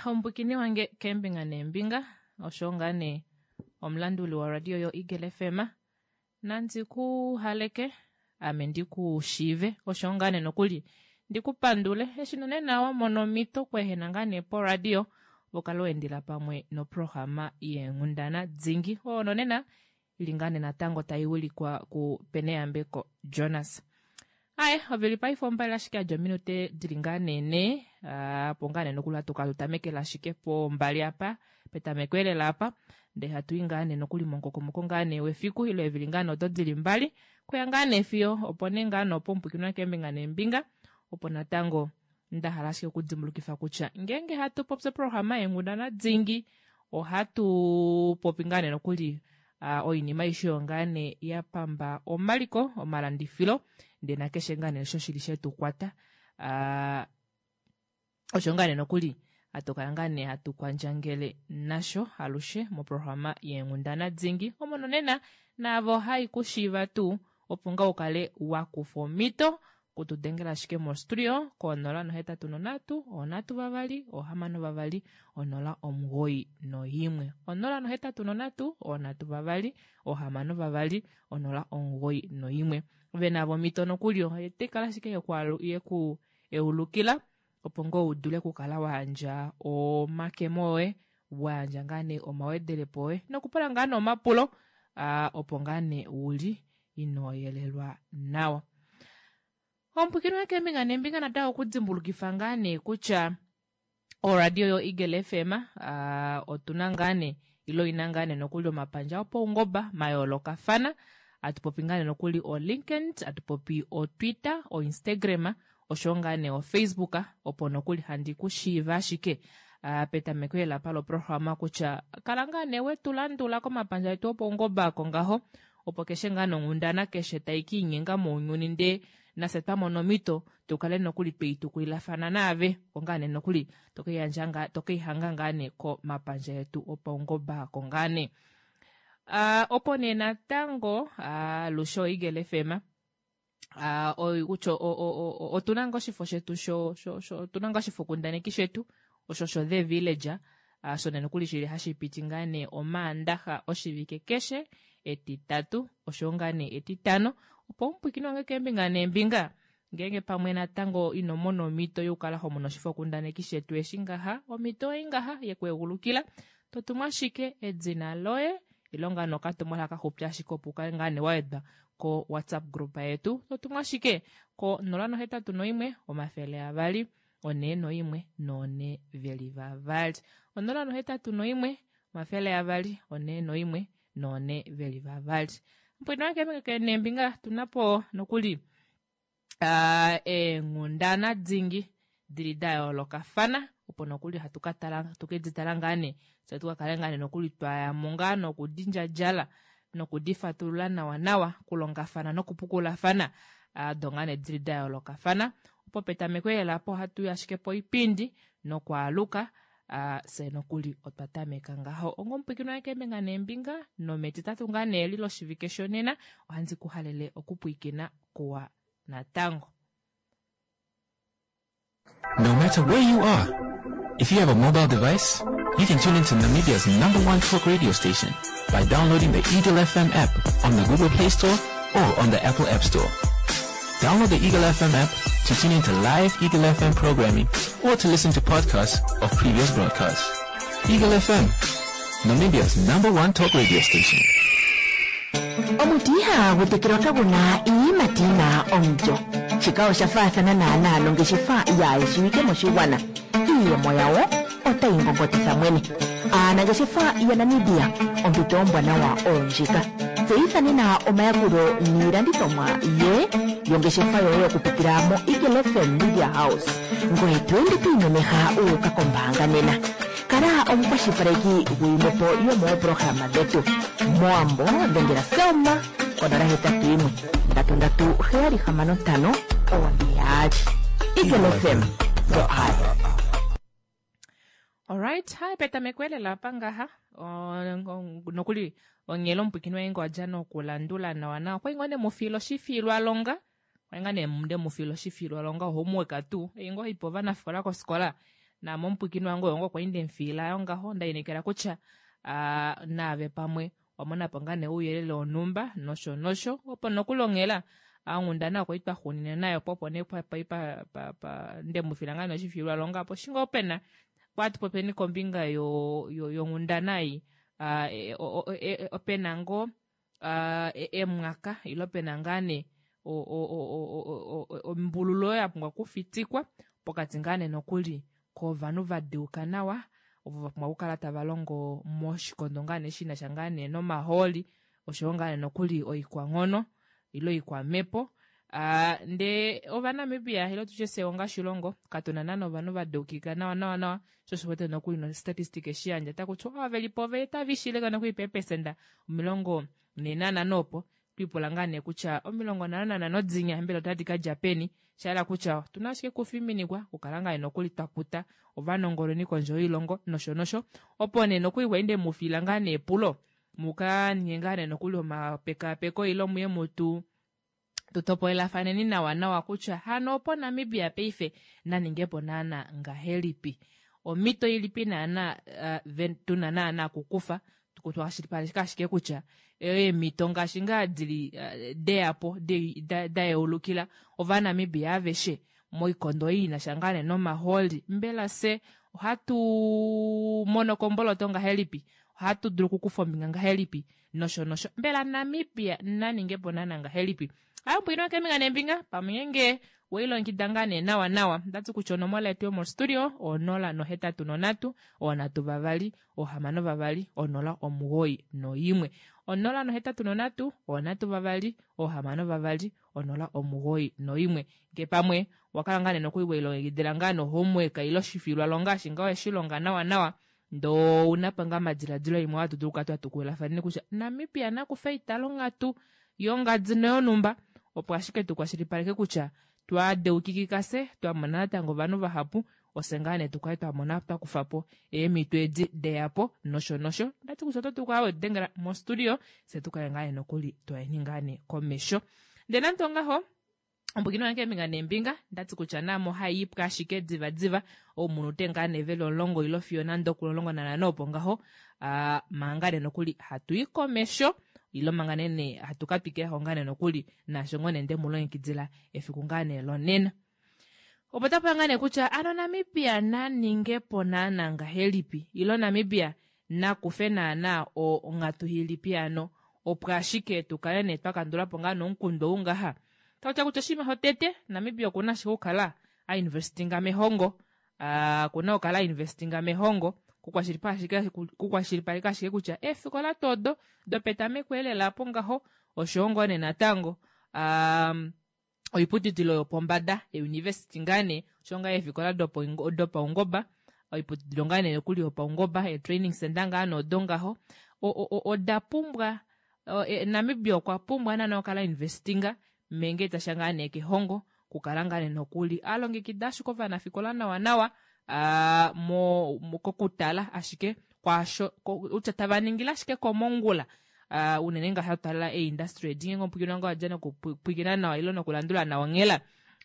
Omupwikini wange keembinga neembinga osho ngaa nee omulanduli woradio yo Eagle FM nandi ku haleke ame ndi ku shiive osho ngaa nee nokuli ndi ku pandule eshi nonena wa mona omhito okweehena ngaa nee poradio vokale weendela pamwe noprograma yeenghundana dingi oyo nonena ili ngaa nee natango tai wilikwa kuPeneyambeko Jonas. Aye, ovili paife ombali ashike yadja ominute dili ngaa nee ne, opo ngaa nee nokuli hatu kala tutamekela ashike pombali apa, petameko elela apa, ndee hatu i ngaa nee nokuli momukokomoko ngaa nee wefiku ile eevili ngaa nee odo dili mbali, kuya ngaa nee fiyo opo nee ngaa nee opo omupwikinwa keembinga neembinga, opo natango nda hala ashike okudimbulukifa kutya ngeenge hatu popi oprograma yeenghundana dingi ohatu popi ngaa nee nokuli oinima aishe oyo ngaa nee ya pamba omaliko omalandifilo ndee nakeshe ngaa nee osho shili shetu kwata osho ngaa nee nokuli hatu kala ngaa nee hatu kwandjangele nasho alushe moprograma yeenghundana dingi omo nonena naavo hai ku shiiva tuu opo ngaa ukale wa kufa omhito Kutudengela ashike mo studio ko 083 3 6 2 0 91. 083 3 6 2 0 91. Ove navo omhito nokuli otai kala ashike yeku eulukila opo ngoo u dule okukala wa yandja omakemo oye, wa yandja ngaa nee omawedelepo oye nokupula ngaa nee omapulo opo ngaa nee uli ino yelelwa nawa. Omupwikini woye keembinga neembinga natango okudimbulukifa ngaa nee kutya oradio yo Eagle FM otuna ngaa nee ile oina ngaa nee nokuli omapandja opaungoba mayoolokafana. Atu popi ngaa nee nokuli o LinkedIn, atu popi o Twitter, o Instagram oshowo ngaa nee oFacebook opo nokuli handi ku shiiva ashike petameko elapa loprograma kutya kala ngaa nee wetu landula komapandja etu opaungoba ako ngaho opo keshe ngaa nonghundana keshe tai ka inyenga mounyuni ndee nafye twa mona omhito tu kale nokuli twei tukulilafana naave opo ngaa nee nokuli tokeiyandja ngaa tokeihanga ngaa nee komapandja etu opaungoba ako ngaa nee. Opo nee natango alushe oEagle FM kutya otuna ngaa oshifo shetu sho otuna ngaa oshifokundaneki shetu osho sho The Village shona nokuli shili hashi piti ngaa nee Omaandaxa oshivike keshe Etitatu oshowo ngaa nee Etitano opo omupwikini wange keembinga neembinga ngeenge pamwe natango ino mona omhito yokukala ho mono oshifokundaneki shetu eshi ngaha omhito oyi ngaha yekuegulukila to tumu ashike edina loye ile ngaa nee okatumwalaka kaxupi ashike opo ukale ngaa nee wa wedwa ko WhatsApp group yetu to tumu ashike ko 081 200 41 4 veli vavali 081 200 41 4 veli vavali. Mpwino wange neembinga tuna po nokuli eenghundana dingi dili da yoolokafana opo nokuli hatu ka tala tuke di tala ngaa nee fye tu ka kale ngaa nee nokuli twa ya mo ngaa nokudindjadjala nokudifatulula nawa nawa kulongafana nokupukulafana do ngaa nee dili da yoolokafana opo petameko lela po ohatu yi ashike poipindi nokwaaluka fye nokuli otwa tameka ngaho ongomupwikini waye keembinga neembinga nometitatu ngaa nee li loshivike shonena ohandi ku halele okupwikina kuwa natango. No matter where you are, if you have a mobile device, you can tune into Namibia's number one talk radio station by downloading the Eagle FM app on the Google Play Store or on the Apple App Store. Download the Eagle FM app to tune into live Eagle FM programming or to listen to podcasts of previous broadcasts. Eagle FM, Namibia's number one talk radio station. Omuti ihagu tekelwa kagu na iiyimati yi na omulyo. Shika osha faathana naanaa nongeshefa yaa shiwike moshigwana. Iiyemo yawo otayi ngongotitha mwene. Aanangeshefa yaNamibia, ompito ombwanawa oyo ndjika. Tseyitha nena omayakulo niilandithomwa ye yongeshefa yoye okupitila moEagle FM Media House. Ngoye to ende to imemeha wu uka kombaanga nena. Kala omukwashilipaleki guyimwe po yomoopolohalama dhetu. MOwambo, dhengela Selma ko 081 337 65 42. Eagle FM, the eye. Alright, hai petameko elela apa ngaha nokuli onghela omupwikini waye ngo adja nokulandula nawa nawa okwali ngoo ne mufiila oshifiilwalonga okwali ngaa ne nde mufiila oshifiilwalonga homework tuu ei ngoo haipe ovanafikola kofikola. Naame omupwiikini wange oyo ngoo kwali ndemufiila yo ngaho ndainekela kutya naave pamwe owa monapo ngaa nee ouyelele wonhumba nosho nosho opo nokulongela onghundana okwa li twa xunina nayo po opo nee pa, pa, pa, pa ndemufila ngaa nee oshifiilwa longa opo shinga ope na kwati popeni kombinga yo, yo, yonghundana ei ope na ngoo emwaka ile ope na ngaa nee ombululu oyo ya pumbwa okufitikwa pokati ngaa nee nokuli kovanhu va deuka nawa ovo va pumbwa okukala tava longo moshikondo ngaa nee shi na sha ngaa nee nomahooli oshowo ngaa nee nokuli oikwanghono ile oikwamhepo. Ndee Ovanamibia ile tutye fye onga oshilongo katuna naana ovanhu va deukika nawa nawa nawa sho osho wete nokuli nostatistic eshi yandja taku tiwa ava veli po ove tava ishileka nokuli peepesenda 45 opo Twiipula ngaa nee kutya 55 dinya mbela otadi ka dja peni, sha hala kutya otuna ashike kufiminikwa okukala ngaa nokuli twa kuta ovanongononi kondje yoilongo nosho nosho. Opo nee nokuli kwali nde mu fiila ngaa nee epulo mu ka ninge ngaa nee nokuli omapekaapeko ile muye mutu tu topolelafaneni nawa nawa kutya hano opo Namibia paife na ningepo naana ngahelipi. Omhito ilipi naana uh, tuna naana okukufa Tukwashilipaleke ashike kutya eemhito ngaashi ngaa dili eh, deya po da yeulukila Ovanamibia aveshe moikondo ei ina sha ngaa nee nomahooli, mbela fye ohatu mono komboloto ngahelipi, ohatu dulu okukufa ombinga ngahelipi nosho nosho. Mbela Namibia na ninge po naana ngahelipi? Ayo keembinga neembinga pamwe ngeenge weilongekida ngaa nee nawa nawa ndati kutya onomola yetu yomostudio onola nohetatu nonhatu onhatu vavali ohamano vavali onola omugoyi noyimwe onola nohetatu nonhatu onhatu vavali ohamano vavali onola omugoyi noyimwe nge pamwe wakala ngaa nee nokuli weilongekidila ngaa nohomework ile oshifilwa longa ashi ngaa weshilonga nawa nawa ndoo ouna po ngaa omadiladilo imwe hatu dulu okukala twa tukululafaneni kutya Namibia nakufe eitalonghatu yongadi noyonhumba opo ashike tu kwashilipaleke kutya twa deukikika fye twa mona natango ovanhu vahapu ofye ngaa nee tukale twa mona twa kufa po eemhito edi deya po nosho nosho ndati kutya oto dulu okukala wedengela mostudio fye tukale ngaa nee nokuli twayeni ngaa nee komesho ndee nande ongaho ombwikino yange keembinga neembinga ndati kutya naame ohai ipwa ashike diva diva oumunute ngaa nee veli omulongo ilo fiyo nande okulongo nanhano opo ngaho uh, manga nee nokuli hatu i komesho ilo manga nee nee hatu ka twikila ngaa nee nokuli naasho ngoo nee nde mu longekidila efiku ngaa nee lonena opo tapu ngaa nee kutya ano Namibia na ninge po naana ngahelipi ilo Namibia na kufe naana onghatu ilipi ano opo ashike tu kale nee twa kandula po ngaa nomukundu ou ngaha. Taku kutya oshinima shotete Namibia okuna ashike okukala a investinga mehongo okuna okukala a investinga mehongo kukwashilipaleka ashike kutya eefikola tuu odo dopetameko elela apo ngaho oshowo ngoo nee natango oiputudilo yopombada euniversity ngaa nee osho ngaa eefikola dopaungoba oiputudilo ngaa nee nokuli yopaungoba eetraining center ngaa nee odo ngaho oda pumbwa e, Namibia okwa pumbwa naana okukala investinga menge tasha ngaa nee kehongo kukala ngaa nee nokuli a longekida ashike ovanafikola nawa nawa mo, mo kokutala ashike kwaasho kutya tava ningile ashike komongula uh, unene ngaashi hatu talela eindustry edi ngeenge omupwikinwa ngoo adja nokupwikina nawa ile nokulandula nawa onghela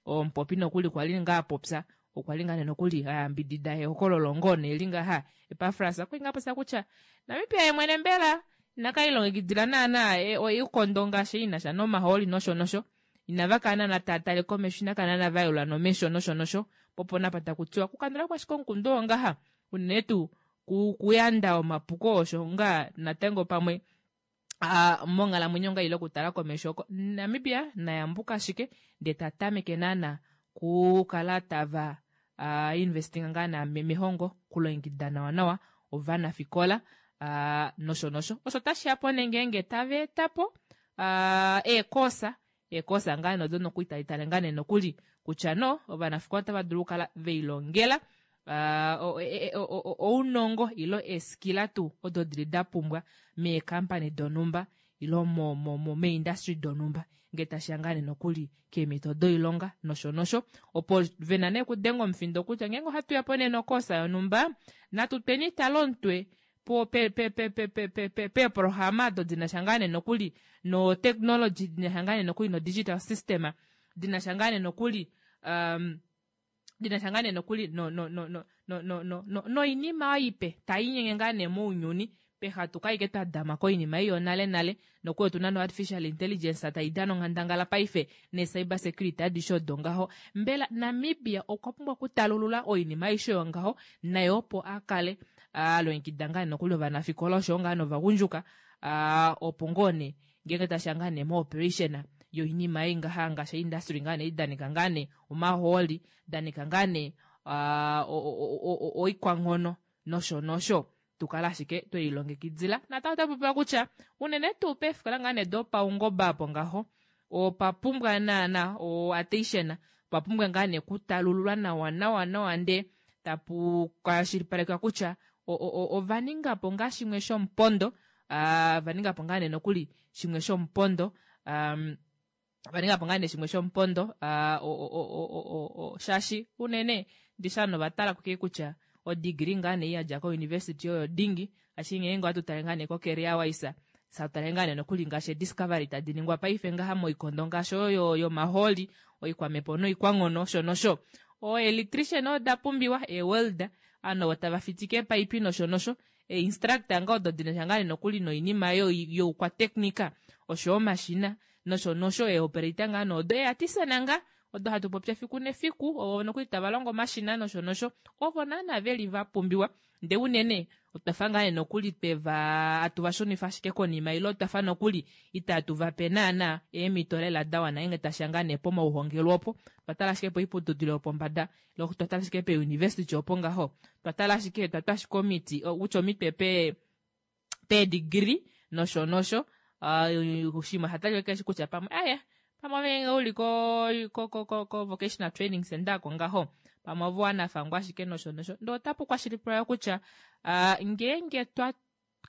omupopi nokuli kwa li ngaa popya okwa li ngaa nee nokuli a yambidida ehokololo ngoo nee li ngaha Epafras okwa li ngaa popya kutya Namibia ye mwene mbela inaka ilongekidila naana oikondo ngaashi i na sha nomahooli nosho nosho inava kala naana tava tale komesho ina kala naana va yelula nomesho nosho nosho po opo napa taku tiwa okukandula po ashike omukundu oo ngaha unene tuu kuyanda omapuko osho ngaa natango pamwe a monghalamwenyo ngaa ile okutala komesho oko Namibia na yambuka ashike ndee ta tameke naana kukala tava uh, investinga ngaa na mehongo kulongekida nawa nawa ovanafikola uh, nosho nosho osho tashi ya po nee ngeenge tava eta po uh, eekosa eekosa ngaa nodo nokuli tali tale ngaa nee nokuli kutya no ovanafikola otava dulu okukala veilongela uh, e, e, ounongo ilo eeskila tuu odo dili da pumbwa meekampani donhumba ilo mo, mo, mo meindustry donhumba ngee tashiya ngaa nee nokuli keemhito doilonga nosho nosho opo vena nee okudenga omufindo kutya ngeenge ohatu ya po nee nokoosa yonhumba natu tweni tale omutwe po pe pe pe pe pe pe pe peeprograma odo dina sha ngaa nee nokuli no technology dina sha ngaa nee nokuli no digital system dina sha ngaa nee nokuli um, dina sha ngaa nee nokuli no no no no Noinima oyo ipe tai inyenge ngaa nee mounyuni peha tukale ashike twa dama koinima ei yonale nale nokuli otuna no artificial intelligence tai dana onghandangala paife nee cyber security adishe odo ngaho. Mbela Namibia okwa pumbwa okutalulula oinima aishe oyo ngaho naye opo a kale a longekida ngaa nokuli ovanafikola oshoyo ngaa novagundjuka opo ngoo nee ngeenge tashiya ngaa nee mo operation yoinima ei ngaha ngaashi industry ngaa nee idanika ngaa nee omahooli danika ngaa nee oikwanghono nosho nosho tu kale ashike twe lilongekidila. Natango ota popiwa kutya unene tuu peefikola ngaa nee dopaungoba apo ngaho opa pumbwa naana o attention, opa pumbwa ngaa nee okutalululwa nawa nawa nawa ndee tapu kwashilipalekwa kutya ova ninga po ngaa shimwe shomupondo, va ninga po ngaa nee nokuli shimwe shomupondo, va ninga po ngaa nee shimwe shomupondo, shaashi unene ndishi ovanhu ova tala ko kutya odegree ngaa nee yadja ko university oyo dingi, ashike ngeenge ohatu tale ngaa nee ko career wise, hatu tale ngaa nee nokuli ngaashi discovery tadi ningwa paife ngaha moikondo ngaashi oyo yomahooli, oikwamepo noikwanghono osho nosho. O electrician oda pumbiwa, e welder, ovanhu ovo tava fitike eepaipi nosho nosho, e instructor nga odo dinasha ngaa nee nokuli noinima youkwateknika osho omashina nosho nosho, e operator ngaa nee odo, e artisan nga odo hatu popi efiku nefiku, ovo nokuli tava longo omashina nosho nosho, ovo naana veli va pumbiwa. Ndee unene otwafa ngaa nee nokuli tweva atu va shunifa ashike konima, ile otwafa nokuli itatu va pe naana eemhito lela da wana ngeenge tashiya ngaa nee pomauhongelwe opo. Otwa tala ashike poiputudilo yopombada, ile otwa tala ashike peuniversity opo ngaho, otwa tala ashike, twa twa ashike omiti, kutya omitwe peedegree nosho nosho. Oshinima osha talika keshe kutya pamwe aya pamwe ove ngeenge uli ko vocational training center ako ngaho, pamwe ove wanafangwa ashike nosho nosho. Ndee otapu kwashilipalekwa kutya ngeenge twa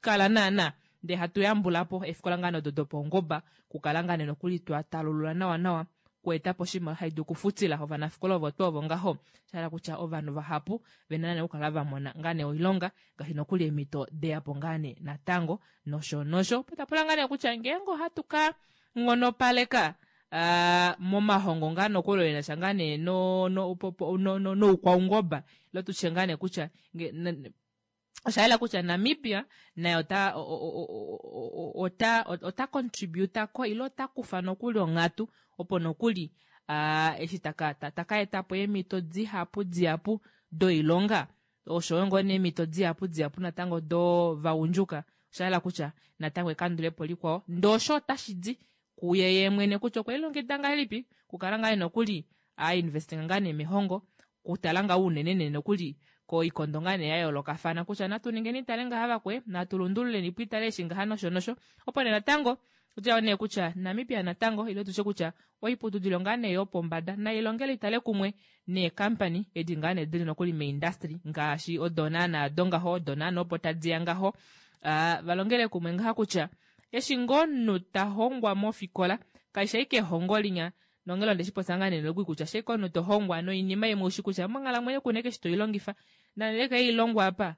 kala naana ndee hatu yambula po eefikola ngaa odo dopaungoba, kukala ngaa nee nokuli twa talulula nawa nawa kueta po oshinima hai dulu okufutila ovanafikola ovo tuu ovo ngaho, sha hala kutya ovanhu vahapu vena nee okukala va mona ngaa nee oilonga ngaashi nokuli eemhito deyapo ngaa nee natango nosho nosho. Opo tapula ngaa nee kutya ngeenge ohatu ka nghonopaleka momahongo ngaa nokuli oyo enasha ngaa nee noukwaungoba, ile tutye ngaa nee kutya osha yela kutya Namibia naye ota contributa ko ile ota kufa nokuli onghatu opo nokuli eshi taka eta po eemhito dihapu dihapu doilonga oshoyo ngoo nee eemhito dihapu dihapu natango dovagundjuka. Osha yela kutya natango ekandulepo likwao ndee osho otashi di kuye ye mwene kutya okwe lilongekida ngahelipi kukala ngaa nokuli a investinga ngaa nee mehongo, kutala ngaa unene nee nokuli koikondo ngaa nee ya yoolokafana kutya natu ningeni tale ngaha vakwe, natu lundululeni po itale eshi ngaha nosho nosho. Opo nee natango kutya nee kutya Namibia natango ile tutye kutya oiputudilo ngaa nee yopombada nailongele itale kumwe neekampani edi ngaa nee dili nokuli meindustry ngaashi odo naana do ngaho, odo naana opo tadiya ngaho, valongele kumwe ngaha kutya eshi ngoo omunhu ta hongwa mofikola kaishi ashike ehongo linya nongele onde shi popya ngaa nee nokuli kutya ashike omunhu to hongwa noinima imwe ushi kutya monghalamwenyo kuna eshi toi longifa nande kai longwa apa,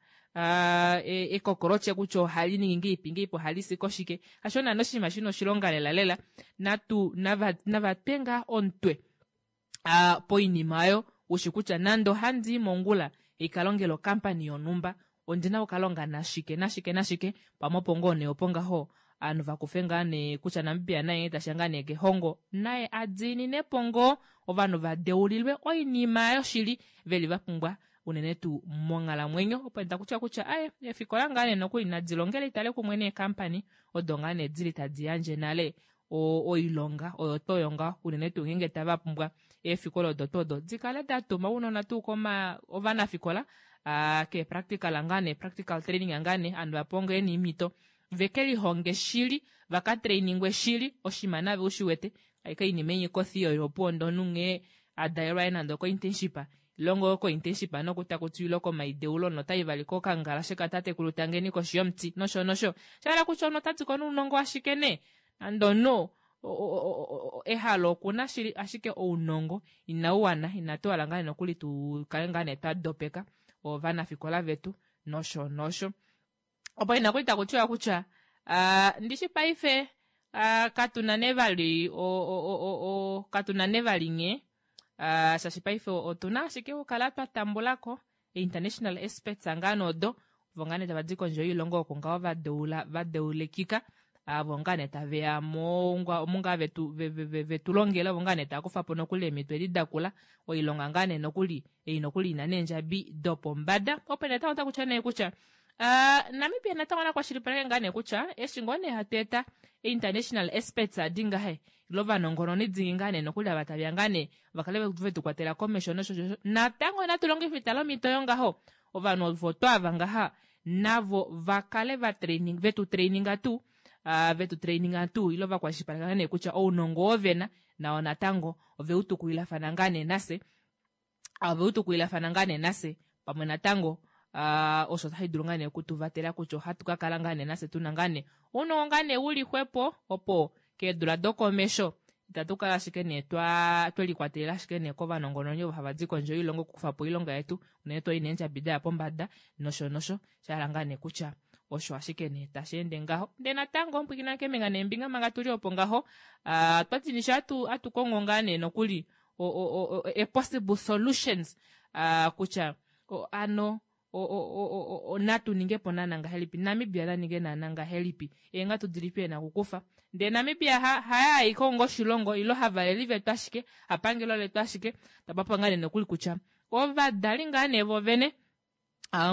ekokolotye kutya ohali ningi ngeipi ngeipi, ohali si koshike, hasho naana oshinima shina oshilonga lela lela. Natu nava twe ngaa omutwe poinima oyo ushi kutya nande ohandi i mongula ikalongela okampani yonhumba ondina okukalonga nashike nashike nashike, pamwe opo ngoo nee opo ngaho ovanhu vakufe ngaa nee kutya Namibia naye tashiya ngaa nee kehongo naye adiininepo ngoo ovanhu vadeulilwe oinima yoshili veli va pumbwa unene tuu monghalamwenyo. Opo nda kutya kutya aye eefikola ngaa nee nokuli nadi longele itale kumwe neekampani odo ngaa nee dili tadi yandje nale oilonga oyo tuu oyo ngaho, unene tuu ngeenge tava pumbwa eefikola odo tuu odo dikale da tuma ounona tuu koma ovanafikola kee practical ngaa nee practical training ngaa nee ovanhu vapewa ngoo eemhito veke lihonge shili vaka trainingwe shili oshinima nave ushi wete aike oinima enye kothi oyo opuwo ndee omunhu nghee adalelwa aye nande oko internship ilongo ko internship noku taku ile komaideulo notai vali kokangalashe katatekulu tangeni koshi yomuti nosho nosho. Sha hala kutya omunhu ota diko nounongo ashike nee nande omunhu ehalo okuna shili ashike ounongo inau wana, inatu hala ngaa nokuli tu kale ngaa nee twa dopeka ovanafikola vetu nosho nosho. Opo ina kuli taku tiwa kutya ndishi paife katuna nee vali katuna nee vali nghee, shaashi paife otuna ashike okukala twa tambulako. International experts ngaa nee odo ovo ngaa nee tava di kondje yoilongo oko ngaho va deula va deulekika avo ngaa nee tave ya mo omu ngaa vetu vetu longele ovo ngaa nee tava kufa po nokuli eemhito edi dakula oilonga ngaa nee nokuli ei nokuli ina neendjabi dopombada opo nee taku kutya nee kutya Uh, Namibia natango na kwashilipaleke ngaa nee kutya eshi ngoo nee hatu eta international experts adi ngahe ile ovanongononi dingi ngaa nee nokuli ava taveya ngaa nee va kale vetu kwatela komesho nosho nosho natango natu longife itala omhito yongaho ovanhu ovo twaava ngaha navo va kale va training vetu traininga tuu uh, vetu traininga tuu ile va kwashilipaleka nee kutya ounongo oo vena nao natango ove u tukulilafana ngaa nee nafye ove u tukulilafana ngaa nee nafye pamwe natango uh, osho otashi dulu ngaa nee okutuvatela kutya ohatu ka kala ngaa nee nafye tuna ngaa nee ounongo ngaa nee uli xwepo opo keedula dokomesho itatu kala ashike nee twa twe likwatelela ashike nee kovanongononi ovo hava di kondje yoilongo okukufa po oilonga yetu unene tuu neendjabi daya pombada nosho nosho sha hala ngaa nee kutya osho ashike nee tashi ende ngaho ndee natango pwiikina keembinga neembinga manga tuli opo ngaho uh, twati nisho atu, atu kongo ngaa nee nokuli o, o, o, a possible solutions uh, kutya o, ano o, o, natu ninge po naana ngahelipi Namibia na ninge naana ngahelipi eenghatu dilipi ena okukufa ndee Namibia ha, haya aiko onga oshilongo ilo havaleli vetu ashike hapangelo letu ashike tapapa ngaa nee nokuli kutya ovadali ngaa nee vovene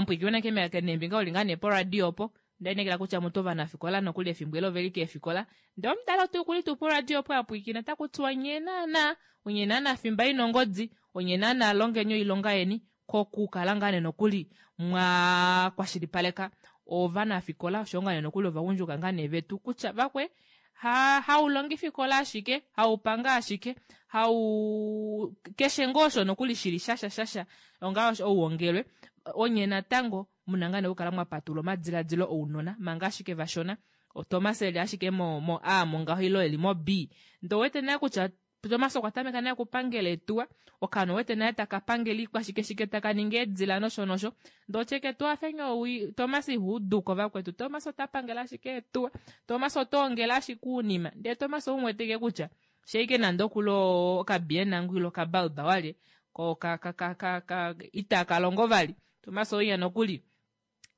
mpwikiwena kemelaka neembinga uli ngaa nee poradio opo ndainekela kutya mutu ovanafikola nokuli efimbo elo oveli keefikola ndee omudali otu kuli tuu poradio opo apwiikina taku tiwa nye naana onye naana fimba ina ongodi onye naana longeni oilonga yeni kokukala ngaa nee nokuli mwa kwashilipaleka ovanafikola oshowo ngaa nee nokuli ovagundjuka ngaa nee vetu kutya vakwe ha haulongifikola ashike haupanga ashike hau keshe ngoo osho nokuli shili shasha shasha onga ouongelwe onye natango muna ngaa nee okukala mwa patula omadiladilo ounona manga ashike vashona Thomas eli ashike mo, mo A mongaho ilo eli mo B ndee owete naye kutya Thomas okwa tameka naye okupangela etuwa okaana owete naye taka pangele iikwashike shike taka ningi eedila nosho nosho ndee otyeke tuafenge owi Thomas ihuuduko vakwetu Thomas ota pangele ashike etuwa Thomas ota ongele ashike uunima ndee Thomas oumweteke kutya sheike nande okuli okabiena ngu ile okabalba walye ko ka, ka, ka, ka, ka, itaka longo vali Thomas oiya nokuli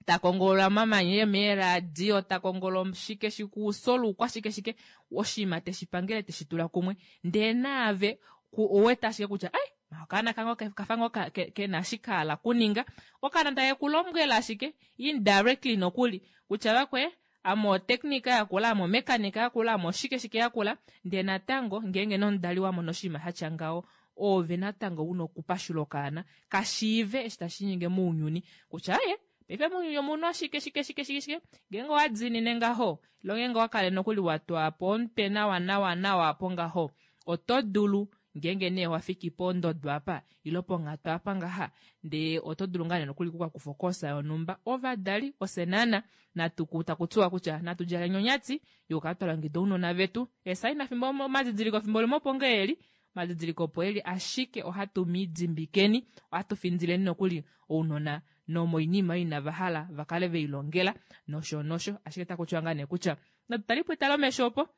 ta kongolola omamanya meeradio ta kongolola shike shikuusolu kwashike shike oshinima teshi pangele teshi tula kumwe ndee naave owete ashike kutya ai okaana kange kafa ngoo kena ashike hala kuninga okaana take ku lombwela ashike indirectly nokuli kutya vakwe ame otechnica yakula ame omechanic yakula ame oshike shike yakula ndee natango ngeenge nomudali wa mona oshinima shatya ngaho oove natango una okupashula okaana kashiive eshi tashi nyenge mounyuni kutya aye paife mounyuni omuna oshike shike shike shike shike ngeenge owa diinine ngaho ilo ngeenge owa kale nokuli wa twa po omutwe nawa nawa nawa apo ngaho oto dulu ngeenge nee wa fiki pondodo apa ilo ponghatu apa ngaha ndee oto dulu ngaa nee nokuli kukakufa okosa yonhumba ovadali ofye naana natu taku tiwa kutya natu djaleni onyati yokukala twa longekida ounona vetu esaina fimbo omadidiliko fimbo limwe opo ngee eli omadidiliko opo eli ashike ohatu midimbikeni ohatu findileni nokuli ounona nomoinima oyo inava hala va kale ve ilongela nosho nosho ashike taku tiwa ngaa nee kutya natu talipo etalomesho opo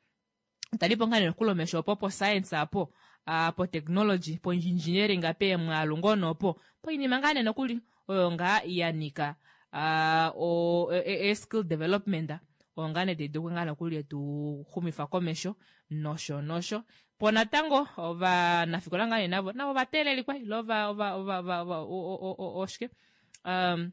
talipo ngaa nee nokuli omesho opo po science apo uh, po technology po engineering peemwaalu ngoo noopo poinima ngaa nee nokuli oyo ngaa ya nika uh, o, e, e, skill development oyo ngaa nee tayi dulu ngaa nokuli etu xumifa komesho nosho nosho po natango ovanafikola ngaa nee navo navo vateelelikwa ile ova ova ova ova oshike um,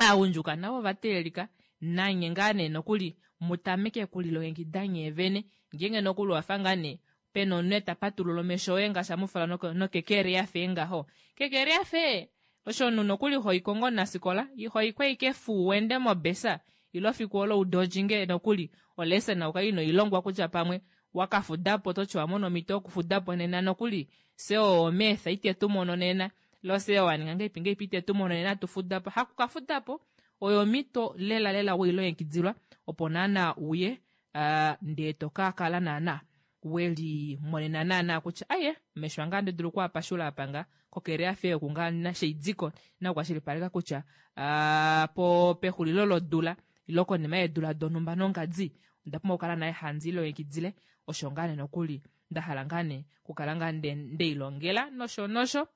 aagundjuka navo ovateelelika nanye ngaa nee nokuli mu tameke okulilongekida nyee vene ngeenge nokuli owafa ngaa nee pena omunhu ta patulula omesho oye ngaashi amufala nokekere yafe ngaho kekere yafe osho omunhu nokuli hoiko ngoo nasikola ihoiko ike fuu wende mobesa ilo fiku olo udodjinge nokuli olesson ukale ino ilongwa kutya pamwe wakafudapo toti wamona omhito yokufudapo nena nokuli fye omeetha ite tu mono nena ilo fye waninga ngeipi ngeipi ite tu mono nena tufudapo haku kafudapo oyo omhito lela lela weilongekidilwa opo naana uye uh, ndee to ka kala naana weli monena naana kutya aye mesho ange andi dulu okuapashula apa nga kokele yafe oku nga nasheidiko na okukwashilipaleka kutya uh, po pexulilo lodula ilo konima yeedula donhumba nongadi onda pumbwa okukala naye handi ilongekidile osho ngaa nee nokuli nda hala ngaa nee okukala ngaa ndeilongela nosho nosho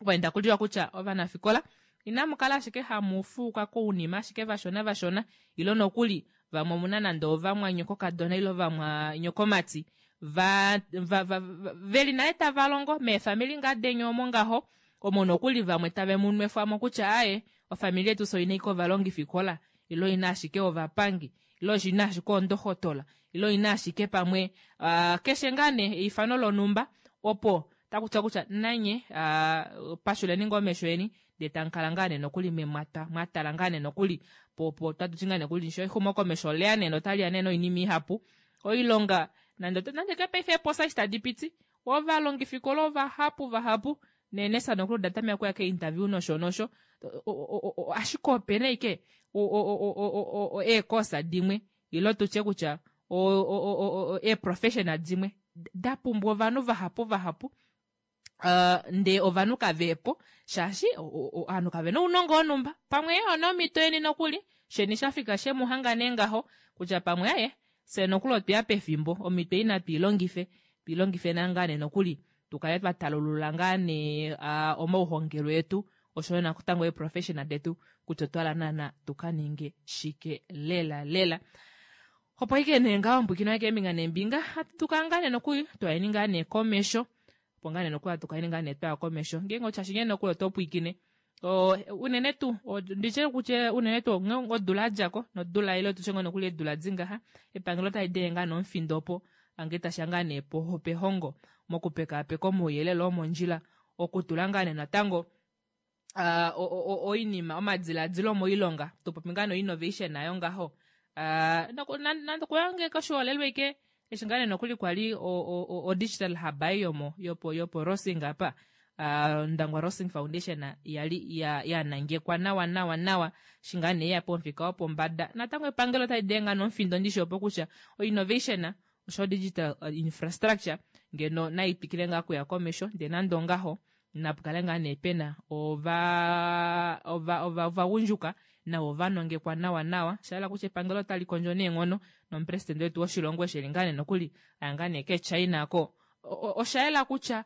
opo enda kuliwa kutya ovanafikola Inamu kala ashike hamu fuuka kounima ashike vashona vashona ile nokuli vamwe omuna nande ovamwanyokokadona ile ovamwanyokomati va, va, va, va, veli nale tava longo meefamili ngaa deni omo ngaho omo nokuli vamwe tave mu nwefwamo kutya aaye ofamili yetu fye oina ashike ovalongifikola ile oina ashike ovapangi ile oina ashike oondohotola ile oina ashike pamwe uh, keshe ngaa nee eifano lonhumba opo taku tiwa kutya nanye uh, pashuleni ngoo omesho eni ndee tamu kala ngaa nee nokuli memwata mwatala ngaa nee nokuli po po tatu ti ngaa nee nokuli sho exumokomesho oleya nee notali ya nee noinima ihapu oilonga nande nande ke paife eeposa eshi tadi piti ovalongifikola ovahapu vahapu neenesa nokuli oda tameka okuya keinterview nosho nosho ashike opena ike eekosa dimwe ile tutye kutya eeprofessional dimwe da pumbwa ovanhu vahapu vahapu Uh, ndee ovanhu kavepo shaashi ovanhu kave na ounongo wonhumba pamwe onomhito yeni nokuli sheni shafika shemu hanga nee ngaho kutya pamwe aye fye nokuli otweya pefimbo omhito ei natu ilongife tuilongife ngaa nee nokuli tukale twa talulula ngaa nee uh, omauhongelo etu oshoyo natango eeprofessional detu kutya otwala naana tuka ninge shike lela lela opo ike nee ngaho mbwikina keembinga neembinga hatu tuka ngaa nee nokuli twayeni ngaa nee komesho opo ngaa nee nokuli hatu kaleni ngaa nee twaya komesho ngeenge oshashi ngee nokuli oto pwiikine unene tuu nditye kutya unene tuu odula yadjako nodula ile tutye ngoo nokuli eedula dingaha epangelo otali denge ngaa nomufindo opo ange tasha ngaa nee pehongo mokupekaapeka omauyelele omondjila okutula ngaa nee natango uh, oinima omadiladilo moilonga topopi ngaa no-innovation nayo ngaho uh, nande okuyange koshiholelwa ike eshi ngaa nee nokuli kwali o-digital hub ei yomo yopo yopo Rossing apa uh, Ndangwa Rossing Foundation yali ya, ya nangekwa nawa nawa nawa shi ngaa nee ya pomufika wopombada natango epangelo otali denga nomufindo ndishi opo kutya o-innovation osho digital infrastructure ngeno nai twikile ngaa kuya komesho ndee nande ongaho napukale ngaa nee pena ovagundjuka navo vanongekwa nawa nawa shahala kutya epangelo otali kondjo neenghono nomupresidente wetu woshilongo eshi eli ngaa nee nokuli aya ngaa nee kechina ko osha yela kutya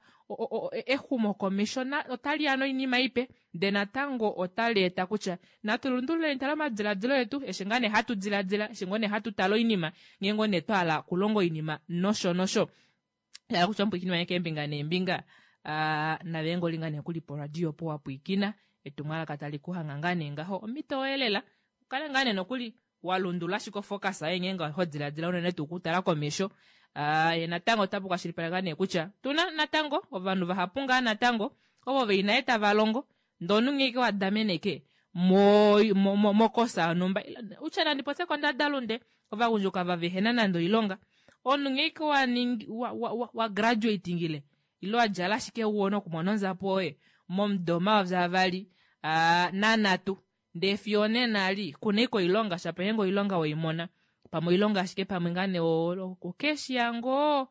exumokomesho otali ya noinima ipe ndee natango otali eta kutya natu lundululeni tala omadiladilo etu eshi ngaa nee hatu diladila eshi ngoo nee hatu tala oinima ngee ngoo nee twa hala okulonga oinima nosho nosho hala kutya omupwiikini wange keembinga neembinga uh, nave ngoli ngaa nee kuli poradio opo wa pwiikina etumwalaka tali kuhanga ngaa nee ngaho omhito oyelela ukale ngaa nee nokuli wa lundulula ashike ofocus yoye ngeenge ho diladila unene tuu okutala komesho uh, ye natango otapu kwashilipaleka nee kutya tuna natango ovanhu vahapu ngaa natango ovo veli naye tava longo ndee omunhu ngeenge wa dameneke mokosa yonhumba utya nandi popye kondadalunde ovagundjuka va vehena nande oilonga omunhu ngeenge waningi wa, wa, wa, wa graduatingile ile wa djala ashike wuwona okumona onzapo yoye momudo 2023 ndee fiyo onena ali kuna ike oilonga shapo ngeenge oilonga weimona pamwe oilonga ashike pamwe ngaa nee okeshiya ngoo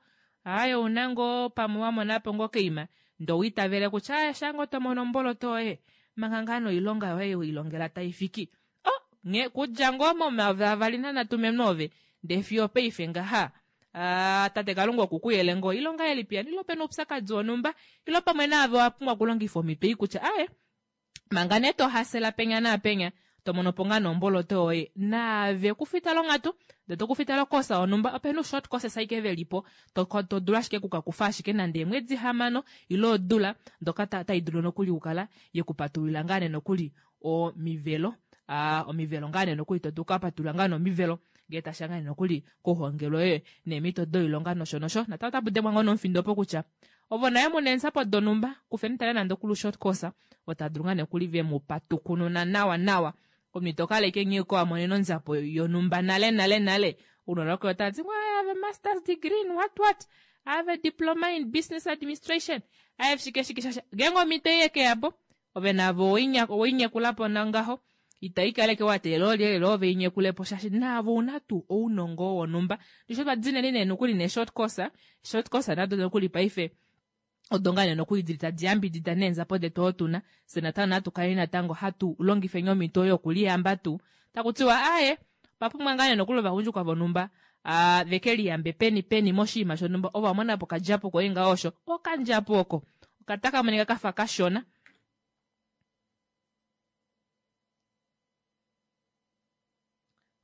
aaye ouna ngoo pamwe wamonapo ngoo keima ndee owiitavele kutya aaye shaa tomono omboloto yoye manga ngaa noilonga yoye weilongela taifiki oh nghee kudja ngoo mo2023 memnoove ndee fiyo paife ngaha uh, tate kalunga okukuyele ngoo oilonga yelipi yani ile opena oupyakadi wonhumba ile pamwe naave owa pumbwa okulongifa omhito ei kutya aaye manga nee tohasela penya naapenya tomono po ngaa nomboloto yoye naave kufita longhatu ndee tokufita lokosa yonhumba opena ushort courses aike velipo to dulu ashike okukakufa ashike nande eemwedi hamano ile odula ndoka tai dulu nokuli okukala yekupatululila ngaa nee nokuli omivelo uh, omivelo ngaa nee nokuli to dulu okukapatulula ngaa nomivelo ngee tasha ngaa nee nokuli kouhongelwe yoye neemhito doilonga nosho nosho natango otapu dengwa ngoo nomufindo opo kutya ovo naye muna eenzapo donhumba kufeni tale nande okulu short course ota dulu ngaa nokuli ve mu patukununa nawa nawa omunhu ito kaleke nghee ko wamonene onzapo yonhumba nale nale nale ounona voke otava ti I have a masters degree in what what I have a diploma in business administration I have shike shike shasha ngeenge omhito ei yekeyapo ove navo oweinyekulapo nangaho ita ikaleke wa teelela olyelele ove inyekulepo shaashi naavo una tuu ounongo wonhumba ndisho twa dineni nee nokuli ne short course short course nado nokuli paife odo ngaa nee nokuli dili tadi yambidida neenzapo detu otuna fye natango natu kaleni natango hatu longifeni omhito yokuliyamba tuu taku tiwa aaye opapumbwa ngaa nee nokuli ovagundjuka vonhumba uh, veke liyambe peni peni moshinima shonhumba ovo wamona po okadjapo koye ngaho osho okandjapo oko okataka monika kafa kashona.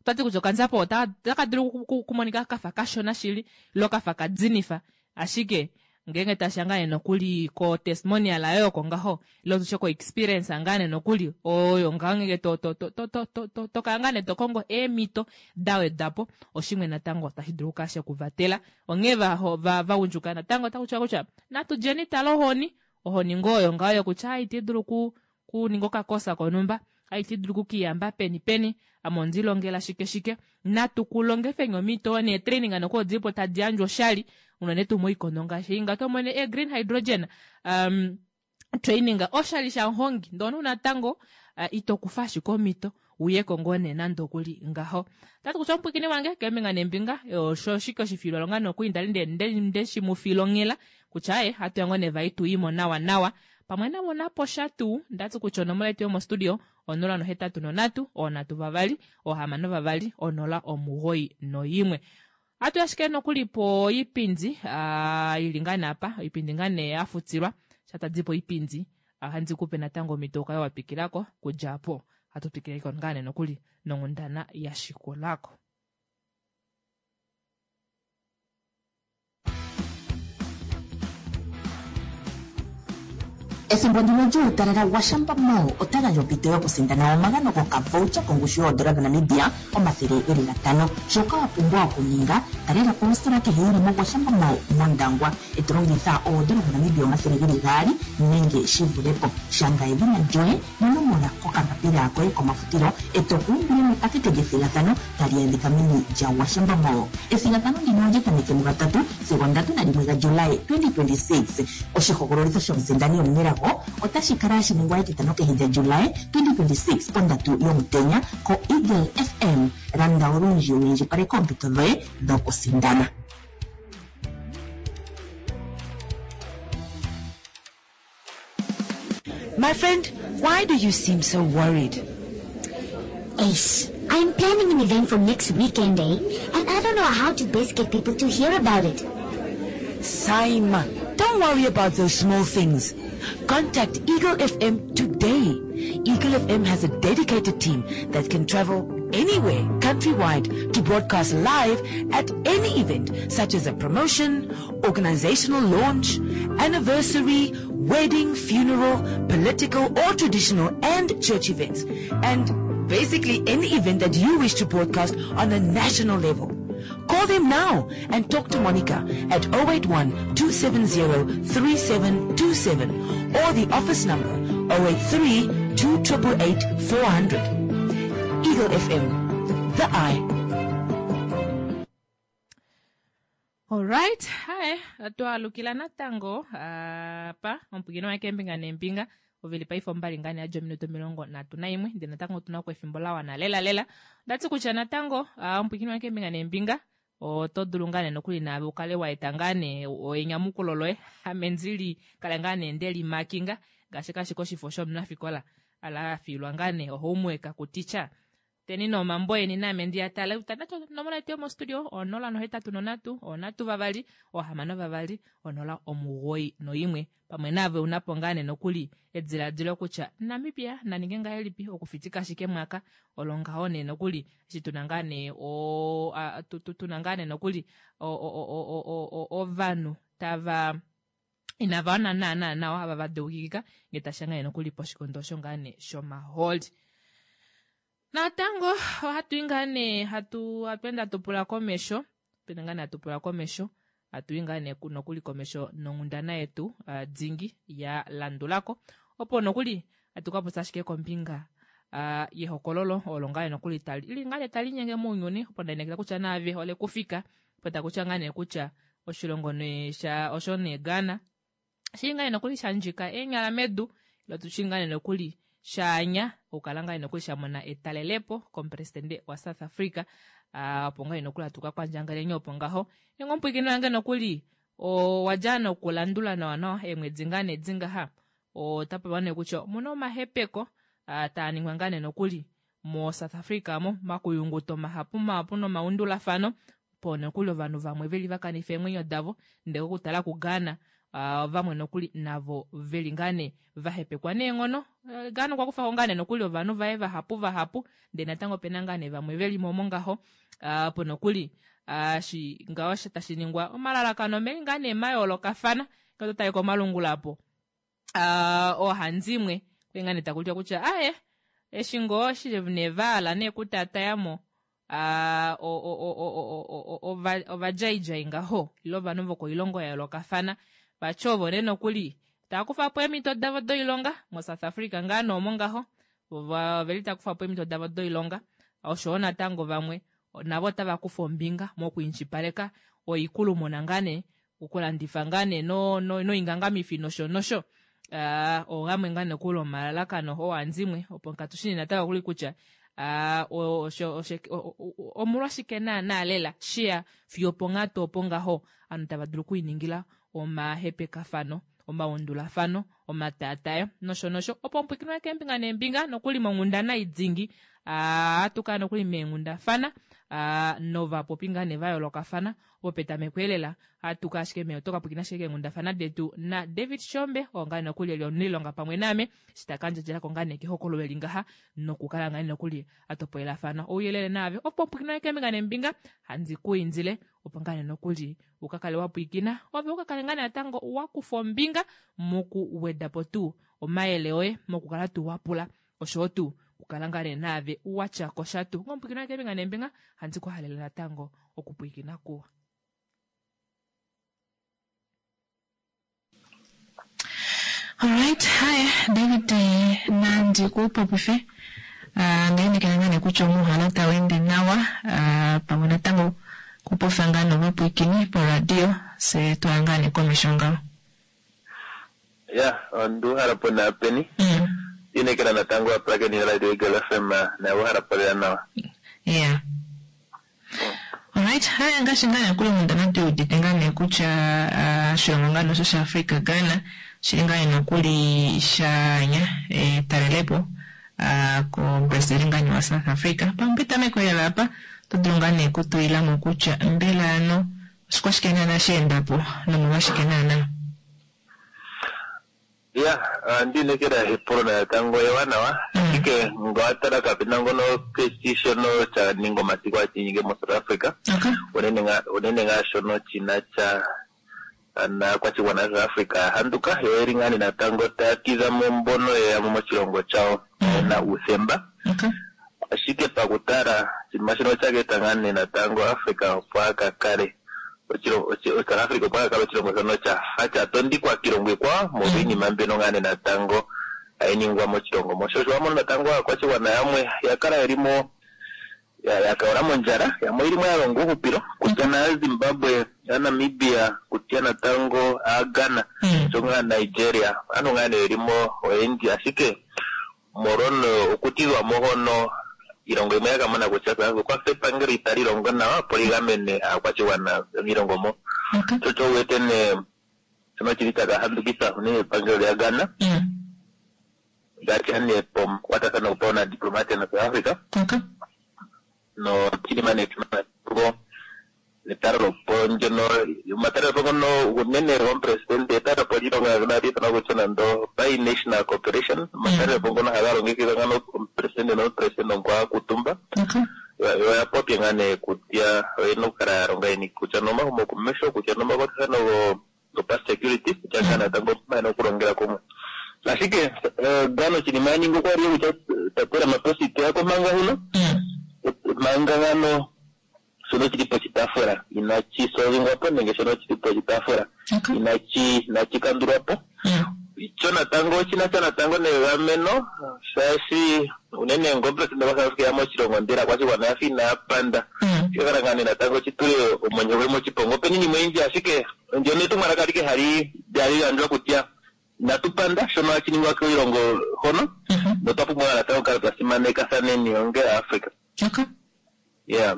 Otwati kutya okanzapo otaka dulu okumonika kafa kashona shili lo kafa kadinifa, ashike ngeenge tasha ngaa nee nokuli ko testimonial ayo oko ngaho ile tushe ko experience ngaa nee nokuli oyo ngaho ngeenge to to to to to to to to kala ngaa nee to kongo eemhito da wedwa po oshimwe natango tashi dulu okukala shekuvatela. Onghee va vagundjuka natango otaku tiwa kutya natu djeni tala ohoni, ohoni ngoo oyo ngaho yokutya a iti dulu ku kuninga okakosa konhumba, a iti dulu okukiyamba peni peni, ame ondi longela shike shike. Natu ku longifeni omhito nee training noko odilipo tadi yandjwa oshali unene tuu moikondo ngaashi ei ngato mone e green hydrogen training oshali shamuhongi ndee omunhu natango ito kufa ashike omhito uyeko ngoo nee nande okuli ngaho. Otati kutya omupwiikini wange keembinga neembinga osho oshike oshifiilwalonga nokuli ndali nde shi mu fiila onghela kutya aye hatu ya ngoo nee vai tu imo nawa nawa pamwe navo napo sha tuu ndati kutya onomola yetu yomostudio 083 3 6 2 091. Hatu ashike nokuli poipindi ili ngaa nee apa oipindi ngaa nee ya futilwa sha tadi po oipindi ohandi kupe natango omhito ukale wa twikilako kudja apo hatu twikileko ngaa nee nokuli nonghundana ya shikulako. Ethimbo ndino lyuutalala Gwashamba Mall ota gandja ompito yokusindana omagano gokavoucher kongushu yoodola dhaNamibia 500. Shoka wa pumbwa okuninga, talela po ositola kehe yi li moGwashamba Mall mOndangwa, e to longitha oodola dhaNamibia 200 nenge shi vule po. Shanga edhina lyoye nonomola kokambapila koye komafutilo e to ku umbile mepakete lyethigathano tali adhika meni lyaGwashamba Mall. Ethigathano ndino olya tameke mugatatu sigo 31 gaJuly 2026. Oshihogololitho shomusindani omunelago otashi kala hashi ningwa etitano kehe lyaJuly 2026 pondatu yomutenya koEagle FM. Landa olundji wu indjipaleke oompito dhoye dhokusindana. My friend, why do you seem so worried? Ace, I'm planning an event for next weekend, eh? And I don't know how to best get people to hear about it. Simon, don't worry about those small things. Contact Eagle FM today. Eagle FM has a dedicated team that can travel anywhere countrywide to broadcast live at any event such as a promotion, organizational launch, anniversary, wedding, funeral, political or traditional and church events. And basically any event that you wish to broadcast on a national level. Call them now and talk to Monica at 081 270 3727 or the office number 083 288 400. Eagle FM, the eye. Alright, hae twaalukila natango apa omupwiikini wange keembinga neembinga ovili paife ombali ngaa nee yadja ominute 31 ndee natango otuna ko efimbo la wana lela lela. Ondati kutya natango omupwiikini wange keembinga neembinga oto dulu ngaa nee nokuli naave ukale wa eta ngaa nee enyamukulo loye ame ndili kale ngaa nee nde limakinga ngaashi kashike oshifo shomunafikola ala afiilwa ngaa nee ohomework kuticha Teni nee omambo eni naame ndi a tale. Utana onomola yetu yomostudio 083 3 6 2 091. Pamwe naave una po ngaa nee nokuli ediladilo kutya Namibia na ninge ngahelipi okufitika ashike mwaka olo ngaho nee nokuli eshi tuna ngaa nee o, a, tu, tu, tuna ngaa nee nokuli o, o, o, o, o, o, ovanhu tava inava wana naana nawa ava va deukikika ngee tashi ya ngaa nee nokuli poshikondo osho ngaa nee shomahooli. Natango ohatu i ngaa nee hatu hatu ende hatu pula komesho hatu ende ngaa nee hatu pula komesho hatu i ngaa nee nokuli komesho nonghundana yetu uh, dingi ya landulako opo nokuli hatu ka popya ashike kombinga uh, yehokololo olo ngaa nee nokuli tali li ngaa nee tali nyenge mounyuni opo ndainekela kutya naave ole kufika opo takutya ngaa nee kutya oshilongo nee sha osho nee Ghana shili ngaa nee nokuli sha ndjika eenyala medu ilo tu shili ngaa nee nokuli shaanya okukala ngaa nee nokuli sha mona etalelepo komupresidente waSouth Africa opo ngaa nee nokuli hatu ka kwandjangeleni opo ngaho engomupwiikini wange nokuli owa dja nokulandula nawa nawa eemwedi ngaa nee dingaha ota popiwa nee kutya omuna omahepeko taa ningwa ngaa nee nokuli moSouth Africa mo makuyunguto mahapu mahapu nomaundulafano po nokuli ovanhu vamwe veli va kanifa eemwenyo davo ndele okutala kuGhana. Vamwe nokuli navo veli ngaa nee vahepekwa neenghono. Ghana okwa kufako ngaa nee nokuli ovanhu vaye vahapu vahapu, ndee natango opena ngaa nee vamwe velimo omo ngaho, opo nokuli eshi ngaho tashi ningwa omalalakano omeli ngaa nee mayoolokafana. Ngee oto tale komalungula apo oohandimwe okwali ngaa nee taku tiwa kutya aaye eshi ngoo eshi nee vahala nee okutaatayamo ovadjaidjai ngaho ile ovanhu vokoilongo ya yoolokafana vati ovo nee nokuli tava kufa po eemhito davo doilonga moSouth Africa ngaa nee omo ngaho oveli tava kufa po eemhito davo doilonga oshoyo natango vamwe navo otava kufa ombinga mokwiindjipaleka oikulumuna ngaa nee okulandifa ngaa nee noingangamifi nosho nosho. Ogamwe ngaa nokuli omalalakano oohandimwe opo katu shi nee natango kuli kutya omolwashike naanaa lela sheya fiyo oponghatu opo ngaho ovanhu tava dulu okwiiningila omahepekafano, omaundulafano, omataatayo nosho nosho opo mupwikinwe keembinga neembinga nokuli monghundana idingi ohatu kala nokuli meenghundafana novapopi ngaa nee va yoolokafana opo petameko elela ohatu ka ashike oto ka pwilikina ashike keenghundafana detu naDavid Shombe oo ngaa nokuli eli omuniilonga pamwe naame eshi ta ka ndjadjelako ngaa nee kehokololo eli ngaha nokukala ngaa nokuli atopolelafana ouyelele naave opo pwilikina keembinga neembinga handi ku indile opo ngaa nee nokuli uka kale wa pwilikina ove uka kale ngaa natango wa kufa ombinga mokuweda po tuu omayele oye mokukala tuu wa pula oshowo tuu okukala ngaa nee naave watya ko sha tuu ngomupwilikina keembinga neembinga handi ku halele natango okupwilikina kuwa. Alright, hi David nandi ku popife uh, ndainekela ngaa nee kutya omuuhala tau ende nawa uh, pamwe natango kupofa ngaa novapwiikini poradio se twaya ngaa nee komesho ngaho. Ya, onduuhala po naapeni. Inekela natango aapulakeni yoRadio Eagle FM nayo uhala po lela nawa. Yeah. Alright, haya ngaashi ngaa nokuli onkundana tu udite ngaa nee kutya oshilongo ngaa nosho shaAfrica Ghana oshili ngaa nee nokuli shaanya etalelepo komupresidente ngaa nee waSouth Africa. Pamwe petameko lela apa oto dulu ngaa nee okutulila mo kutya mbela ano oshikwashike naana sha enda po nomolwashike naana? Ya, ohandi inekela epulo natango ewanawa, ashike ngele owa tala kape na ngono keshi shono sha ninga omasiku hashi inyenge moSouth Africa, unene ngaa unene ngaa shono shi na sha naakwashigwana yaSouth Africa ya handuka, yo oyeli ngaa nee natango taya tidha mo mbono ye ya mo moshilongo shawo ye na uuthemba. Ashike pakutala oshinima shono osha ka eta ngaa nee natango Africa opo a ka kale South Africa opo a ka kale oshilongo shono sha fa sha tondikwa kiilongo iikwawo molwa iinima mbyono ngaa nee natango hayi ningwa moshilongo mo. Sho osho wa mono natango aakwashigwana yamwe ya kala yeli mo ya kaula mondjala, yamwe oyeli mo ya longa uuhupilo kutya naaZimbabwe, aaNamibia, kutya natango aaGhana osho ngaa Nigeria, aantu ngaa nee yeli mo oyendji ashike molwa okutidhwa mo hono iilongo yimwe oya ka mona kutya South Africa okwa fa epangelo itali longo nawa opo li gamene aakwashigwana yomiilongo mo. Sho osho wu wete nee shono shili sha ka handukitha unene epangelo lyaGhana ngaashi nee pomakwatathano gopaunadiplomatia naSouth Africa noshinima nee shono natango netalelopo ndyono omatalelopo ngono unene gomupresidente etalelopo lyiilongo ndjono hali ithanwa kutya nando bi-national cooperation omatalelopo ngono haga longekidhwa ngano omupresidente nomupresidente omukwawo a kuutumba yo oya popya ngaa nee kutya oyena okukala ya longa yeni kutya nomahumokomeho kutya nomakwatathano gopasecurity kutya ngaa natango yena okulongela kumwe. Ashike Ghana oshinima ya ningi okwali kutya tate Ramaphosa iteya ko manga huno manga ngano shono shili poshitaafula inashi solvingwa po nenge shono shili poshitaafula inashi inashi kandulwa po. Sho natango oshina sha natango negameno shaashi unene ngo omupresidente gwaSouth Africa eya moshilongo ndele aakwashigwana oya fa inaya panda shika kala ngaa nee natango shi tule omwenyo gwe moshiponga. Opena iinima oyindji ashike ndyono etumwalaka alike hali lyali gandjwa kutya inatu panda shono hashi ningwa kiilongo hono notwa pumbwa natango okukala twa simanekathaneni onge Aafrica. Yeah.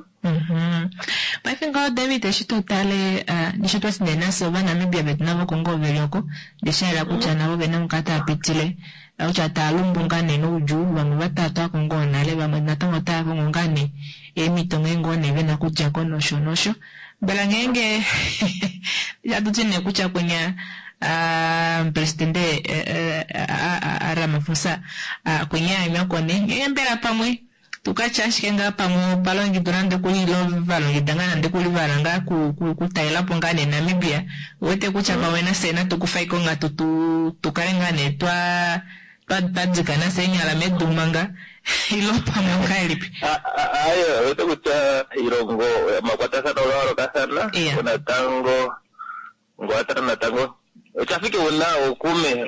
Paife ngaho David eshi to tale ndishi twa ti nee nafye Ovanamibia vetu navo oko ngoo veli oko ndee sha yela kutya navo ovena mukala tava pitile kutya tava lumbu ngaa nee noudjuu vamwe va taatwako ngoo nale vamwe natango otava kongo ngaa nee eemhito nghee ngoo nee vena okudjako nosho nosho mbela ngeenge hatu ti nee kutya kwinya. Omupresidente Ramaphosa kwenyaanywa kone ngenge mbela pamwe tukatya ashike ngaa pamwe opalongidwa nande kuli ilo valongida ngaa nande kuli vala ngaa kutalelapo ngaa nee Namibia uwete kutya pamwe nafye natu kufa onghatu tukale ngaa nee twa twadzika nafye eenyala medu manga ilo pamwe ongahelipi? Aye, owete kutya ilongo omakwatathano ga yoolokathana natango ngwatala natango oshafike una okume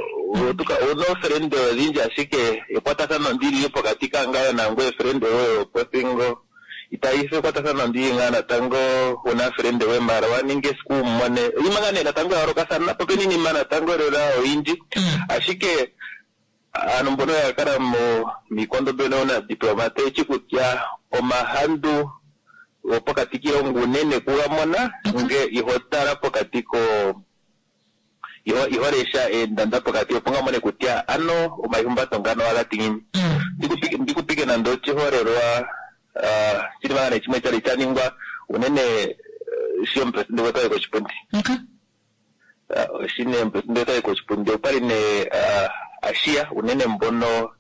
una ofrende odhindji ashike ekwatathano ndili pokati kangayo nangoye frende woye wopothingo itayi ekwatathano ndili ngaa natango una frende we mara waninga esiku umone iinima ngaa nee natango ya yoolokathana po pena iinima natango lela oyindji ashike aantu mbono ya kala miikondo mbyono na diplomate echi kutya omahandu gopokati kiilongo unene kugamona nge iho tala pokati ko iho lesha eendanda pokati opo ngamone kutya ano omaihumbato ngano aga tingini. Ndikupike nande ochiholelwa chili ngaa nee chimwe chali cha ningwa unene shi omupresidente gwetu ayi koshipundi. Shi nee omupresidente gwetu ayi koshipundi okwali nee ashiya unene mbono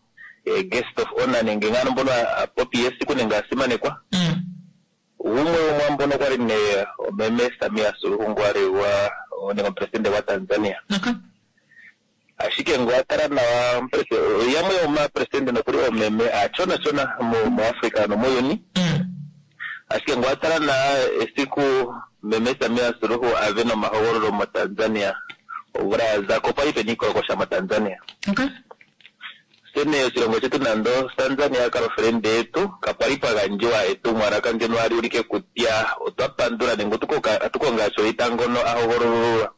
guest of honor nenge ngano mbono apopi esiku nenge asimanekwa. Gumwe womwaambono okwali nee omeme Samia Suluhu ngo ali gwa nenge omupresidente gwa Tanzania. Ashike ngo atala nawa yamwe yomapresidente nokuli oomeme aachonachona muAfrica nomuuyuni. Ashike ngo atala nawa esiku meme Samia Suluhu ave nomahogololo moTanzania omvula ya zako opwali pena iikolokosha moTanzania. Sene oshilongo shetu nando Tanzania kala ofrende yetu kapwali pwa gandjiwa etumwalaka ndyono hali ulike kutya otwa pandula nenge otukonga sho ngono ahogololulwa.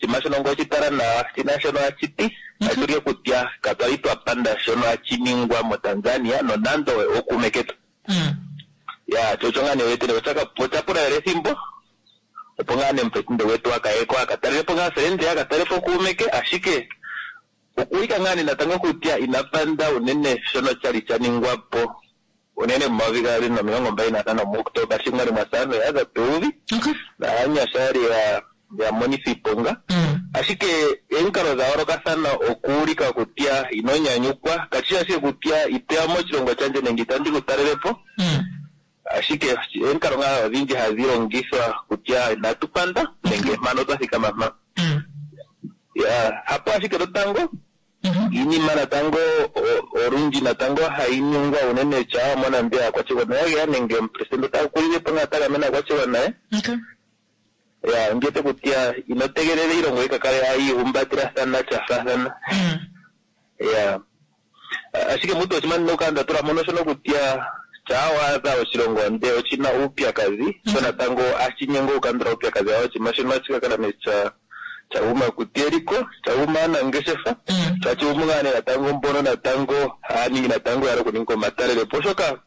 Shima shono ngo oshitala nawa shina shono hashiti hashi ulike kutya katwali twa panda shono hashi ningwa moTanzania nonando okuume ketu. Ya cho ngaa nee wetele ocha pula lela ethimbo opo ngaa nee omupresidente gwetu akayeko akatalelepo ngaa frende akatalelepo kuume ke ashike okuulika ngaa nee natango kutya ina panda unene shono chali cha ningwa po unene mumayovi 2025 muOktoba shi mwali mwa saano yaadha pevi naanyasha yali ya monitha iiponga. Ashike omikalo dha yoolokathana okuulika kutya ino nyanyukwa kashi ashike kutya itoya moshilongo shandje nenge itandi ku talelepo ashike omikalo ngaa odhindji hadhi longithwa kutya inatu panda nenge mpano twa thikama mpa. Ya hapo ashike lotango iinima natango olundji natango hayi ningwa unene shaa moNamibia aakwashigwana ya geya nenge omupresidente ota kulilepo ngaa ta gamene aakwashigwana ye. Ya ngete kutya ino tegelela iilongo yi ka kale hayi ihumbatilathana sha faathana. Ya ashike mutu oshimaliwa okukala nda tula mono shono kutya shaa waadha oshilongo nde oshina uupyakadhi sho natango ashinyengwa okukandula uupyakadhi wawo oshinima shono hashi ka kala nee sha guma kutya eliko sha guma aanangeshefa shashi guma ngaa nee natango mbono natango haya ningi natango yala okuninga omatalelepo oshoka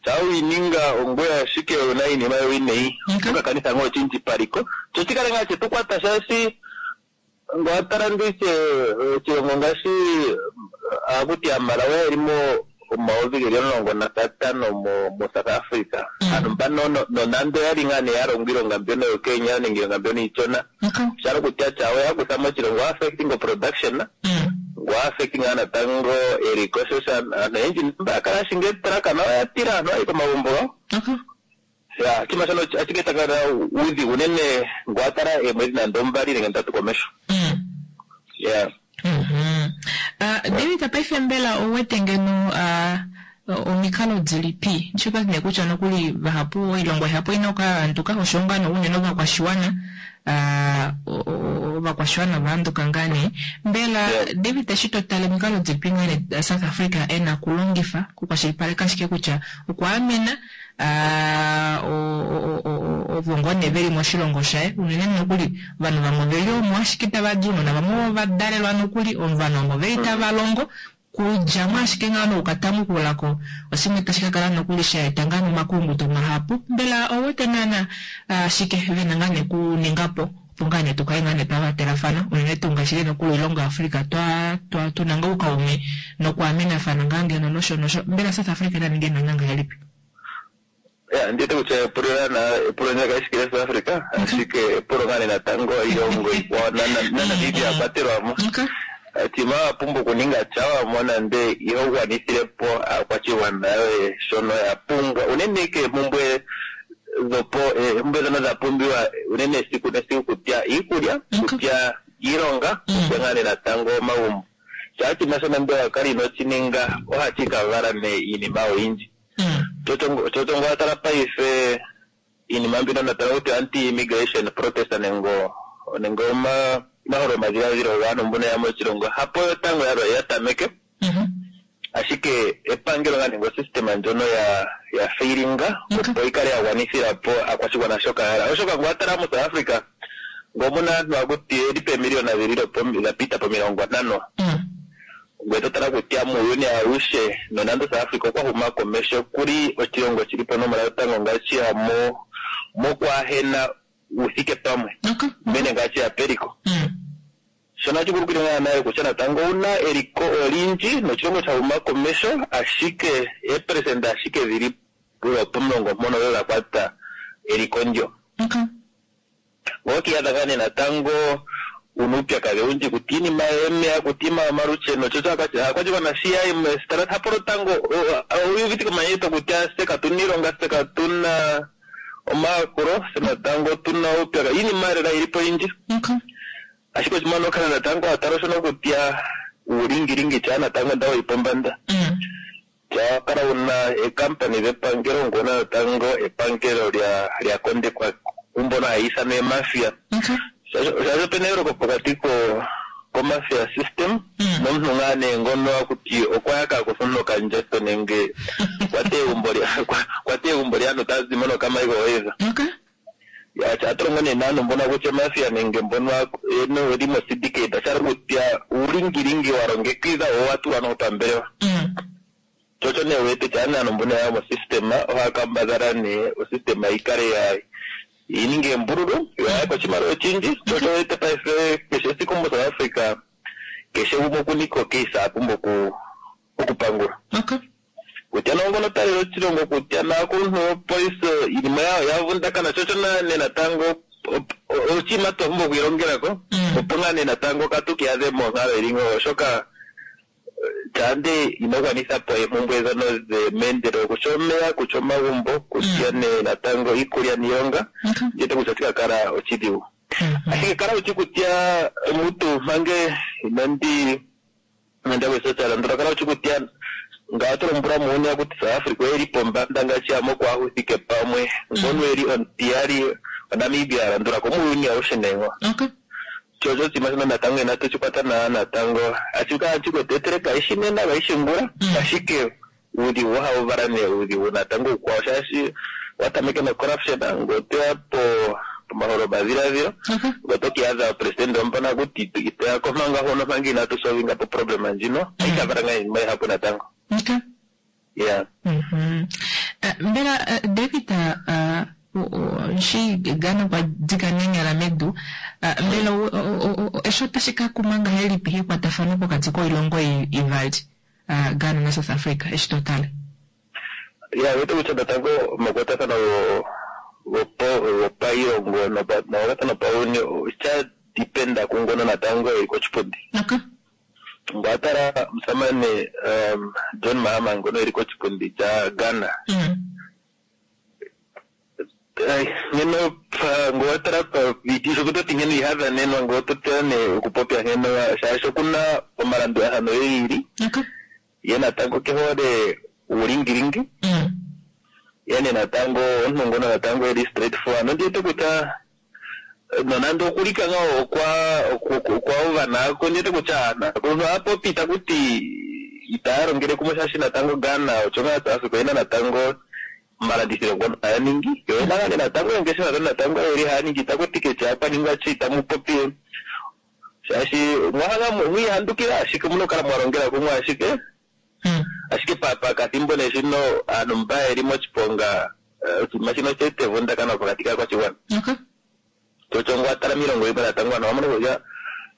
shaa wiininga ongoye ashike wuna iinima yowineyi oto kanitha ngaa oshindji paliko sho shikale ngaa shetu kwata shaashi ngo watala ndishe oshilongo ngaashi akuti aMalawi yeli mo 10,015 moSouth Africa. Aantu mbano nonando yali ngaa nee ya longo iilonga mbyono yokenya nenge iilonga mbyono iishona shala kutya tyawo ya kutha moshilongo affecting production ngo affecting ngaa natango eliko sho aantu oyendji mba ya kala ashinge etraka nayo oya tila aantu ayi komagumbo gawo. Ya oshinima shono ashike takala uudhigu unene ngo watala eemwedhi nande 2 nenge 3 komesho. Ya. David paife mbela owete ngeno omikalo dhilipi shoka nee kutya nokuli vahapu oilongo ihapu ina okukala yaanduka osho ngaa unene ovakwashiwana ovakwashiwana vaanduka ngaa nee mbela David eshi to tale omikalo dhilipi ngaa nee South Africa ena okulongifa okukwashilipaleka ashike kutya okwaamena ovo ngoo nee veli moshilongo shaye unene nokuli ovanhu vamwe oveli omo ashike tava di ounona vamwe ovadalelwa nokuli ovanhu omo veli tava longo kudjamo ashike ngaa nokukatamukulako oshimwe tashi ka kala nokuli sha eta ngaa nomakulunguto mahapu mbela owete naana shike vena ngaa nee kuningapo opo ngaa nee tukale ngaa nee twavatelafana unene tuu ngaashi nokuli oilongo yaAfrica tuna ngaa oukaume nokwaamenafana ngaa ngeno nosho nosho mbela South Africa na ninge naana ngahelipi? Ya, ndi wete kutya epulo epulo ndyoka kali shi South Africa, ashike epulo ngaa nee natango iilongo iikwawo naNamibia a kwatelwa mo. Tima wa pumbwa okuninga tya wa mona nde iho gwanithile po aakwashigwana yoye shono ya pumbwa, unene keempumbwe dhopo eempumbwe dhono dha pumbiwa unene esiku nesiku kutya iikulya, kutya iilonga, kutya ngaa nee natango omagumbo. Shaa oshinima shono nde wa kala ino shi ninga ohashi ka vala nee iinima oyindji. Chocho ngo watala paife iinima mbino natala kutya anti immigration protest nenge nenge omaholo omadhiladhilo gaantu mbono ya moshilongo hapo yotango ya tameke. Ashike epangelo nga nenge osystem ndjono ya ya failinga opo yi kale ya gwanithila po aakwashigwana shoka ya hala. Oshoka ngo watala mu South Africa ngo omuna aantu akuti yeli peemiliyona dhili dha pita pomilongo ntano. Ngoye to tala kutya muuyuni awushe nonando South Africa okwa huma komesho okuli oshilongo shili ponomola yotango ngaashi ya mo mokwaahena uuthike pamwe unene ngaashi ya peliko. Shono ohashi vulu okuninga naana kutya natango owuna eliko olindji noshilongo sha huma komesho ashike eeperesenda ashike dhili lwopomulongo mpono odho dha kwata eliko ndyo. Ngoka iyadha ngaa nee natango una uupyakadhi owundji kutya iinima yomeya, kutya iinima yomalusheno, sho osho aakwashigwana shi ya yi meesitola hapo lotango oyu uvite komanyenyeto kutya tse katuna iilonga, tse katuna omayakulo, tse natango otuna uupyakadhi, iinima lela yili po oyindji. Ashike oshinima okala natango wa tala oshono kutya uulingilingi tyaa natango ndawo yi pombanda. Tyaa kala wuna eekampani dhepangelo ngono natango epangelo lya lya kondekwa kumbono haya ithanwa eemafia. Shaashi opena eyooloko pokati ko komafia system nomuntu ngaa nee ngono akuti okwa yaka akutha omuntu okandjato nenge okwa teya egumbo lya okwa teya egumbo lyaantu ta zimo nokamicrowave. Ya, ohatu longo nee naantu mbono kutya omafia nenge mbono yeli mo syndicate, sha hala kutya uulingilingi wa longekidhwa wo owa tulwa noho pambelewa. Sho osho nee wu wete kutya aantu mbono ya ya mo system ohaya kambadhala nee o system yi kale ya yi ninge embululu yo ya yake oshimaliwa oshindji. Sho osho wu wete paife keshe esiku mo South Africa keshe gumwe okuna ike ocase a pumbwa oku okupangulwa. Kutya nee ongono ta lele oshilongo, kutya naakuluntu yopolisi, iinima ya vundakana, sho osho nee natango oshinima twa pumbwa okwiilongela ko, opo ngaa nee natango katu ki iyadhe monkalo yili ngawo, oshoka shaa ino gwanitha po eempumbwe dhono dhemeendelelo, kutya omeya, kutya omagumbo, kutya nee natango iikulya niilonga, ndi wete kutya otashi ka kala oshidhigu. Ashike kala wushi kutya mutu mpange inandi nande kutya landula kala wushi kutya nga oto lombwela muuyuni akuti South Africa oyeli pombanda ngaashi ya mokwaahuthike pamwe ngono eli omutiyali oNamibia ya landula ko muuyuni awushe nengo. Sho osho oshinima shono natango inatu shi kwata nawa natango ashi kala shi kwetu kaishi nena kaishi ngula ashike uudhigu ohawu vala nee uudhigu natango uukwawo shaashi wa tameke no corruption ngoye otoya po pomaholo omadhiladhilo ngoye oto kiiyadha president omupona akuti itoya komanga hono manga inatu solvinga po problem ndjino ohayi ka vala ngaa iinima ihapu natango. Yeah. Mbela David shi Ghana okwa dika nenyala medu, mbela eshi otashi ka kuma ngahelipi ekwatafano pokati koilongo ivali, Ghana naSouth Africa, eshi to tale? Ya, wete kutya natango omakwatathano gopailongo nomakwatathano pauyuni osha dependa kungono natango eli koshipundi. Ngele wa tala omusamane John Mahama ngono eli koshipundi sha Ghana. Ngeno ngele wa tala pa sho toti ngeno iha dhanenwa ngele oto tala nee okupopya ngeno shaashi okuna omalandulathano ge ili. Ye natango ke hole uulingilingi. Ye nee natango omuntu ngono natango eli straight forward. Nondi wete kutya nonando okulika ngawo okwa okwa uva nako ndi wete kutya aakuluntu ohaya takuti itaya longele kumwe shaashi natango Ghana osho ngaa South Africa oyena natango omalandithilo ngono haya ningi yo oyena ngaa natango oongeshefa dhono natango yeli haya ningi takuti ketya kwaningwa shi itamu popi shaashi mwahala mwiihandukila ashike omuna okukala mwa longela kumwe ashike ashike pakathimbo nee shino aantu mba yeli moshiponga oshinima shino osha eta evundakano pokati kaakwashigwana. Chocho ngele wa tala miilongo yimwe natango ano owa mona kutya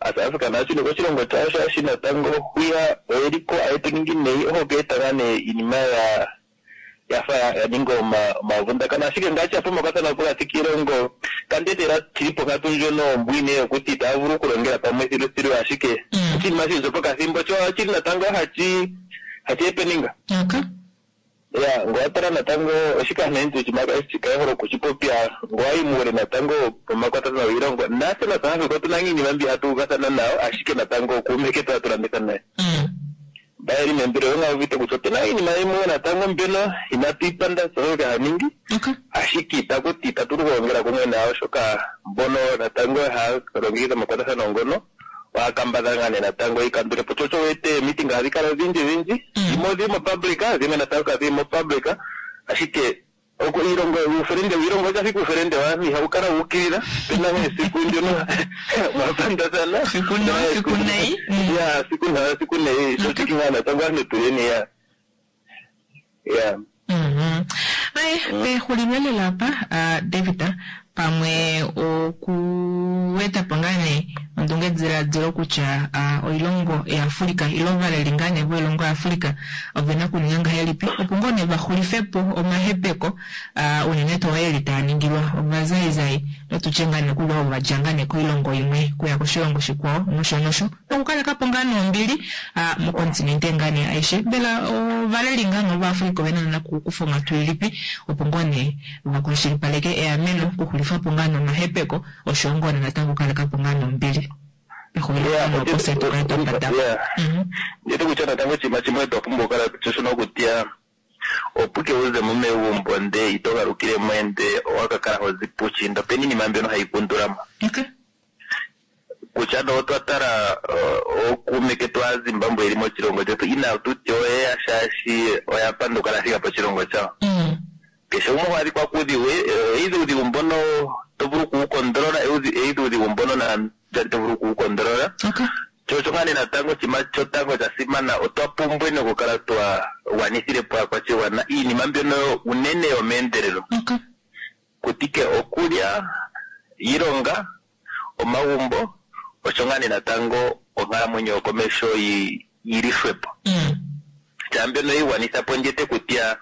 South Africa nayo shino koshilongo shawo shaashi natango hwiya oyeliko aye to ningi neyi oho ka eta ngaa nee iinima ya ya fa ya ninga omavundakano. Ashike ngaashi apa omakwatathano pokati kiilongo kandetela shili ponkatu ndjono ombwiinayi yokuti itaya vulu okulongela pamwe thiluthilu, ashike oshinima shili pokathimbo sho oshili natango hachi happening. Ya, ngo watala natango oshikanentu chikayeholo kuchipopya ngo wayi muule natango pomakwatathano giilongo natse na South Africa otuna iinima mbi hatu uvathana nayo, ashike natango kuume ketu hatu landitha naye bayeli membilo yonga uvite kutya otuna iinima yimwe natango mbyono inatu ipanda South Africa haningi, ashike itakuti itatu vulu okulongela kumwe nayo, oshoka mbono natango haya longekidha omakwatathano ngono ohaya kambadhala ngaa nee natango yi kandulepo. Tsho wete meeting ohadhi kala odhindji dhindji, dhimwe odhili mopublic, dhimwe natango kadhili mopublic, ashike iilongo uufelende wiilongo oja fika uufelende waantu ihawu kala wuukilila. Pena esiku ndyono mwapandathana Siku nawa, siku nayi. Ya, siku nawa siku nayi, sho chiki ngaa natango aantu tuleni ya ya. Aye, pexulilo lela apa, David, pamwe okuweta po ngaa nee ondungediladilo kutya oilongo yaAfrika ile ovaleli ngaa nee voilongo yaAfrika ove na okuninga ngahelipi opo ngoo nee vaxulife po omahepeko, unene tuu eli taa ningilwa ovazaizai notutye ngaa nee kuli ovo vadja ngaa nee koilongo imwe kuya koshilongo shikwao nosho nosho, nokukaleka po ngaa nombili mokontinente ngaa nee aishe. Mbela ovaleli ngaa nee vaAfrika ove na okukufa onghatu ilipi opo ngoo nee vakwashilipaleke eameno, okuxulifa po ngaa nomahepeko osho ngoo nee natango okukaleka po ngaa nombili pexulilo nopose tukale twa pata. Ndete kutya natango oshinima shimwe twa pumbwa okukala shono kutya opo ke uze mo megumbo nde ito galukile mo ende owa ka kala hozi puushiinda, opena iinima mbyono hayi kundulamo. Kutya no otwa tala ookuume ketu aaZimbabwe yeli moshilongo shetu, ina tuti oyeya shaashi oya panduka la thika poshilongo shawo. Keshe gumwe oha adhikwa kuudhigu, either uudhigu mbono to vulu okuwukondolola, either uudhigu mbono na to vulu okuwukondolola. Sho osho ngaa nee natango oshinima shotango sha simana, otwa pumbwa nokukala twa gwanithile po aakwashigwana iinima mbyono unene yomeendelelo. Kutike okulya, iilonga, omagumbo, osho ngaa nee natango onkalamwenyo yokomesho yi lishwepo. Shaa mbyono yigwanitha po ndjete kutya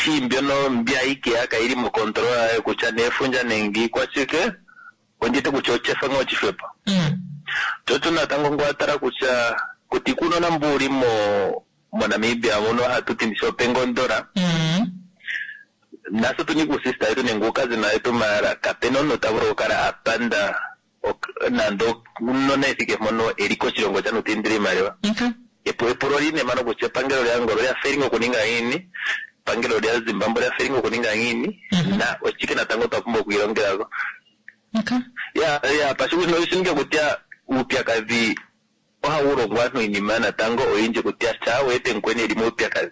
shi mbyono mbya ikeya kayili mokontrola yayo kutya neefundja nenge ikwashike, ondjete kutya ochefa ngaa ochishwepo. Tsho natango ngo watala kutya kuti kunona mbu uli moNamibia muno hatu tindisha opengondola, naso tuni kuusista yetu nenge uukazina yetu, maala kapena omuntu ta vulu okukala a panda nando unona ethike mpono eli koshilongo chanutindila iimaliwa. Epulo line mano kutya epangelo lyaAngola olya failing okuninga ngiini, epangelo lyaZimbabwe olya failing okuninga ngiini, na oshike natango twa pumbwa okwiilongelako. Ya ya pashikusino shininge kutya uupyakadhi ohawu longwa aantu iinima natango oyindji kutya shaa wete mukweni eli muupyakadhi,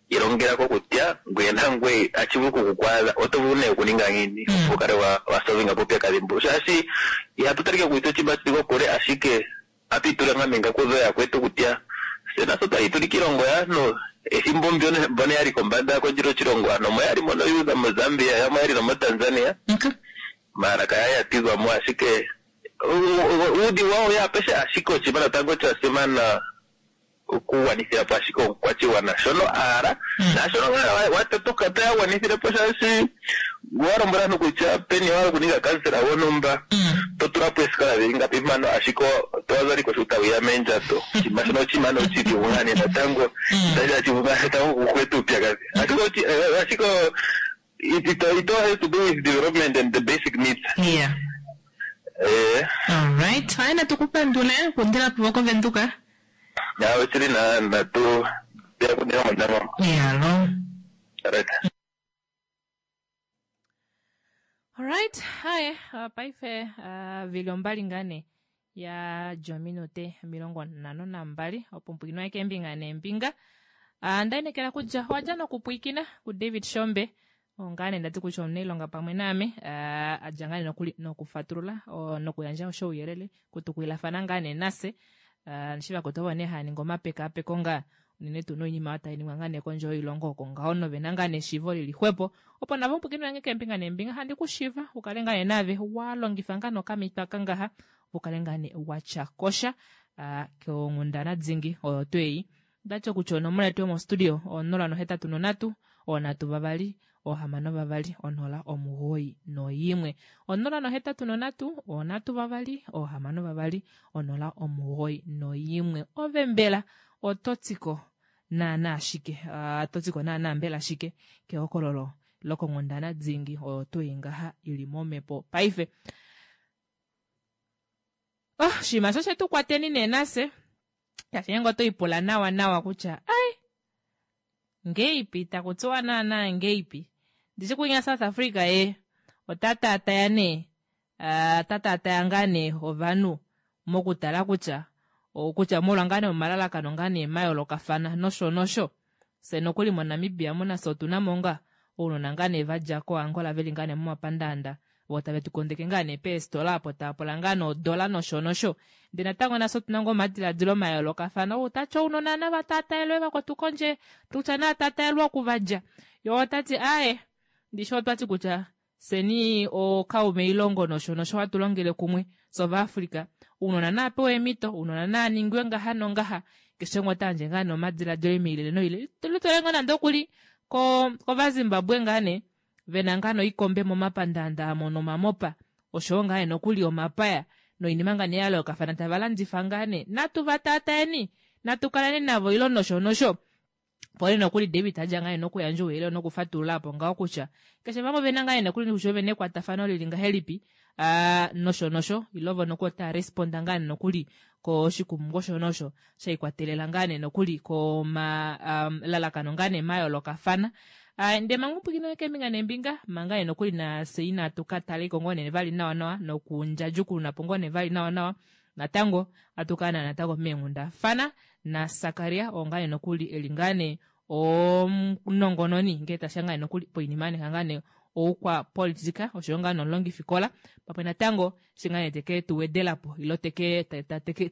ilongelako kutya ngweye nangweye achi vulu okukwaadha, oto vulu nee okuninga ngiini opo ukale wa solvinga po uupyakadhi mbu, shaashi ihatu talike kutya oshinima shili kokule, ashike atu itula ngaa meengaku dhoyakwetu kutya se naso twali tuli kiilongo yaantu ethimbo mbyono mbono yali kombanda kondjila oshilongo, ano omo yali mono yuudha moZambia, yamwe yali nomoTanzania, maala kaya ya tidhwa mo, ashike uudhigu wawo ya apeshe, ashike oshinima natango sha simana okugwanithila po ashike omukwashigwana shono aala naashono ngaa watatuka taya gwanithile po, shaashi wa lombwela aantu kutya peni wala okuninga kansela gwontumba, to tula po eesikola dhili ngapi mpano, ashike towaza liko sho tawiya meendjato, oshinima shono oshinima noshidhigu ngaa nee natango, itashi vulu ngaa natango okukweta uupyakadhi, ashike it all has to do with development and the basic needs. Alright, haya natukupandule kundila po koVenduka. Ya, oshili na natu ya kundila mondama. Yalo. Right. Alright, haye, paife vili ombali ngane ya jominute 52 opo mpwino keembinga neembinga. Ndainekela kutya owadja nokupwikina kuDavid Shombe ongaane ndati kutya omunailonga pamwe naame, adja ngaa nokuli nokufatulula nokuyandja osho ouyelele kutukwilafana ngaa nee nase shiva kutovo nee haya ningi omapekapeko ngaa unene tuu noinima oyo tai ningwa ngaa nee kondje yoilongo oko ngaho novena ngaa neshiivo lili xwepo opo navo mpwikino yange keembinga neembinga handi kushiva ukale ngaa nee naave wa longifa ngaa nokamitwa kangaha opo ukale ngaa nee watya kosha konghundana dingi oyo tweyi. Ndati kutya onomola yetu yomostudio 083. 3 2 6 0 9 1. 083 3 2 6 0 91. Ove mbela oto tiko naana shike? Oto tiko naana mbela shike kehokololo lokonghundana dingi oyo tuu ngaha ili momhepo paife? Oh, oshinima sho shetu kwateni nee nafye. Shaashi ngeenge oto ipula nawa nawa kutya ai ngeipi takutiwa naana ngeipi ndishi kunya South Africa ye ota taataya nee ota taataya ngaa nee ovanhu mokutala kutya kutya molwa ngaa nee omalalakano ngaa nee mayoolokafana nosho nosho. Fye nokuli moNamibia mu nafye otu na mo ngaa ounona ngaa nee va dja koAngola veli ngaa nee momapandaanda vo tave tu kondeke ngaa nee peestola apo tava pula ngaa nee odola nosho nosho. Ndee natango nafye otu na ngoo omadiladilo mayoolokafana. Ou tati ounona nava taataelwe vakwetu kondje, kutya nava taataelwe oku va dja. Ye ota ti aaye, ndishi otwa ti kutya fyeni ookaume ilongo nosho nosho hatu longele kumwe fye Ovaafrika. Ounona nava pewe eemhito, ounona nava ningwe ngaha nongaha. Keshe umwe ota yandje ngaa nee omadiladilo oilele noilele. Litwele ngoo nande okuli kOvazimbabwe ngaa nee vena ngaa noikombe momapandaanda amo nomamopa oshowo ngaa nee nokuli omapaya noinima ngaa nee ya yoolokafana tava landifa ngaa nee. Natu va taatayeni, natu kaleni navo ilo nosho nosho. Opo nee nokuli David adja ngaa nee nokuyandja ouyelele nokufatulula apo ngaho kutya keshe vamwe ovena ngaa nee nokuli kutya ovena ekwatafano lili ngahelipi nosho nosho ilo vo nokuli otava responda ngaa nee nokuli koshikumungu osho nosho sha ikwatelela ngaa nee nokuli komalalakano ngaa nee mayoolokafana. Ndee manga upwikinwe keembinga neembinga manga nee nokuli nafye inatu ka taleko ngoo nee vali nawa nawa nokundjadjukununa po ngoo nee vali nawa nawa natango atu kala natango meenghundafana naSakaria oo ngaa nee nokuli eli ngaa nee omunongononi ngee tashiya ngaa nee nokuli poinima yanika ngaa nee oukwapolitika oshoyo ngaa nomulongifikola pamwe natango eshi ngaa nee teke tu wedelapo ilo teke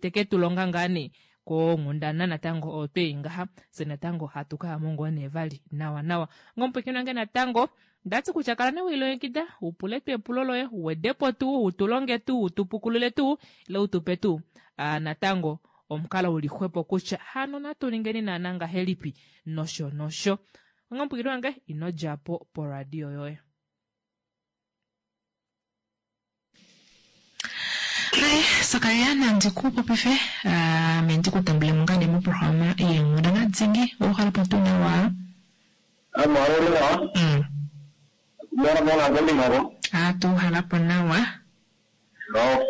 teke tu longa ngaa nee konghundana natango oyo twei ngaha fye natango hatu kayamo ngoo nee vali nawa nawa. Ngomupwiikini wange natango ndati kutya kala nee welilongekida upule tuu epulo loye uwedepo tuu utulonge tuu utupukulule tuu ile utupe tuu natango omukalo uli xwepo kutya hano natu ningeni naana ngahelipi nosho nosho. Ngomupwiikini wange ino djapo poradio yoye. Hai, Sakaria nandi ku popife ame ndi ku tambule mo ngaa nee moprograma yeenghundana dingi. Ouhala po tuu nawa? Ame ohali nawa. Mona mona kombinga ko. Atu uhala po nawa. No.